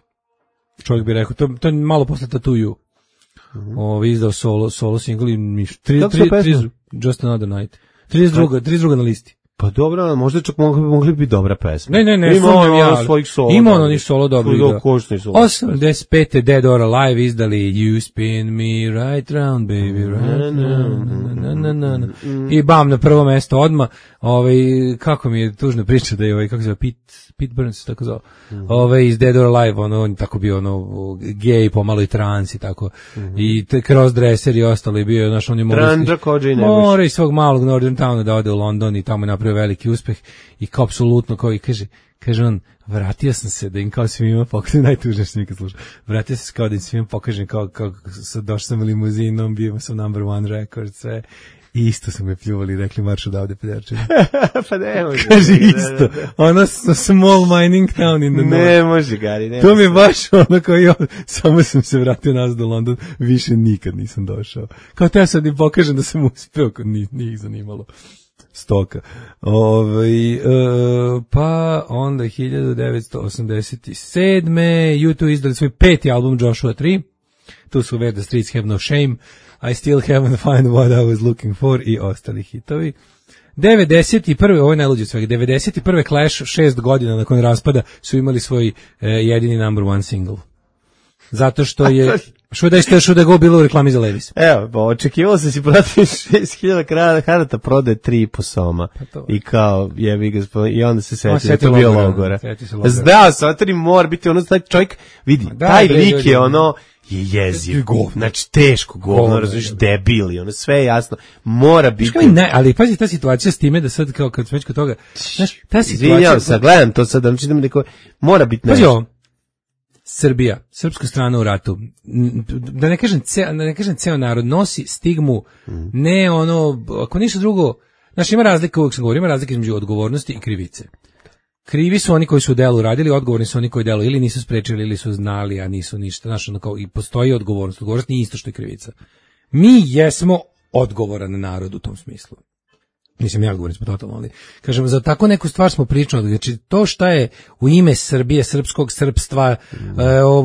Čovjek bi rekao, to je malo posle Tattoo You. Izdao solo single i Just Another Night. 32. na listi. Pa dobro, možda čak mogli bi dobra pesma. Ne, ima ono ni solo dobro igra. 85. Dead or Alive izdali You Spin Me Right Round, Baby, Right Round. I bam, na prvo mesto odmah. Kako mi je tužna priča da je kako se zove, Pete Burns, tako zove. Iz Dead or Alive, on tako bio gej, pomalo i trans i tako. I crossdresser i ostalo je bio, znaš, on je mora iz svog malog Northern Towna da ode u London i tamo je napravio veliki uspeh i kao apsolutno, kao i kaže on, vratio sam se da im kao svima pokažem, najtužnije što nikad slušao, vratio sam se kao da im svima pokažem kao došao sam limuzinom, bio sam number one record, sve. I isto su me pljuvali i rekli marš odavde pederčine. Pa ne može. Kaže isto. Ono small mining town in the north. Ne može, Gari. To mi je baš ono kao ja, samo sam se vratio nazad do London, više nikad nisam došao. Kao te sad im pokažem da sam uspeo, nije ih zanimalo. Stoka. Pa onda 1987. U2 izdali svoj 5. album Joshua 3. Tu su Where the Streets Have No Shame, I Still Haven't Found What I Was Looking For i ostali hitovi. 91. Ovo je najluđe svega. 91. Clash, 6 godina nakon raspada, su imali svoj jedini number one single. Zato što je Should I Go bilo u reklami za Levis. Evo, očekivalo se si prodati 6.000 karata, prodaje 3,5 soma. I kao, jebi ga, i onda se setio, to bio logora. Znao sam, to mora biti ono, taj čovjek, vidi, taj lik je ono, je jeziv, znači teško govno, razumiješ, debil, ono sve je jasno, mora biti. Ali pazi ta situacija s time da sad kao kad smo već kod toga, znaš, ta situacija. Izvinjam se, gledam to sad, znači da mi neko, mora biti nešto. Pazi ovo, Srbija, srpska strana u ratu, da ne kažem ceo narod, nosi stigmu, ne ono, ako ništa drugo, znaš, ima razlika, uvijek sam govorio, ima razlika između odgovornosti i krivice. Krivi su oni koji su u delu radili, odgovorni su oni koji delu ili nisu sprečili ili su znali, a nisu ništa. Znaš, ono kao i postoji odgovornost. Odgovornost nije isto što je krivica. Mi jesmo odgovoran narod u tom smislu. Mislim, ja govorim smo totalno, ali kažem, za tako neku stvar smo pričali, znači to šta je u ime Srbije, srpskog srpstva,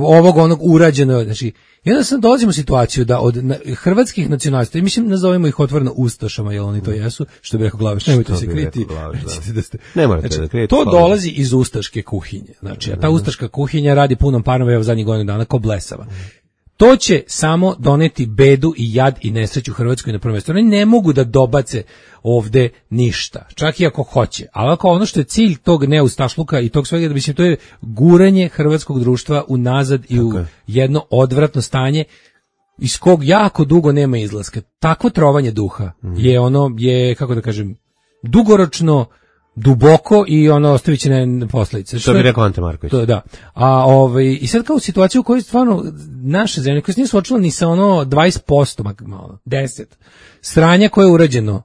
ovog onog urađeno, znači, i onda sam dolazimo u situaciju da od hrvatskih nacionalista, mislim, nazovemo ih otvoreno ustašama, jer oni to jesu, što bi rekao Glaveš, nemojte se kriti, ne morate da krijete. To dolazi iz ustaške kuhinje, znači, a ta ustaška kuhinja radi punom parom, evo zadnjih godina dana, ko blesava. To će samo doneti bedu i jad i nesreću Hrvatskoj na prvom mjestu. Oni ne mogu da dobace ovde ništa, čak i ako hoće. Ali ako ono što je cilj tog neustašluka i tog svega, da mislim, to je guranje hrvatskog društva unazad i u jedno odvratno stanje iz kog jako dugo nema izlaska. Takvo trovanje duha je kako da kažem, dugoročno, duboko i ostavit će posledice. Što bi rekao Ante Marković. Da. I sad kao u situaciju u kojoj stvarno naše zemlje, koje se nije suočila ni sa 20%, 10%, sranja koje je urađeno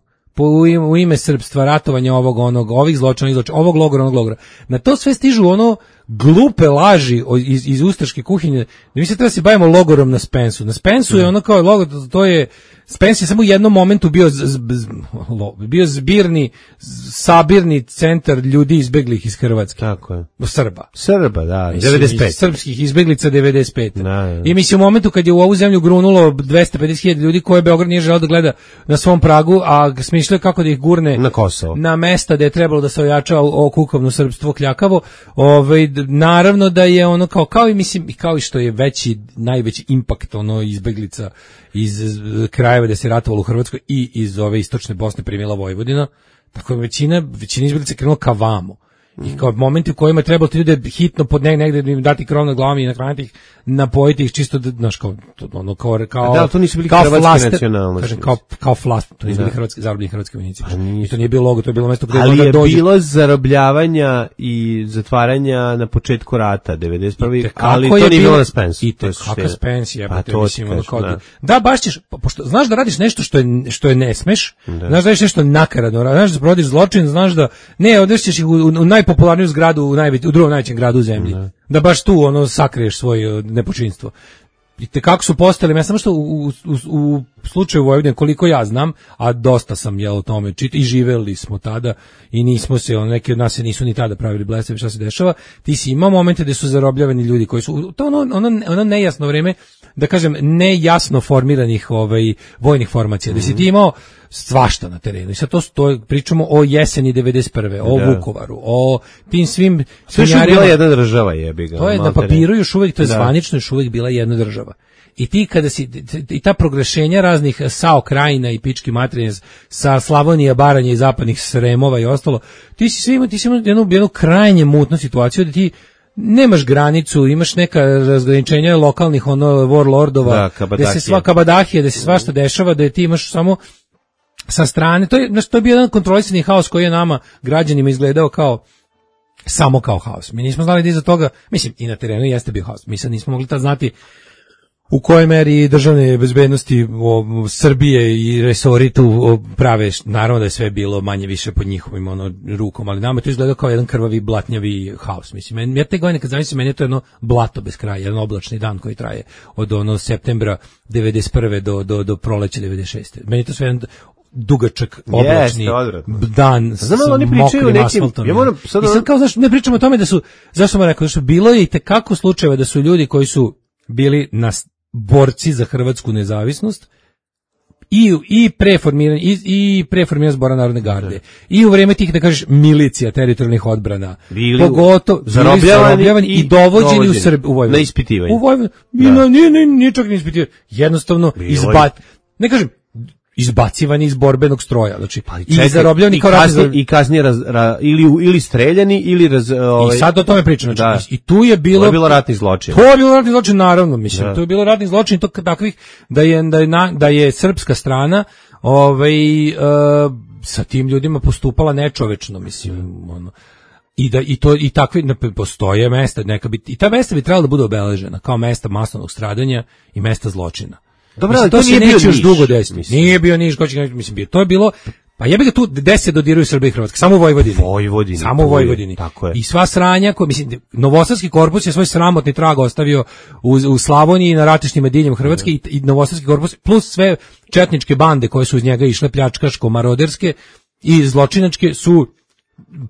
u ime srpstva, ratovanja ovih zločina, ovog logora, onog logora. Na to sve stižu glupe laži iz ustaške kuhinje, da mi se treba se bavimo logorom na Spensu. Na Spensu je kao logor, to je, Spens je samo u jednom momentu bio sabirni centar ljudi izbeglih iz Hrvatske. Tako je. Srba, da, 95. Srpskih izbeglica 95. Da. I mislim u momentu kad je u ovu zemlju grunulo 250.000 ljudi koje Beograd nije želeo da gleda na svom pragu, a smišljaju kako da ih gurne na Kosovo, na mesta da je trebalo da se ojača kukovno srpstvo kljakavo, naravno da je kao i mislim, kao i što je najveći impakt izbeglica iz krajeva da se ratovalo u Hrvatskoj i iz ove istočne Bosne primila Vojvodina, tako je većina izbeglica krenula ka vamo. I kao momenti u kojima je trebalo ti ljude hitno pod negde im dati krov na glavom i nahraniti ih, napojiti ih čisto znaš kao da, to nisu bili hrvatski nacionalnosti. Kao flast, to nisu bili zarobljeni hrvatski vojnici. I to nije bilo logo, to je bilo mesto gde ali je bilo zarobljavanja i zatvaranja na početku rata 91. Ali to nije bilo na Spensu. I kakav Spens je, da baš ćeš, pošto znaš da radiš nešto što je ne smeš, znaš da radiš nešto nakaradno, znaš da provodiš zločin, znaš da ne odvešćeš ih u najpopularniju zgradu u drugom najvećem gradu u zemlji. Da baš tu sakriješ svoje nepočinstvo. I kako su postali, ja samo što u slučaju Vojvodine, koliko ja znam, a dosta sam o tome čitao i živeli smo tada i nismo se, neki od nas se nisu ni tada pravili blesavi šta se dešava, ti si imao momente gde su zarobljavani ljudi koji su, to ono nejasno vreme, da kažem, nejasno formiranih vojnih formacija, da si ti imao svašta na terenu. I sad to pričamo o jeseni 91. O Vukovaru, o tim svim... Sve što je bila jedna država, jebi ga. To je na papiru još uvijek, to je zvanično još uvijek bila jedna država. I ti kada si, i ta proglašenja raznih SAO krajina i pički materije sa Slavonija, Baranja i zapadnih Sremova i ostalo, ti si imao jednu krajnje mutnu situaciju da ti nemaš granicu, imaš neka razgraničenja lokalnih warlordova, da se sva kabadahija, da se svašta dešava, da ti imaš samo sa strane, to je bio jedan kontrolisani haos koji je nama, građanima, izgledao samo kao haos. Mi nismo znali da iza toga, mislim, i na terenu jeste bio haos. Mi sad nismo mogli tad znati u kojoj meri državne bezbednosti Srbije i resori tu prave, naravno da je sve bilo manje više pod njihovim rukom, ali nama to izgleda kao jedan krvavi, blatnjavi haos. Mislim, ja te godine kad zamislim, meni je to jedno blato bez kraja, jedan oblačni dan koji traje od septembra 91. do proleća 96. Meni je to sve jedan dugačak, oblačni dan s mokrim asfaltom. I sad kao, znaš, ne pričamo o tome da su, zašto sam rekao, da su bilo je i tekako slučajeva da su ljudi koji su bili borci za hrvatsku nezavisnost i preformiranje Zbora Narodne garde i u vreme tih, da kažeš, milicija teritorijalnih odbrana, pogotovo zarobljavani i dovođeni u Vojvodinu. Na ispitivanje. U Vojvodinu. Nije čak ne ispitivanje. Jednostavno ne kažem, izbacivani iz borbenog stroja, znači i zarobljeni kao i kasnije ili streljani ili i sad o tome pričam, znači i tu je bilo ratni zločin. To je bilo ratni zločin, naravno, mislim, to je bilo ratni zločin takvih da je srpska strana sa tim ljudima postupala nečovečno, mislim, i takve postoje mesta, i ta mesta bi trebala da budu obeležena kao mesta masovnog stradanja i mesta zločina. Dobro, ali to nije bio još dugo desiti. Nije bio Niš, mislim, to je bilo, pa jebi ga tu 10 dodiruju Srbije i Hrvatske, samo u Vojvodini. Samo u Vojvodini. I sva sranja, mislim, Novosadski korpus je svoj sramotni trag ostavio u Slavoniji na ratištima diljem Hrvatske i Novosadski korpus, plus sve četničke bande koje su uz njega išle, pljačkaško, maroderske i zločinačke, su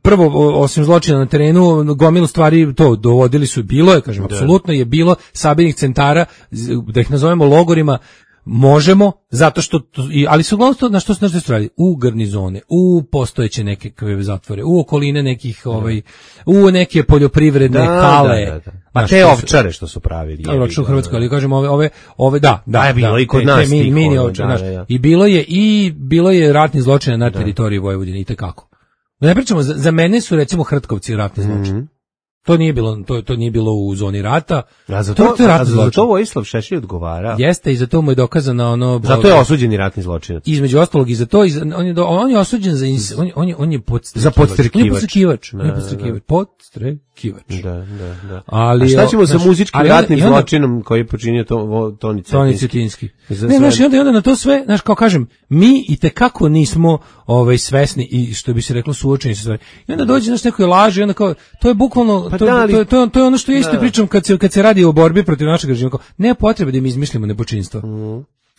prvo, osim zločina na terenu, gomilu stvari to dovodili su, bilo je, kažem, apsolutno je bilo sabirnih centara, da ih nazovemo logorima, možemo, zato što, ali su uglavnom to, na što se radi, u garnizone, u postojeće neke zatvore, u okoline nekih, u neke poljoprivredne hale. Pa te ovčare što su pravili. U Hrvatskoj, ali kažem, ove, da. Je bilo i kod nas tih. Mini ovčare, i bilo je ratni zločin na teritoriji Vojvodine, i tekako. Ne pričamo, za mene su recimo Hrtkovci ratni zločin. To nije bilo u zoni rata. A za to Vojislav Šešelj odgovara. Jeste, i za to mu je dokazano ono. Zato je osuđeni ratni zločinac. Između ostalog i za to, on je osuđen za on je podstrekivač. Da. Ali, a šta ćemo sa muzičkim ratnim zločinom koji je počinio Toni Cetinski? Ne, znaš, i onda na to sve, znaš, kao kažem, mi i tekako nismo svesni i što bi se reklo suočeni sa stvari. I onda dođe naš nekoj laži, onda kao, to je bukvalno, to je ono što ja isto pričam kad se radi o borbi protiv našeg režima. Nema potrebe da mi izmišljamo nepočinstvo.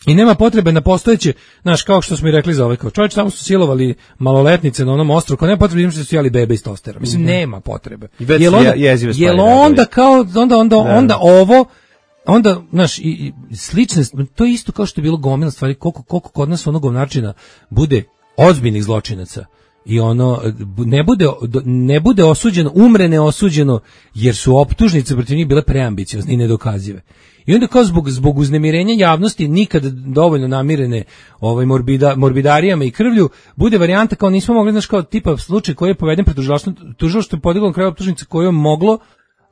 I nema potrebe na postojeće, znaš, kao što smo i rekli za ovaj, kao čovječ, tamo su silovali maloletnice na onom ostrvu, nema potrebe da su jeli bebe iz tostera. Mislim, nema potrebe. Onda, znaš, i slične, to je isto kao što je bilo gomila stvari, koliko kod nas onog načina bude ozbiljnih zločinaca i ono ne bude osuđeno, umre neosuđeno, jer su optužnice protiv njih bile preambiciozne i nedokazive. I onda kao zbog uznemirenja javnosti nikad dovoljno namirene morbidarijama i krvlju bude varijanta kao nismo mogli, znaš, kao tipa slučaj koji je poveden pred tužilaštvom je podiglo na kraju optužnice koju je moglo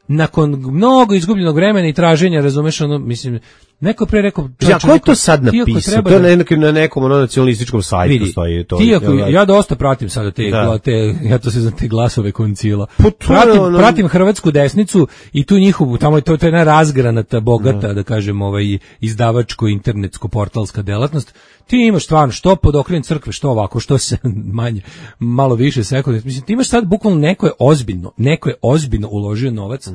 nakon mnogo izgubljenog vremena i traženja, razumeš, ono, mislim, neko pre rekao... ko je to sad napisao? To je na nekom nacionalističkom sajtu stoji to. Ja dosta pratim sada ja to se znam, te glasove koncila. Pratim hrvatsku desnicu i tu njihovu, tamo to je jedna razgranata, bogata, da kažem, izdavačko, internetsko, portalska delatnost. Ti imaš stvarno što pod okriljem crkve, što ovako, što se manje, malo više sekunde. Mislim, ti imaš sad bukvalno neko je ozbiljno uložio novac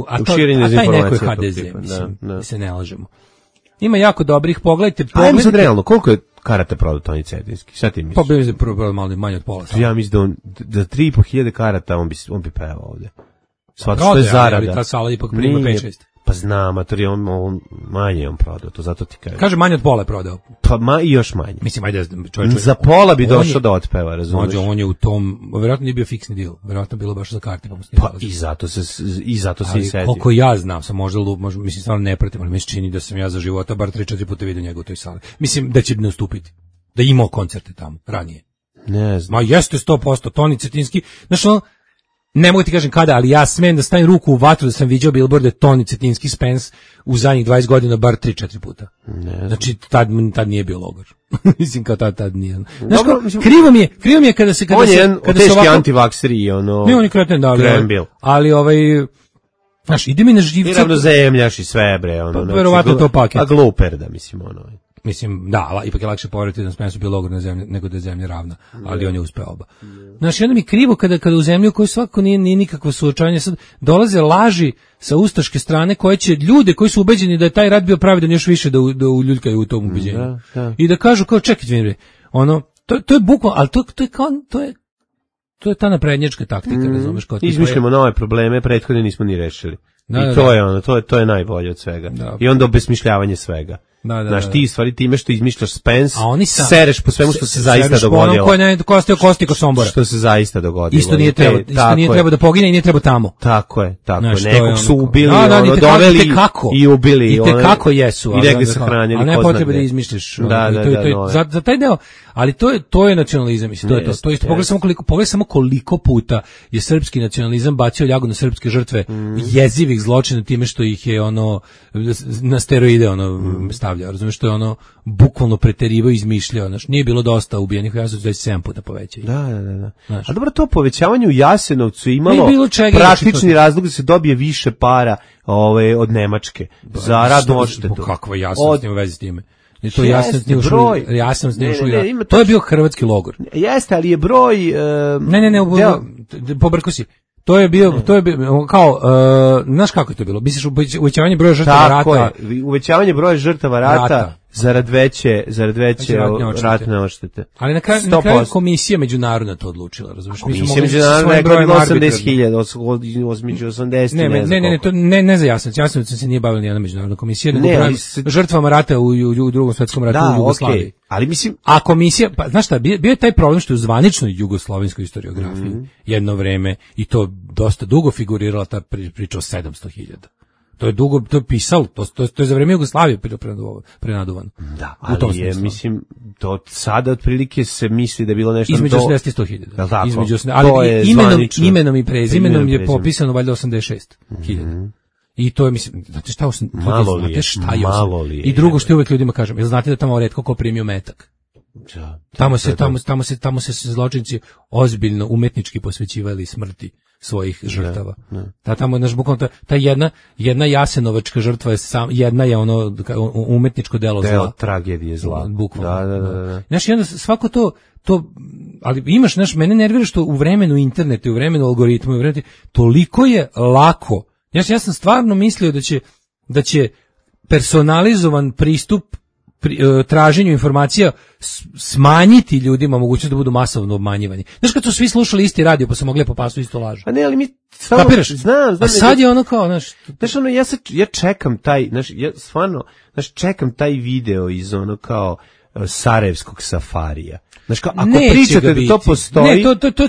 a taj neko je HDZ, mislim, se ne lažemo. Ima jako dobrih, pogledajte. Ajmo sad realno, koliko je karata prodao Toni Cetinski? Šta ti misliš? Pa bi se prodao malo manje od pola. Ja mislim da 3.500 karata on bi pevao ovdje. Što je zarada. Ali ta sala ipak prima 5-6. Pa znam, a to je on manje on prodao, to zato ti kažem. Kaže manje od pola je prodao. Pa i još manje. Mislim, ajde, čovječ. Za pola bi došao da otpeva, razumiješ? On je u tom, vjerojatno nije bio fiksni deal, vjerojatno bilo baš za karte. Pa i zato se i sedio. Koliko ja znam, sam možda mislim, stvarno ne pratim, ali mi se čini da sam ja za života bar 3-4 puta vidio njega u toj sali. Mislim, da će ne ustupiti. Da imao koncerte tamo, ranije. Ne znam. Ma jeste 100%, Toni Cetinski, znaš ono, ne mogu ti kažem kada, ali ja smem da stavim ruku u vatru da sam vidio billboarde Toni Cetinski Spence u zadnjih 20 godina bar 3-4 puta. Znači, tad nije bio logor. Mislim, kao tad nije. Znaš, krivo mi je kada se... On je jedan teški antivakser i ono... Ne, on je kreten, da, ali znaš, ide mi na živce... I ravnozemljaš i sve, bre, ono... Verovatno to paket. A gluper, da, mislim, ono... Mislim, da, ipak je lakše poveriti da Spensu bio logor na zemlji nego da je zemlja ravna, ali on je uspeo oba. Znaš, onda mi krivo kada u zemlju koju svako nije nikakvo suočavanje, sad dolaze laži sa ustaške strane koje će ljude koji su ubeđeni da je taj rat bio pravedan još više da uljuljkaju u tom ubeđenju. I da kažu kao čekajte, ono, to je bukvalno, ali to je ta naprednjačka taktika, razumeš, kao izmišljamo nove probleme, prethodne nismo ni rešili. I to je ono, to je najbolje od svega. I onda obesmišljavanje svega. Znaš, ti stvari time što izmišljaš Spence, sereš po svemu što se zaista dogodilo. Ko kosti ko Sombora. Što se zaista dogodilo. Isto nije treba da pogine i nije treba tamo. Tako je. Nekog su ubili, doveli i ubili. I tekako jesu. I negdje sahranjeni. Ali ne potrebe da izmišljaš. Za taj deo. Ali to je nacionalizam, mislim, to je to. To je isto, pogledaj samo koliko puta je srpski nacionalizam bacio ljagu na srpske žrtve jezivih zločina time što ih je ono na steroide stavljao, razumiješ, što je ono bukvalno preterivao i izmišljao, znaš, nije bilo dosta ubijenih u Jasenovcu, već 7 puta povećaju. Da. A dobro, to povećavanje u Jasenovcu imalo praktični razlog da se dobije više para od Nemačke za radnu odštetu. Kakva Jasenovac u vezi s time? To to je bio hrvatski logor. Jeste, ali je broj... Ne, pobrko si. To je bio kao, znaš kako je to bilo? Misliš uvećavanje broja žrtava rata? Tako je, uvećavanje broja žrtava rata zarad veće ratne odštete. Ali na kraju komisija međunarodna to odlučila, razumiješ? Komisija međunarodna je bilo 80.000, među 80, ne za Jasenovac se nije bavila nijedna međunarodna komisija, nego žrtvama rata u Drugom svjetskom ratu u Jugoslaviji. Ali mislim... A komisija, pa znaš šta, bio je taj problem što je u zvaničnoj jugoslovenskoj historiografiji jedno vreme, i to dosta dugo figurirala ta priča o 700.000. To je dugo, to je pisalo, to je za vreme Jugoslavije prenaduvano. Da, ali je, mislim, to sada otprilike se misli da je bilo nešto... Između 80 i 100.000. Između 80, ali imenom i prezimenom je popisano valjda 86.000. I to je, mislim, znate šta je. I drugo što uvek ljudima kažem, jel znate da tamo retko ko primio metak? Tamo se zločinci ozbiljno umetnički posvećivali smrti svojih žrtava. Ta tamo naš bukvalno ta jedna jasenovačka žrtva je jedna je ono umetničko delo zla, tragedije zla. Bukvalno. Da. Znaš, onda svako to ali imaš, znaš, mene nervira što u vremenu interneta i u vremenu algoritma, toliko je lako. Ja sam stvarno mislio da će personalizovan pristup traženju informacija smanjiti ljudima mogućnost da budu masovno obmanjivani. Znaš, kad su svi slušali isti radio pa se mogli po pasu isto lažu. A ne, ali mi stvarno... Kapiraš? Znam. A sad je ono kao, znaš, ono, ja čekam taj, znaš, ja stvarno, čekam taj video iz ono kao Sarajevskog safarija. Znaš, kao, ako pričate da to postoji... Ne,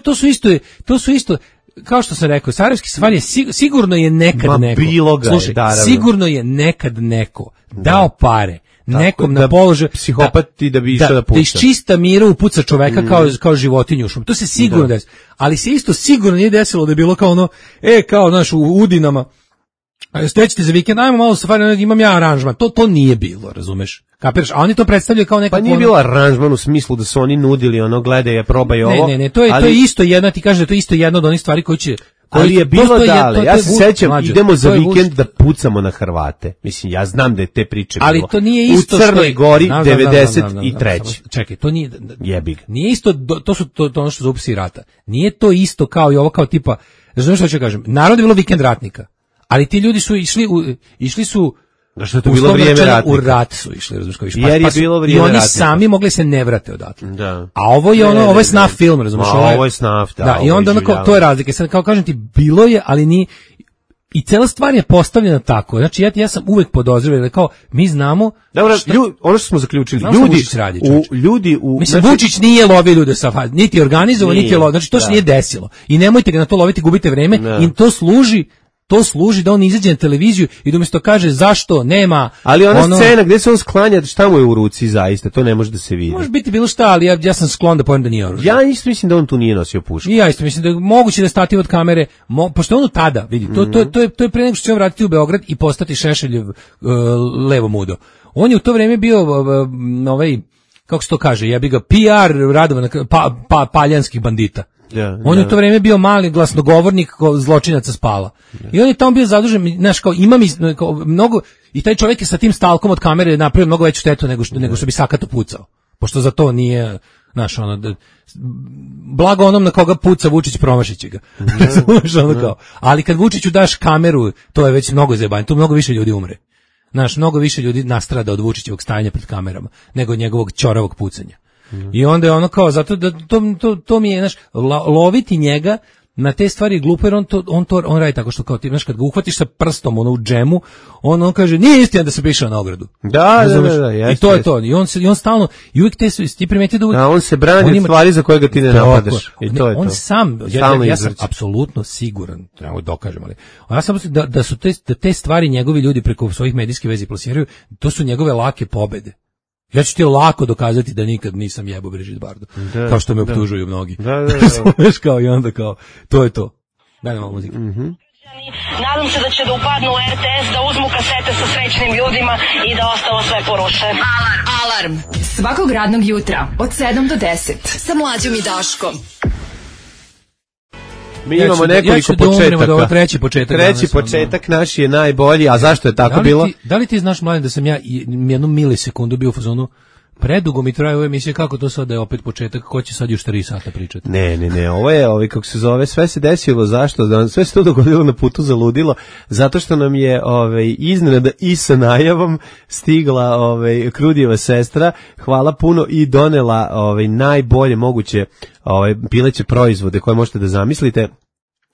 to su isto, kao što sam rekao, Sarajevski safari je sigurno je nekad neko. Slušaj, sigurno je nekad neko dao pare nekom na položaj psihopat i da bi išao da puca. Da iz čista mira upuca čoveka kao životinju u šumu. To se sigurno desi. Ali se isto sigurno nije desilo da je bilo kao ono, kao naš u Udinama, stećete za vikend, ajmo malo safari, imam ja aranžman. To nije bilo, razumeš? Kapiraš? A oni to predstavljaju kao nekako... Pa nije bilo aranžman u smislu da su oni nudili ono, gledaj, probaj ovo. Ne, to je isto jedna, ti kažeš da to je isto jedna od onih stvari koji će... Ali je bilo dale, ja se sećam, idemo za vikend da pucamo na Hrvate. Mislim, ja znam da je te priče bilo. Ali to nije isto u Crnoj Gori 93. Čekaj, to nije... Jebi ga. Nije isto, to su ono što zupsi rata. Nije to isto kao i ovo, kao tipa, znaš što ću kažem, narod je bilo vikend ratnika, ali ti ljudi su išli su da što je to bilo vrijeme ratnika. U rat su išli, razumiješ, kao jer je bilo vrijeme i oni ratnika. Sami mogli se ne vrate odatle. Da. A ovo je ovo je snaf film, razumiješ? Ovo je snaf, da. I onda onako, to je razlika. Sad kao kažem ti, bilo je, ali nije. I cela stvar je postavljena tako. Znači ja sam uvek podozrivao da kao mi znamo. Dobro, ono što smo zaključili, ljudi u mislim, Vučić nije lovio ljude sa niti organizovao, niti lovio. Znači to se nije desilo. I nemojte ga na to loviti, gubite vreme. I to služi da on izađe na televiziju i da umjesto kaže zašto nema. Ali ona scena gdje se on sklanja, šta mu je u ruci zaista, to ne može da se vidi. Može biti bilo šta, ali ja sam sklon da pojam da nije oružje. Ja isto mislim da on tu nije nosio pušku. I ja isto mislim da je moguće da stativ od kamere, pošto on tada, vidi, to je pre nego što će on vratiti u Beograd i postati Šešeljev levo mudo. On je u to vrijeme bio kako se to kaže, jebi ga, PR Radovan paljanskih bandita. On je u to vrijeme bio mali glasnogovornik zločinaca Spala. I on je tamo bio zadužen, znaš, kao mnogo, i taj čovjek je sa tim stalkom od kamere napravio mnogo veću štetu nego što bi sakato pucao. Pošto za to nije, znaš, blago onom na koga puca Vučić, promašit će ga. Ali kad Vučiću daš kameru, to je već mnogo zajebanje, tu mnogo više ljudi umre. Znaš, mnogo više ljudi nastrada od Vučićevog stajanja pred kamerama nego njegovog ćoravog pucanja. I onda je ono kao, zato da to mi je, znaš, loviti njega na te stvari glupo, jer on radi tako što kao ti, znaš, kad ga uhvatiš sa prstom u džemu, on kaže, nije istina da se pišao na ogradu. Da, i to je to. I on stalno, i uvijek ti primeti da uvijek... on se brani od stvari za koje ga ti ne napadaš. I to je on to. Sam, ja sam apsolutno siguran, treba dokažem, ali ja sam da su te stvari njegovi ljudi preko svojih medijskih vezi plasiraju, to su njegove lake pobede. Ja ću ti lako dokazati da nikad nisam jebo Brigitte Bardot, kao što me optužuju mnogi. Znaš, kao i onda kao, to je to. Daj nam malo muzike. Nadam se da će da upadnu u RTS, da uzmu kasete sa srećnim ljudima i da ostalo sve poruše. Alarm. Svakog radnog jutra od 7 do 10 sa Mlađom i Daškom. Mi imamo nekoliko početaka. Treći početak naš je najbolji, a zašto je tako bilo? Da li ti znaš, Mladen, da sam ja jednu milisekundu bio u fazonu, predugo mi traje ove emisije, kako to sad da je opet početak, ko će sad još 3 sata pričati? Ne, ovo je, kako se zove, sve se desilo, zašto? Sve se to dogodilo na putu za ludilo, zato što nam je iznenada i sa najavom stigla Krudijeva sestra, hvala puno, i donela najbolje moguće pileće proizvode koje možete da zamislite,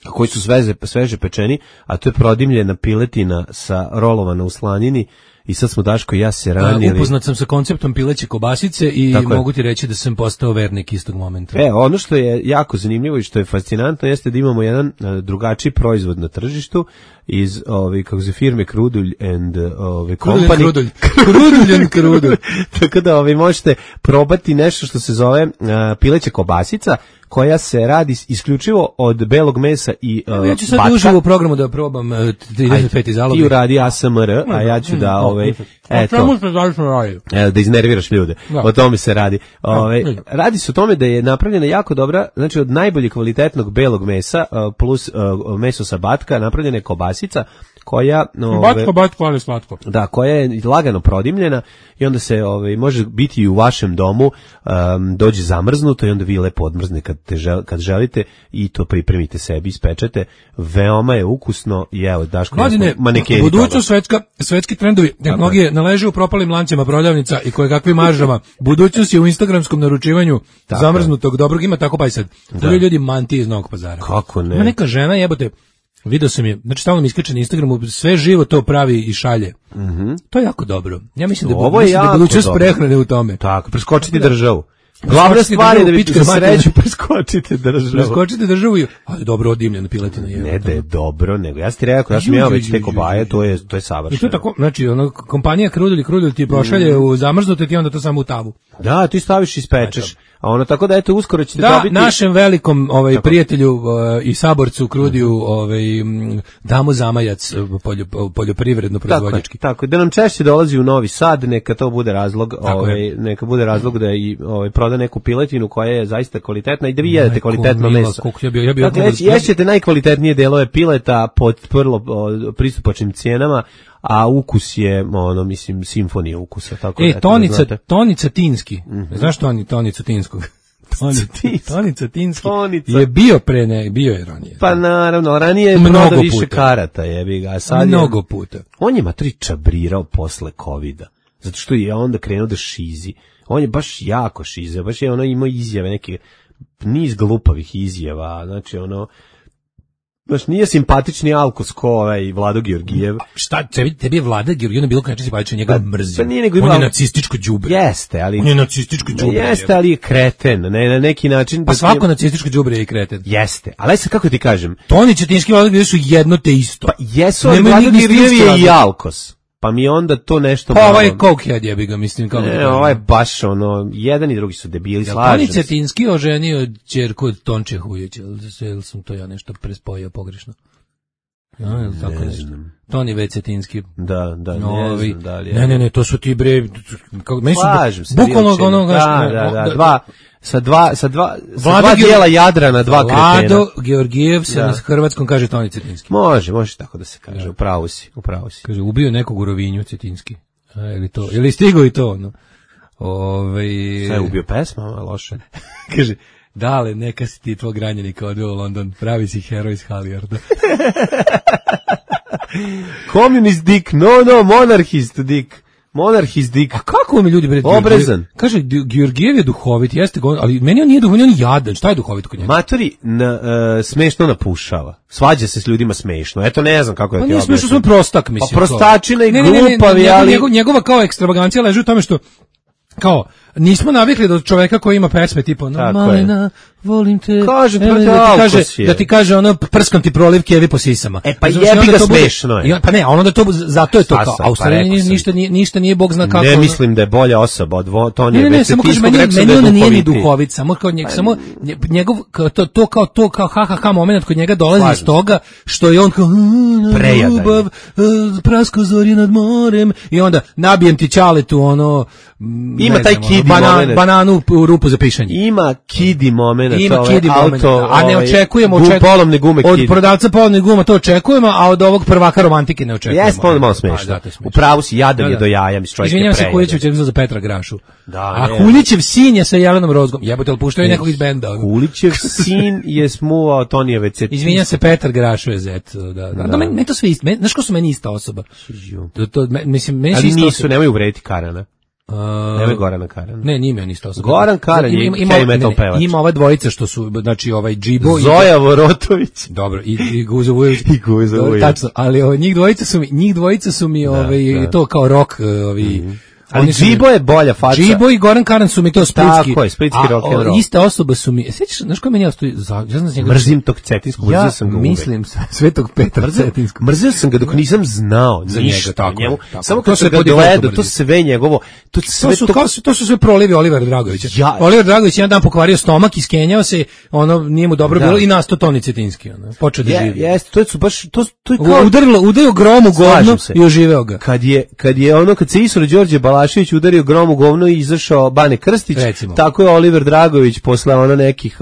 koji su sveže pečeni, a to je prodimljena piletina sa rolovana u slanini i sad smo Daško i ja se ranili. Upoznat sam sa konceptom pileće kobasice i mogu ti reći da sam postao vernik istog momenta. Ono što je jako zanimljivo i što je fascinantno jeste da imamo jedan drugačiji proizvod na tržištu iz kako se firme Krudulj and Company. Krudulj. Tako da možete probati nešto što se zove pileća kobasica, koja se radi isključivo od belog mesa i batka. Ja ću sad uživo u programu da probam 35 zaloga. Ti uradi ASMR, a ja ću da da iznerviraš ljude. O tome se radi. Radi se o tome da je napravljena jako dobra, znači od najboljeg kvalitetnog belog mesa plus meso sa batka napravljena je kobasica koja batko, ali slatko. Da, koja je lagano prodimljena i onda se može biti i u vašem domu, dođe zamrznuto i onda vi lepo odmrzne kad želite i to pripremite sebi, ispečete. Veoma je ukusno i evo Daško, manekeni toga. Budućnost svetski trendovi tehnologije naleže u propalim lancima prodavnica i kojekakvim maržama. Budućnost je u instagramskom naručivanju zamrznutog dobrog, ima tako pa i sad. To je ljudi manti iz Novog Pazara. Kako ne? Ima neka žena, jebote, video sam je, znači stalno mi iskače na Instagramu, sve živo to pravi i šalje. To je jako dobro. Ja mislim da je budućnost prehrane u tome. Tako, preskočiti državu. Glavna stvar je da bi za sreću preskočite državu. Preskočite državu, ali dobro odimljena piletina je. Ne da je dobro, nego ja sam ti rekao, ja sam imao već te kobaje, to je savršeno. I to je tako, znači, kompanija Krudulj ti pošalje u zamrznute, ti onda to samo u tavu. Da, ti staviš i ispečeš. A tako da eto uskoro ćete dobiti. Da, našem velikom prijatelju i saborcu Krudiju damo zamajac poljoprivredno proizvođački. Tako, da nam češće dolazi u Novi Sad, neka to bude razlog, neka bude razlog da i proda neku piletinu koja je zaista kvalitetna i da vi jedete kvalitetno meso. Dakle, ješćete najkvalitetnije delove pileta pod vrlo pristupačnim cijenama, a ukus je, mislim, simfonija ukusa. Tako Tonica Tinski. Znaš Tonica Tinskog? Tonica Tinski je bio bio je ranije. Pa naravno, ranije je prodao više karata, jebi ga. Mnogo puta. On je matri čabrirao posle covida, zato što je onda krenuo da šizi. On je baš jako šizeo, baš je imao izjave, neke niz glupavih izjava, znači baš nije simpatični Alkos ko Vlado Georgijev. Šta, tebi je Vlada Georgijev bilo kada simpatičan, njega mrzim. On je nacističko đubre. Jeste, ali... On je nacističko đubre. Jeste, ali je kreten, na neki način... Pa svako nacističko đubre je kreten. Jeste, ali sad kako ti kažem... Toni Cetinski i Vlado Georgijev su jedno te isto. Pa jesu, ali Vlado Georgijev je i Alkos. Pa mi onda to nešto... Pa ovaj je cokehead, jebi ga, mislim. Ne, ovaj je baš jedan i drugi su debili, slažem se. Toni Cetinski oženio ćerku od Tonče Hujića, ili sam to ja nešto prespojio pogrešno? Ja, tako nešto. Toni V. Cetinski. Da, ne znam da li je. Ne, to su ti bre... Slažem se. Bukvalno dva... Sa dva dijela Jadrana, dva kretena. Vlado Georgijev se na hrvatskom kaže Toni Cetinski. Može tako da se kaže, upravo si. Kaže, ubio nekog u Rovinju Cetinski. Ili stigao i to, Sve je ubio pesma, loše. Kaže, dale, neka si ti tvog ranjenika odveo u London, pravi si heroj iz Halijarda. Communist dick, no, monarchist dick. Monarhist dick. A kako mi ljudi obrezan? Kaže, Georgijev je duhovit, jeste, ali meni on nije duhovit, on je jadan. Šta je duhovit kod njega? Matori smešno napušava. Svađa se s ljudima smešno. Eto, ne znam kako je ti objasniti. Pa nije smešno, sam prostak, mislim. Pa prostačina i glupavi, ali... Njegova kao ekstravagancija leži u tome što kao, nismo navikli do čoveka koji ima pesme tipa Malina, volim te. Kaže, da ti kaže prskam ti proliv kevi po sisama. Pa jebi ga, smešno je. Pa ne, da to, zato je to kao, a u stvari ništa nije Bog zna kako. Ne mislim da je bolja osoba od Tonije. Ne, samo kaže, meni on nije ni duhovit, samo njegov, to kao ha moment kod njega dolazi iz toga, što je on kao, ljubav, prasko zori nad morem, i onda nabijem ti čaletu, ima taj kidi moment. Bananu u rupu za pišanje. Ima kidi moment. A ne očekujemo od prodavca polovnih guma, to očekujemo, a od ovog prvaka romantike ne očekujemo. Jes, malo smešno. U pravu si, jadan je do jaja. Izvinjam se, Kuljićev će za Petra Grašu. A Kuljićev sin je sa Jelenom Rozgom. Jebote, ali puštaju nekog iz benda. Kuljićev sin je smuvao Tonijeve Cetinski. Izvinjam se, Petar Grašu je zet. Meni to sve isto. Znaš ko su meni ista osoba? Ali nisu, nemoj uvrediti Karana. Neme Gorana Karana. Ne, nije on isto osoba. Goran Karan je heavy metal pevač. Ima ova dvojica što su, znači ovaj Džibo Zoja Vorotović. Dobro, i Guzo Vujović. I Guzo Vujović. Tačno, ali njih dvojica su mi to kao rock, Ali Džibo je bolja faca. Džibo i Goran Karan su mi to splitski. Tako je, splitski rock and roll. Ista osoba su mi, sećaš, znaš ko meni ja stoji, mrzim tog Cetinskog, mrzio sam ga uvek. Ja mislim Svetog Petra Cetinskog. Mrzio sam ga dok nisam znao za ništa njega, o njemu. Samo kad se gledao, to sve njegovo, to su sve prolivi Olivera Dragovića. Oliver Dragović jedan dan pokvario stomak, iskenjao se, nije mu dobro bilo i nastao Toni Cetinski, počeo da živi. Jeste, to su baš, to je kao udario grom u govno i oživeo ga. Kad se Isro Đorđe Balašević udario grom u govno i izašao Bane Krstić, recimo. Tako je Oliver Dragović posle nekih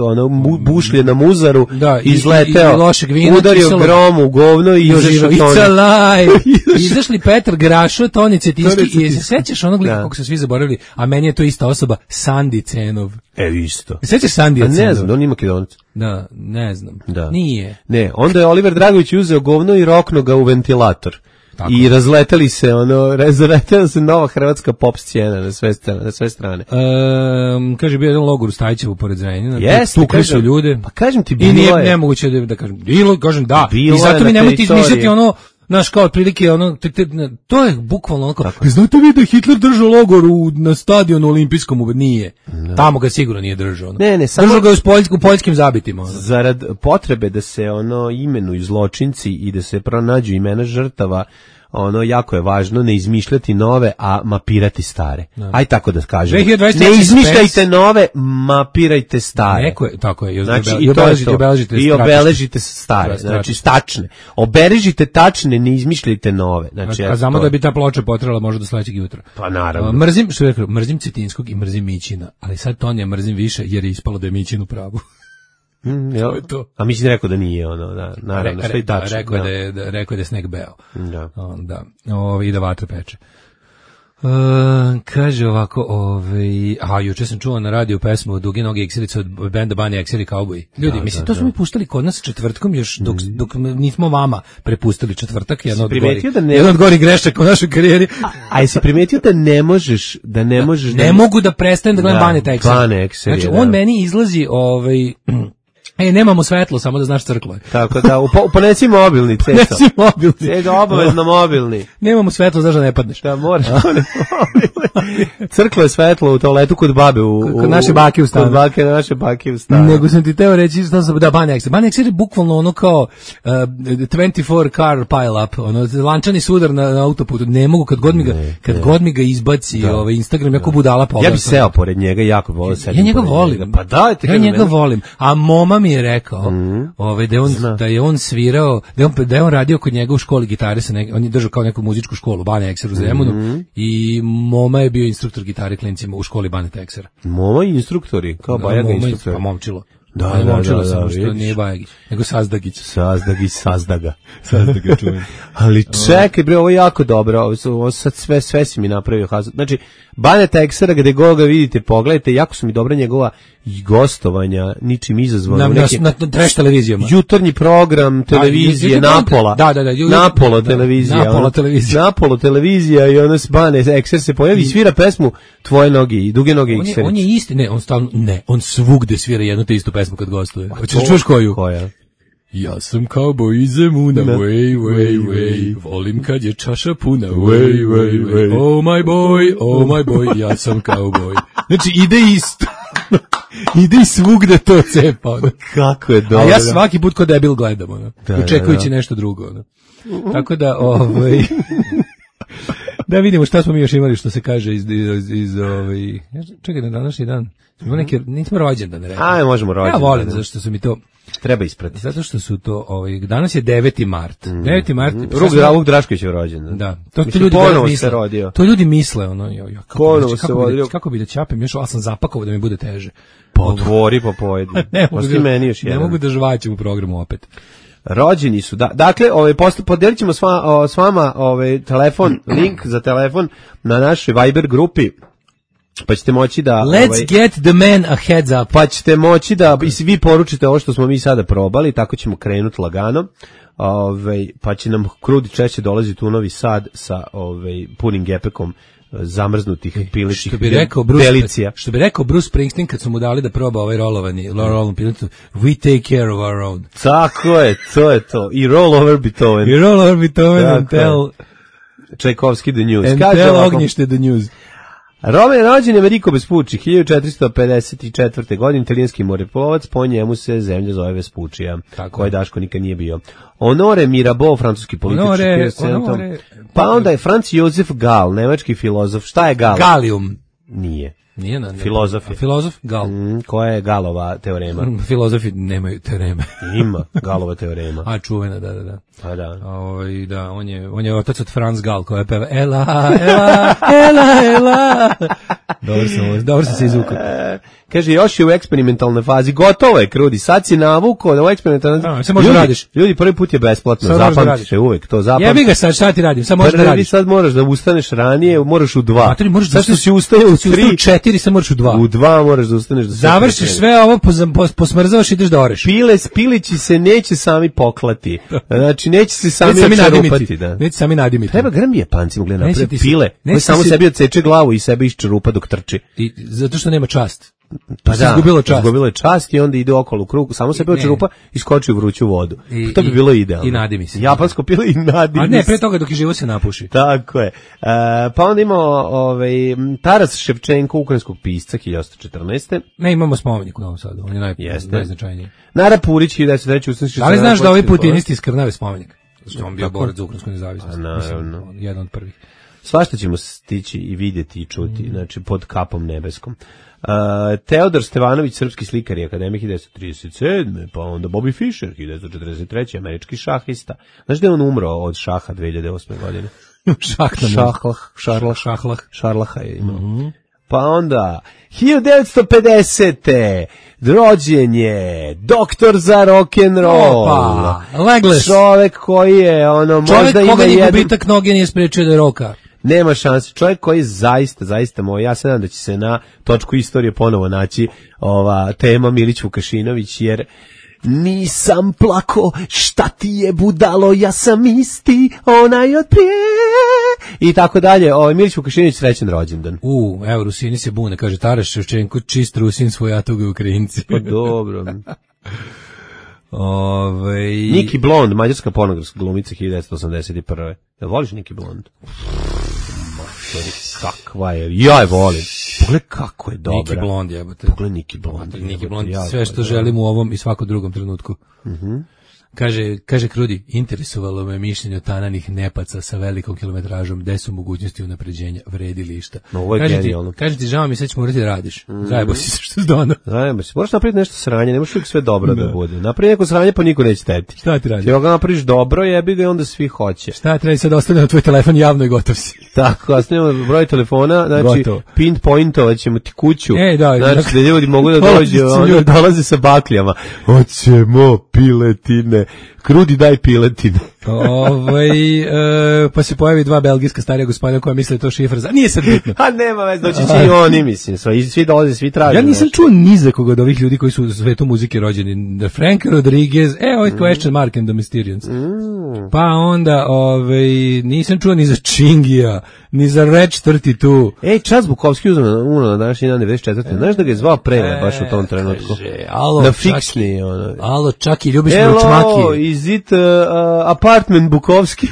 bušlje na muzaru izleteo, udario grom u govno i izašao Toni. It's alive! Izašli Petar Grašo, Toni Cetinski i se sećaš onog lika kako se svi zaboravili, a meni je to ista osoba, Sandi Cenov. Isto. Sećaš Sandija Cenov? Ne znam, on ima Makedonac. Da, ne znam. Nije. Ne, onda je Oliver Dragović uzeo govno i roknuo ga u ventilator. Tako. I razleteli se razletela se nova hrvatska pop scena na sve strane. Kaže bio jedan logor u Stajićevu pored Zrenjanina. Jeste, tukli su ljude. Pa kažem ti bilo je. I nije je nemoguće da kažem. Kažem da. I zato mi nemojte izmišljati znaš, kao otprilike, to je bukvalno onako, znate vi da je Hitler držao logor na stadionu olimpijskom? Nije. Tamo ga sigurno nije držao. Ne, samo držao ga u poljskim zabitima. Zarad potrebe da se imenuju zločinci i da se pronađu imena žrtava, jako je važno ne izmišljati nove, a mapirati stare. Aj tako da kažem. Ne izmišljajte nove, mapirajte stare. Tako je. Znači, i obeležite stare. Znači, tačne. Obeležite tačne, ne izmišljajte nove. Znači, a znamo da bi ta ploča potrala možda do sledećeg jutra. Pa naravno. Mrzim Cetinskog i mrzim Mićina, ali sad Tonija mrzim više jer je ispalo da je Mićin u pravu. A mislim rekao da nije naravno, sve i tačno. Rekao je da je sneg beo. Da. I da vatra peče. Kaže ovako, juče sam čuo na radiju pesmu od Duge noge eksilice od benda Bani Eksili Cowboy. Ljudi, mislim, to smo mi puštali kod nas četvrtkom još dok nismo vama prepustili četvrtak, jedan od gorih grešaka u našoj karijeri. A jesi primetio da ne možeš ne mogu da prestanem da gledam Bane Eksili. Znači, on meni izlazi nemamo svetlo, samo da znaš crklo je. Tako da, ponesi mobilni, Ceco. Ponesi mobilni. Ceco, obavezno mobilni. Nemamo svetlo, znaš da ne padneš. Da, moraš poneti mobilni. Crklo je svetlo u toaletu kod babe. Kod naše bake u stanu. Kod naše bake u stanu. Nego sam ti teo reći, Bane Eksili. Bane Eksili je bukvalno kao 24 car pile up, lančani sudar na autoputu. Ne mogu, kad god mi ga izbaci Instagram, jako budala pogledam. Ja bi seo pored njega, jako volim sedim. Ja njega volim. Pa dajte. Ja njega volim. A moma mi je rekao da je on svirao, da je on radio kod njega u školi gitare, on je držao kao neku muzičku školu, Bane Ekser u Zemunu, i moma je bio instruktor gitare klincima u školi Bane Eksera. Moma i instruktori, kao Bajaga instruktori. Pa momčilo. Da, što nije Bajagić, nego Sazdagić. Sazdaga čujem. Ali čekaj bre, ovo je jako dobro, ovo sad sve si mi napravio. Znači, Bane Eksera, gde god ga vidite, pogledajte, jako su mi dobra njegova gostovanja, ničim izazvano. Na trash televizijama. Jutarnji program televizije, Napola. Napolo televizija i ono s Bane Ekser se pojavi i svira pesmu Tvoje noge i Duge noge Ekserić. On je isti, on svugde svira jednu te istu pesmu kad gostuje. Hoćeš da čuješ koju? Koja? Ja sam cowboy iz Zemuna, way, volim kad je čaša puna, way, oh my boy, ja sam cowboy. Znači, ide isto. Ide i svugde to cepa. Kako je dobro. A ja svaki put ko debil gledam, očekujući nešto drugo. Tako da, da vidimo šta smo mi još imali, što se kaže iz čekaj, na današnji dan nismo rođendan, ne rekao. Možemo rođendan. Ja volim, zašto su mi to treba ispratiti. Zato što su to, danas je 9. mart. 9. mart. Ruk Drašković je rođendan. Da. To ljudi misle. To ljudi misle, kako bi da ćapem još, ali sam zapakovao da mi bude teže. Otvori pa pojedi. Ne mogu da žvaćem u programu opet. Rođeni su, da. Dakle, podelit ćemo s vama telefon, link za telefon na našoj Viber grupi, pa ćete moći da... Let's get the man a heads up. Pa ćete moći da vi poručite ovo što smo mi sada probali, tako ćemo krenuti lagano, pa će nam krudi češće dolaziti u Novi Sad sa punim gepekom zamrznutih pilećih delicija. Što bi rekao Bruce Springsteen kad su mu dali da proba ovaj rolovani piletu, we take care of our own. Tako je, to je to. I roll over Beethoven and tell Čajkovski the news. And tell Ognjište the news. Rome je rođen Ameriko Vespucci, 1454. godine, italijanski moreplovac, po njemu se zemlja zove Vespučija, koje Daško nikad nije bio. Honore Mirabeau, francuski političar. Pa onda je Franz Josef Gall, nemački filozof. Šta je Gall? Gallium. Nije. Nije na filozof je. Filozof Gal. Koja je Galova teorema? Filozofi nemaju teoreme. Ima Galova teorema. A čuvena, da. Pa da. Da, on je otac od Franz Gal koja je peva Ela. Dobro sam se izvukao. Kaže, još je u eksperimentalnoj fazi, gotovo je, Krudi, sad si navukao da u eksperimentalnoj fazi. Sad možda radiš. Ljudi, prvi put je besplatno, zapamtiš je uvek, to zapamtiš. Jebi ga sad, šta ti radim, sad možeš da radiš. Sad moraš da ustaneš ranije, moraš u 2. Sad što si ustajao u 3. 4, sad moraš u 2. U 2 moraš da ustaneš. Završiš sve ovo, posmrzavaš, ideš da oreš. Pilići se neće sami poklati. Znači, neće se sami čerupati. Neće sami nadimiti. Treba grmi Japancima, gledaj, napravi pile, koji samo sebi odseče glavu i sebe iščerupa dok trči. Zato što nema čast. Pa da, izgubilo je čast i onda ide okolo u krug, samo sebe očerupa i skoči u vruću vodu. To bi bilo idealno. I nadimi se. Japansko pilo i nadimi se. A ne, pre toga dok je živo se napuši. Tako je. Pa onda imamo Taras Ševčenko, ukrajinskog pisca, 1814. Ne, imamo spomenik u Novom Sadu, on je najznačajniji. Nara Purić, 1903. Da li znaš da ovi putinisti iskrnave spomenik? Znači, on bio borac za ukrajinsku nezavisnost. Naravno. Jedan od prvih. Svašta ćemo stići i vidjeti i čuti, znači pod kapom nebeskom. Teodor Stevanović, srpski slikar i akademik, 1937. Pa onda Bobby Fischer, 1943. američki šahista. Znaš da je on umro od šaha 2008. godine? Šarlaha je imao. Pa onda 1950. rođen je doktor za rock'n'roll. Legless. Čovek koji je možda ima jedan... gubitak noge nije sprečio da roka. Nema šanse. Čovjek koji je zaista moj. Ja se nadam da će se na točku istorije ponovo naći ova tema Milić Vukašinović, jer nisam plako, šta ti je budalo, ja sam isti, onaj od prije. I tako dalje. Milić Vukašinović, srećan rođendan. Evo, Rusini se bune, kaže Taras Ševčenko, čist Rusin, svojatoga Ukrajinci. Pa dobro. Niki Blond, mađarska pornografska glumica, 1981. Da voliš Niki Blond? Kakva je, ja je volim. Pogledaj kako je dobra. Niki Blond, jebote. Pogledaj Niki Blond. Niki Blond, sve što želim u ovom i svakom drugom trenutku. Kaže Krudi, interesovalo me mišljenje o tananih nepaca sa velikom kilometražom, gde su mogućnosti unapređenja, vredi li išta. Kaže ti, žao mi, sad ćemo morati da radiš. Zajebo si se što je dono. Zajebo si, moraš napraviti nešto sranje, ne možeš uvijek sve dobro da bude. Napravi neko sranje, pa niko neće teti. Šta ti radi? Ti ga napraviš dobro, jebi ga i onda svi hoće. Šta ti radi, sad ostavljamo tvoj telefon javno i gotov si. Tako, ostavljamo broj telefona, znači pinpointovat ćemo ti kuću. Znači da ljudi mogu da dođu, dolaze sa bakljama. Hoćemo piletine. Krudi, daj piletine. Pa se pojavi dva belgijska starija gospodina koja misle to šifra za... Nije sad bitno. A nema već, doći će i oni, mislim. Svi dolaze, svi traže. Ja nisam čuo ni za koga od ovih ljudi koji su u svetu muzike rođeni. Frank Rodriguez, ovaj question mark and the Mysterians. Pa onda, nisam čuo ni za Čingija, ni za Reč 32. Čas Bukovski uzmano na današnji dan 94. Znaš da ga je zvao Prele baš u tom trenutku? Na fiksni. Alo, Čaki, ljubiš me u čmaki. Is it apartment Bukovski?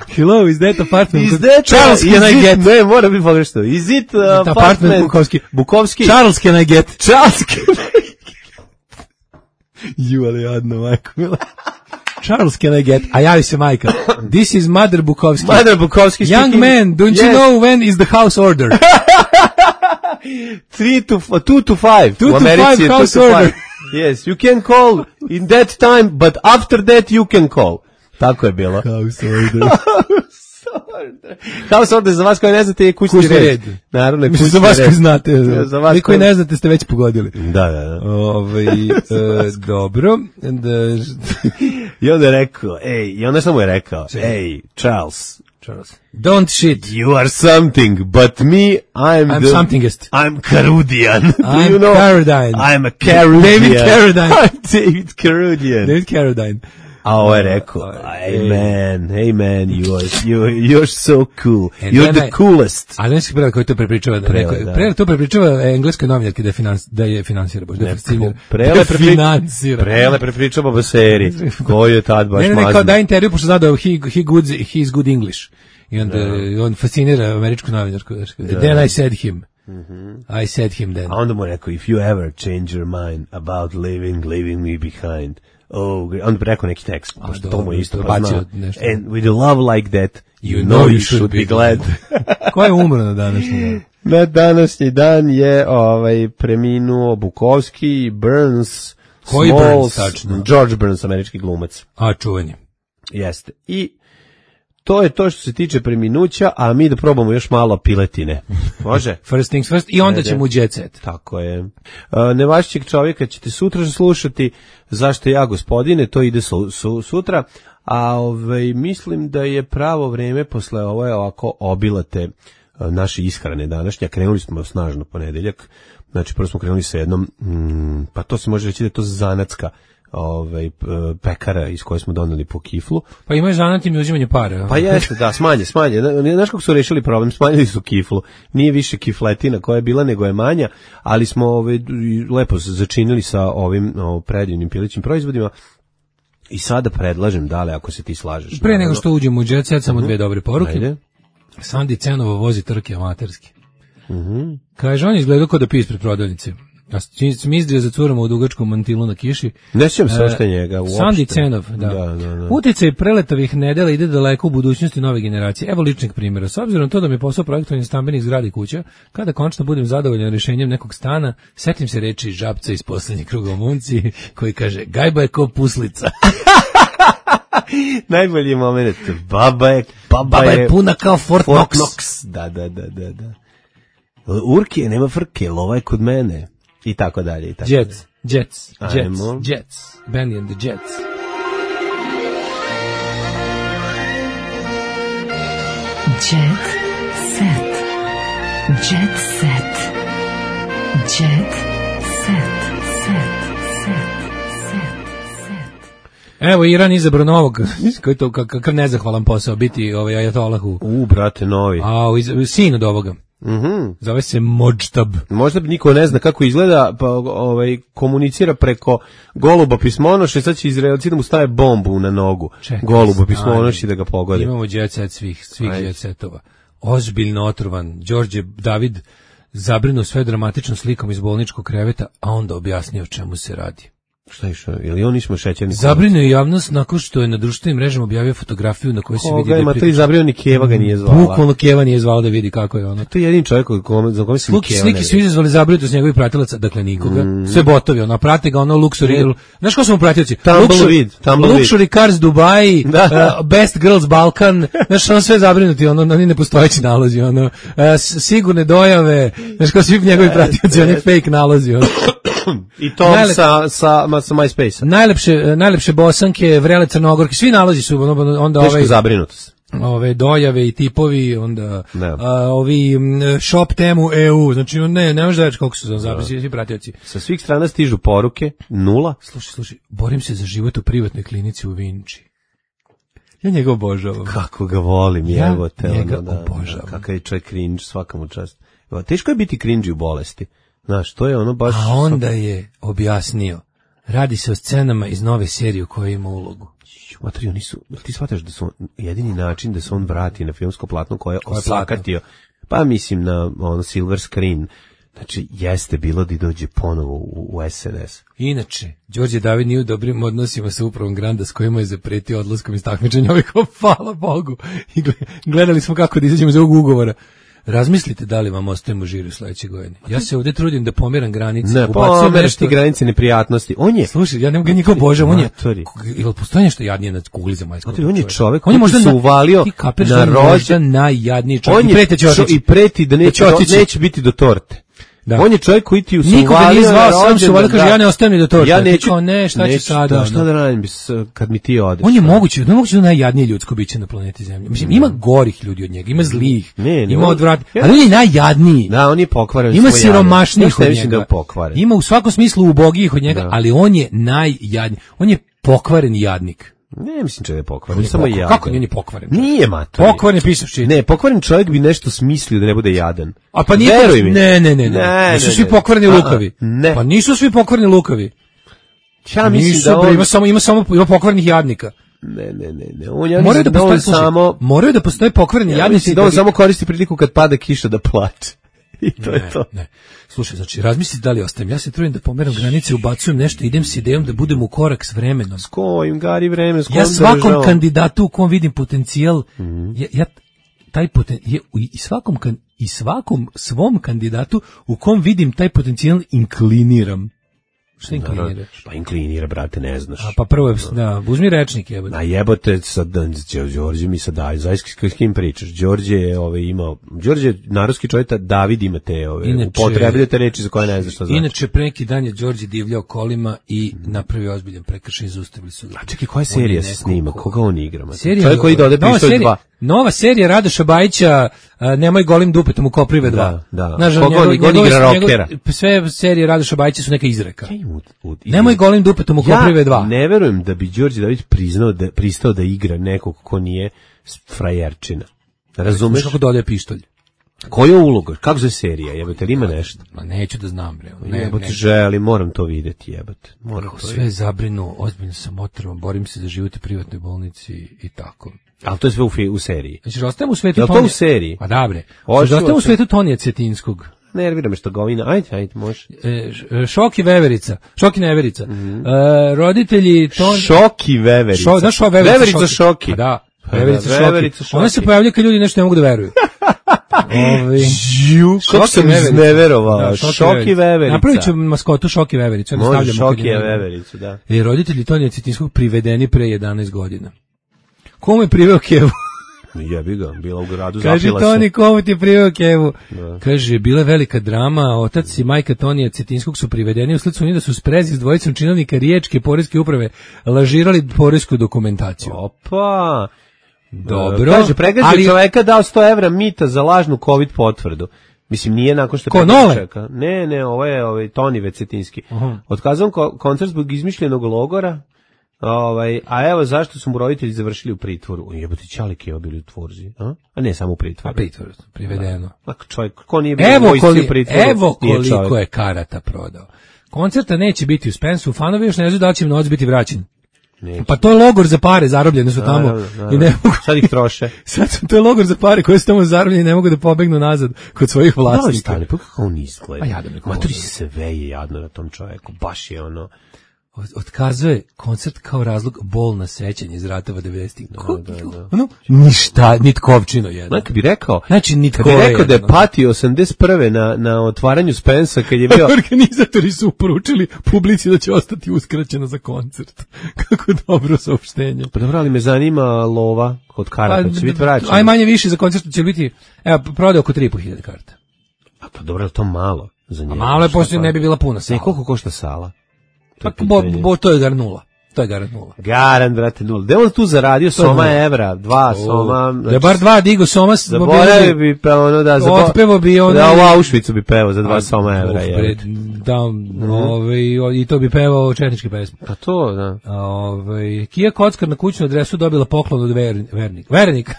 Hello, is that apartment? Charles, can I get? Ne, mora biti pogrešno. Is it apartment Bukovski? Charles, can I get? Charles, can I get? Ali jadno, majko mila. Charles, can I get? A javi se majka. This is Mother Bukovski. Mother Bukovski speaking. Young man, don't you know when is the house order? 2 to 5. 2 to 5 house order. Yes, you can call in that time, but after that you can call. Tako je bilo. House order. House order, za vas koji ne znate je kućni red. Naravno, kućni red. Za vas koji znate. Vi koji ne znate ste već pogodili. Da. Dobro. I onda je rekao, i onda sam mu je rekao, Charles, don't shit. You are something, but me, I'm somethingest. I'm Carudian. I'm Carradine. I'm a Carudian. David Carradine. I'm David Carrudian. David Carradine. A ovo je rekao, hey man, you're so cool, you're the coolest. A znaš prela koji to prepričava? Prela to prepričava engleskoj novinarki da je finansira, baš da je Prele prepričava o seri, koji je tad baš mazno. Ne, kao da intervju, pošto zna da he's good English. I onda on fascinira američku novinarku. Then I said him. I said him then. A onda mu rekao, if you ever change your mind about leaving me behind. On bi rekao neki tekst, pošto to mu je isto poznao. And with a love like that, you know you should be glad. Ko je umro na današnji dan? Na današnji dan je preminuo Bukovski, Burns, koji Smalls, Burns, tačno? George Burns, američki glumac. A, čuveni. Jeste. I to je to što se tiče preminuća, a mi da probamo još malo piletine. Može? First things first i onda ćemo u jet set. Tako je. Nevašćeg čovjeka ćete sutra slušati, zašto ja gospodine, to ide sutra, a mislim da je pravo vreme posle ovo je ovako obilate naše ishrane današnje. Krenuli smo snažno ponedeljak, znači prvo smo krenuli sa jednom, pa to se može reći da je to zanatska pekara iz koje smo doneli po kiflu. Pa imaju zanat im uzimanje para. Pa jeste, da, smanje. Znaš kako su rešili problem? Smanjili su kiflu. Nije više kifletina koja je bila, nego je manja, ali smo lepo se začinili sa ovim predivnim pilećim proizvodima. I sada predlažem, Dale, ako se ti slažeš. Pre nego što uđemo u jet set, samo dve dobre poruke. Ajde. Sandi Cenovo vozi trke amaterski. Kaže, on je izgledao kao da pije ispred prodavnice. Ja sam izdrio za curama u dugačkom mantilu na kiši. Ne sjećam se ošte njega uopšte. Sandi Cenov, da. Uticaj preletovih nedela ide daleko u budućnosti nove generacije. Evo ličnih primjera. S obzirom to da mi je posao projektovanje stambenih zgrada i kuća, kada končno budem zadovoljan rješenjem nekog stana, setim se reči Žabca iz Poslednjeg kruga u Munci, koji kaže, gajba je ko puslica. Najbolji moment. Baba je puna kao Fort Knox. Da. Urkije, nema frke, lova je kod mene. I tako dalje. Jets. Benny and the Jets. Jet set. Jet set. Jet set. Evo, Iran izabrao novog, koji to kakav nezahvalan posao biti ajatolahu. Brate, novi. Sin od ovoga. Zove se Modžtab. Možda niko ne zna kako izgleda, pa komunicira preko goluba pismonoša i sad će Izraelci da mu stave bombu na nogu. Goluba pismonoša i da ga pogode. Imamo jet set svih jet setova. Ozbiljno otrovan. Đorđe David zabrinuo sve dramatičnom slikom iz bolničkog kreveta, a onda objasnio o čemu se radi. Šta je išao? Ili on nismo šećerni? Zabrinuo je javnost nakon što je na društvenim mrežama objavio fotografiju na kojoj se vidi da je to izabrinuo, ni Keva ga nije zvala. Bukvalno Keva nije zvala da vidi kako je ono. To je jedini čovjek za kome se Keva ne slike su izazvali zabrinutost njegovih pratilaca, dakle nikoga. Sve botovi, prate ga luxury. Znaš ko su mu pratioci? Luxury Cars Dubai, Best Girls Balkan. Znaš, on sve zabrinuti, oni nepostojeći nalozi, sigurne dojave. Znaš ko svi njegovi pratioci, oni fake nalozi. I to sa MySpace-a. Najlepše bosanke, vrele crnogorke, svi nalazi su onda teško zabrinutost. Ove dojave i tipovi, onda ovi shop temu EU, znači ne možeš da reći koliko su zapisali svi pratioci. Sa svih strana stižu poruke, 0. Slušaj, borim se za život u privatnoj klinici u Vinči. Ja njega obožavam. Kako ga volim, evo te. Ja njega obožavam. Kakav je čovjek cringe, svaka mu čast. Teško je biti cringe u bolesti. Znaš, to je ono baš... A onda je objasnio, radi se o scenama iz nove serije u kojoj ima ulogu. Matri, oni su, ti shvataš da su jedini način da se on vrati na filmsko platno koje je osakatio, pa mislim na silver screen, znači jeste bilo da dođe ponovo u SNS. Inače, Đorđe David nije u dobrim odnosima sa upravom Granda s kojima je zapretio odlaskom iz takmičenja, hvala Bogu, i gledali smo kako da izađemo iz ovog ugovora. Razmislite da li vam ostajemo žiri u sledećoj godini. Ja se ovdje trudim da pomeram granice. Ne, pomeraš ti granice neprijatnosti. On je... Slušaj, ja ne nikog božam, on je... Ili postoji nešto jadnije na kugli zemaljskog? On je čovek koji se uvalio na rođa najjadniji čovjek. I preti da neće biti do torte. Da. On je čovjek koji ti usuvalio. Nikoga nije zvao, sam se uvalio, kaže ja ne ostajem ni do torte. Ja neću, šta ću sada? Šta da radim kad mi ti odeš? On je moguće da najjadnije ljudsko biće na planeti Zemlji. Mislim, ima gorih ljudi od njega, ima zlih, ima odvratnih, ali on je najjadniji. Da, on je pokvaren. Ima siromašnijih od njega. Ima u svakom smislu ubogijih od njega, ali on je najjadniji. On je pokvaren jadnik. Ne, mislim da je pokvaren, samo jadan. Kako nije ni pokvaren? Nije, mater. Pokvaren je pisavči. Ne, pokvaren čovjek bi nešto smislio da ne bude jadan. A pa nije. Ne. Nisu svi pokvareni lukavi. Pa nisu svi pokvareni lukavi. Ja mislim da on... ima pokvarenih jadnika. Ne. On ja mislim da on samo... Moraju da postoje pokvareni jadnici. Mislim da on samo koristi priliku kad pada kiša da plače. I to je to. Ne. Slušaj, znači, razmisli da li ostajem. Ja se trudim da pomeram granice, ubacujem nešto, idem s idejom da budem u korak s vremenom. S kojim, Gari, vremen, s kojim ja svakom kandidatu u kom vidim potencijal, ja taj i svakom svom kandidatu u kom vidim taj potencijal inkliniram. Šta inkliniraš? Pa inklinira, brate, ne znaš. A pa prvo, uzmi rečnik, jebote. A jebote, sad, Đorđe mi sad daj, zaista s kim pričaš? Đorđe je imao, Đorđe je narodski čovjek, David ima te upotrebljate reči za koje ne znaš šta znači. Inače, pre neki dan je Đorđe divljao kolima i napravio ozbiljan prekršaj, zaustavili su ga. A čekaj, koja serija se snima? Koga on igra? Čovjek koji ide ovde Pištolj 2. Nova serija Radoša Bajića, Nemoj golim dupetom u Koprive 2. Da. Koga on igra rokera? Sve serije Radoša Bajića su neka izreka. Nemoj golim dupetom u Koprive 2. Ja ne verujem da bi Đorđe Davić pristao da igra nekog ko nije frajerčina. Razumeš? Kako dodaje pištolj? Koja uloga? Kako za serija? Jebate, ima nešto? Ma neću da znam, bre. Jebate, želim, moram to vidjeti, jebate. Sve zabrinu, ozbiljno sam otrvan, borim se za život u privatnoj bolnici i tako. Ali to je sve u seriji. Znači, ostajem u svetu Tonija. Je li to u seriji? Pa da, bre. Znači, ostajem u svetu Tonija Cetinskog. Nervira me što govina. Ajde, može. Šoki Veverica. Šoki Neverica. Roditelji Šoki Veverica. Znaš šo Veverica? Veverica Šoki. Pa da. Veverica Šoki. Ona se pojavlja kad ljudi nešto ne mogu da veruju. Kako sam izneverovao. Šoki Veverica. Napravit ću maskotu Šoki Veverica. Može Šoki Vevericu, da. Roditelji Tonija Cetinskog privedeni pre 11 godina. Komu je priveo kevu? Jebi ga, bila u gradu, zapila se. Kaže Toni, komu ti je priveo kevu? Da. Kaže, bila je velika drama, otac i majka Tonija Cetinskog su privedeni, usled su da su sprezi s dvojicom činovnika Riječke poreske uprave lažirali poresku dokumentaciju. Opa! Dobro. Kaže, pregazio čoveka dao 100 evra mita za lažnu COVID potvrdu. Mislim, nije nakon što je Nole? Čeka. Ne, ovo je Toni Cetinski. Otkazao koncert zbog izmišljenog logora. A evo zašto su mu roditelji završili u pritvoru. Jebote, Ćalik je bili u tvorzi, a ne samo u pritvoru. A pritvoru, privedeno. Čovjek, ko nije bio u pritvoru? Evo koliko je karata prodao. Koncerta neće biti u Spensu, fanovi još ne znaju da će novac biti vraćen. Neće. Pa to je logor za pare, zarobljene su tamo. I ne mogu, sad ih troše. To je logor za pare koje su tamo zarobljene i ne mogu da pobegnu nazad kod svojih vlasnika. Da li stane, pa kako on izgleda? Maturi se veje jadno na tom čovjeku, baš je ono... Otkazuje koncert kao razlog bolna sećanja iz ratova 90-ih. Da. Ništa, nitkovčino jedno. Kad bi rekao, znači, da je patio 81. na otvaranju Spensa, kad je bio... Organizatori su poručili publici da će ostati uskraćeno za koncert. Kako dobro saopštenje. Pa dobro, ali me zanima lova od karata, će biti vraćeno. Aj manje više za koncert će biti, evo, prodaje oko 3.500 karta. A pa dobro, to malo za njega. Malo je, poslije ne bi bila puna sala. Koliko košta sala? Pa to je gar nula. To je garant nula. Garant, brate, nula. Gde on tu zaradio soma evra? 2 soma. Da je bar 2 digo soma. Zaboravio bi ono da... Otpevo bi ono... Da, u Auschwitzu bi pevao za 2 soma evra. I to bi pevao četničke pesme. A to, da. Kija Kockar na kućnu adresu dobila poklon od Vernika.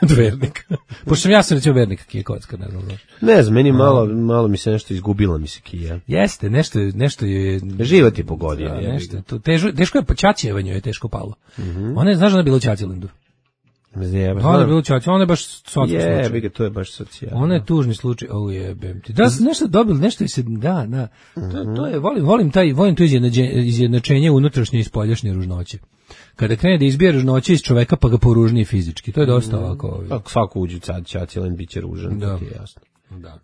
Pošto ja sam recimo Vernika Kija Kockar, ne znam. Ne znam, meni malo mi se nešto izgubila mi se Kija. Jeste, nešto je... Život je pogodio. Teško je Čačevanju je teško palo. Ona je, znaš da je bila u Čačilendu? Ona je bila u Čačilendu, ona je baš socijalni slučaj. To je baš socijalno. Ona je tužni slučaj, jebem ti. Da, nešto dobili, nešto je se, da. To je, volim to izjednačenje unutrašnje i spoljašnje ružnoće. Kada krene da izbije ružnoće iz čoveka, pa ga poružnije fizički. To je dosta ovako. Ako svako uđe u Čačiland, bit će ružan, to ti je jasno. Da.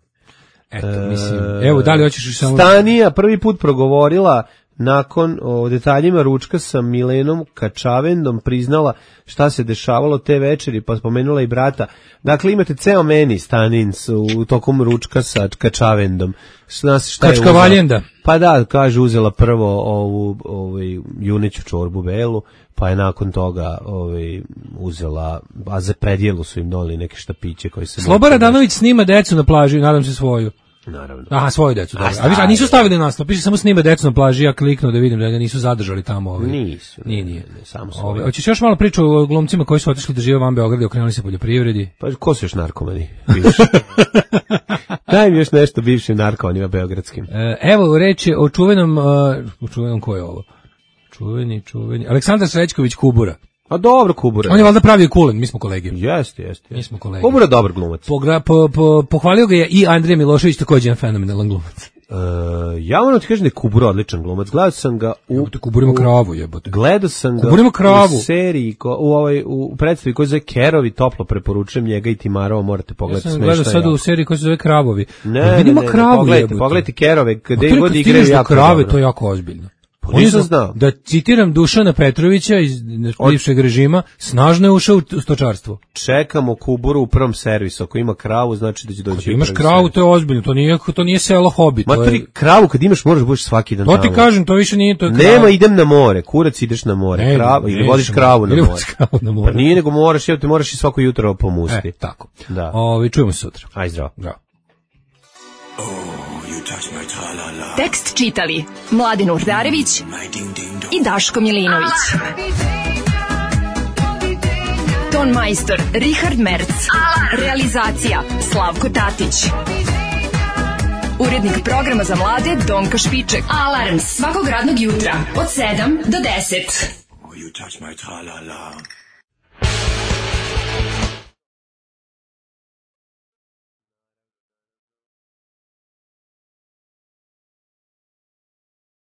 Eto, mislim, evo, da li hoćeš samo... Stanija prvi put progovorila nakon o detaljima ručka sa Milenom Kačavendom, priznala šta se dešavalo te večeri, pa spomenula i brata. Dakle, imate ceo meni Stanin u tokom ručka sa Kačavendom. Kačkavaljenda. Pa da, kaže, uzela prvo ovu juneću čorbu belu, pa je nakon toga uzela, a za predjelu su im doli neke štapiće koji se... Sloba Radanović snima decu na plaži, nadam se svoju. Naravno. Aha, svoju decu, dobro. A nisu stavili naslov, piše samo snima decu na plaži, ja kliknuo da vidim da ga nisu zadržali tamo. Nisu. Nije. Samo svoju. Hoćeš još malo priču o glumcima koji su otišli da žive van Beograda i okrenuli se poljoprivredi? Pa ko su još narkomani? Daj mi još nešto bivšim narkomanima beogradskim. Evo reći o čuvenom ko je ovo? Čuveni. Aleksandar Srećković Kubura. A dobro, Kubura. On je valjda pravio Kulen, mi smo kolege. Jeste. Mi smo kolege. Kubura dobar glumac. Pohvalio ga je i Andrija Milošević, također jedan fenomenalan glumac. Ja moram ti kažem da je Kubura odličan glumac. Gledao sam ga u... Kuburimo kravu, jebote. Gledao sam ga u seriji, u predstavi koji se zove Kerovi, toplo preporučujem njega i Timarova, morate pogledati smešta. Ja sam gledao sad u seriji koji se zove Kravovi. Ne, pogledajte Kerove, gde god igraju jako krave, dobro. To je jako ozbiljno. Nisam znao. Da citiram Dušana Petrovića iz bivšeg režima, snažno je ušao u stočarstvo. Čekamo Kuburu u prvom servisu. Ako ima kravu, znači da će doći. Kad imaš kravu, to je ozbiljno. To nije selo hobi. Kravu kad imaš, možeš budeš svaki dan. To ti kažem, to više nije to. Nema, idem na more. Kurac, ideš na more. Ili vodiš kravu na more. Pa nije, nego moraš i svako jutro pomusti. Tako. Da. Čujemo se sutra. Aj, zdravo. Tekst čitali Mladen Urdarević i Daško Milinović. Ton majstor Richard Merc. Realizacija Slavko Tatić. Urednik programa za mlade Donka Špiček. Alarms svakog radnog jutra od 7 do 10.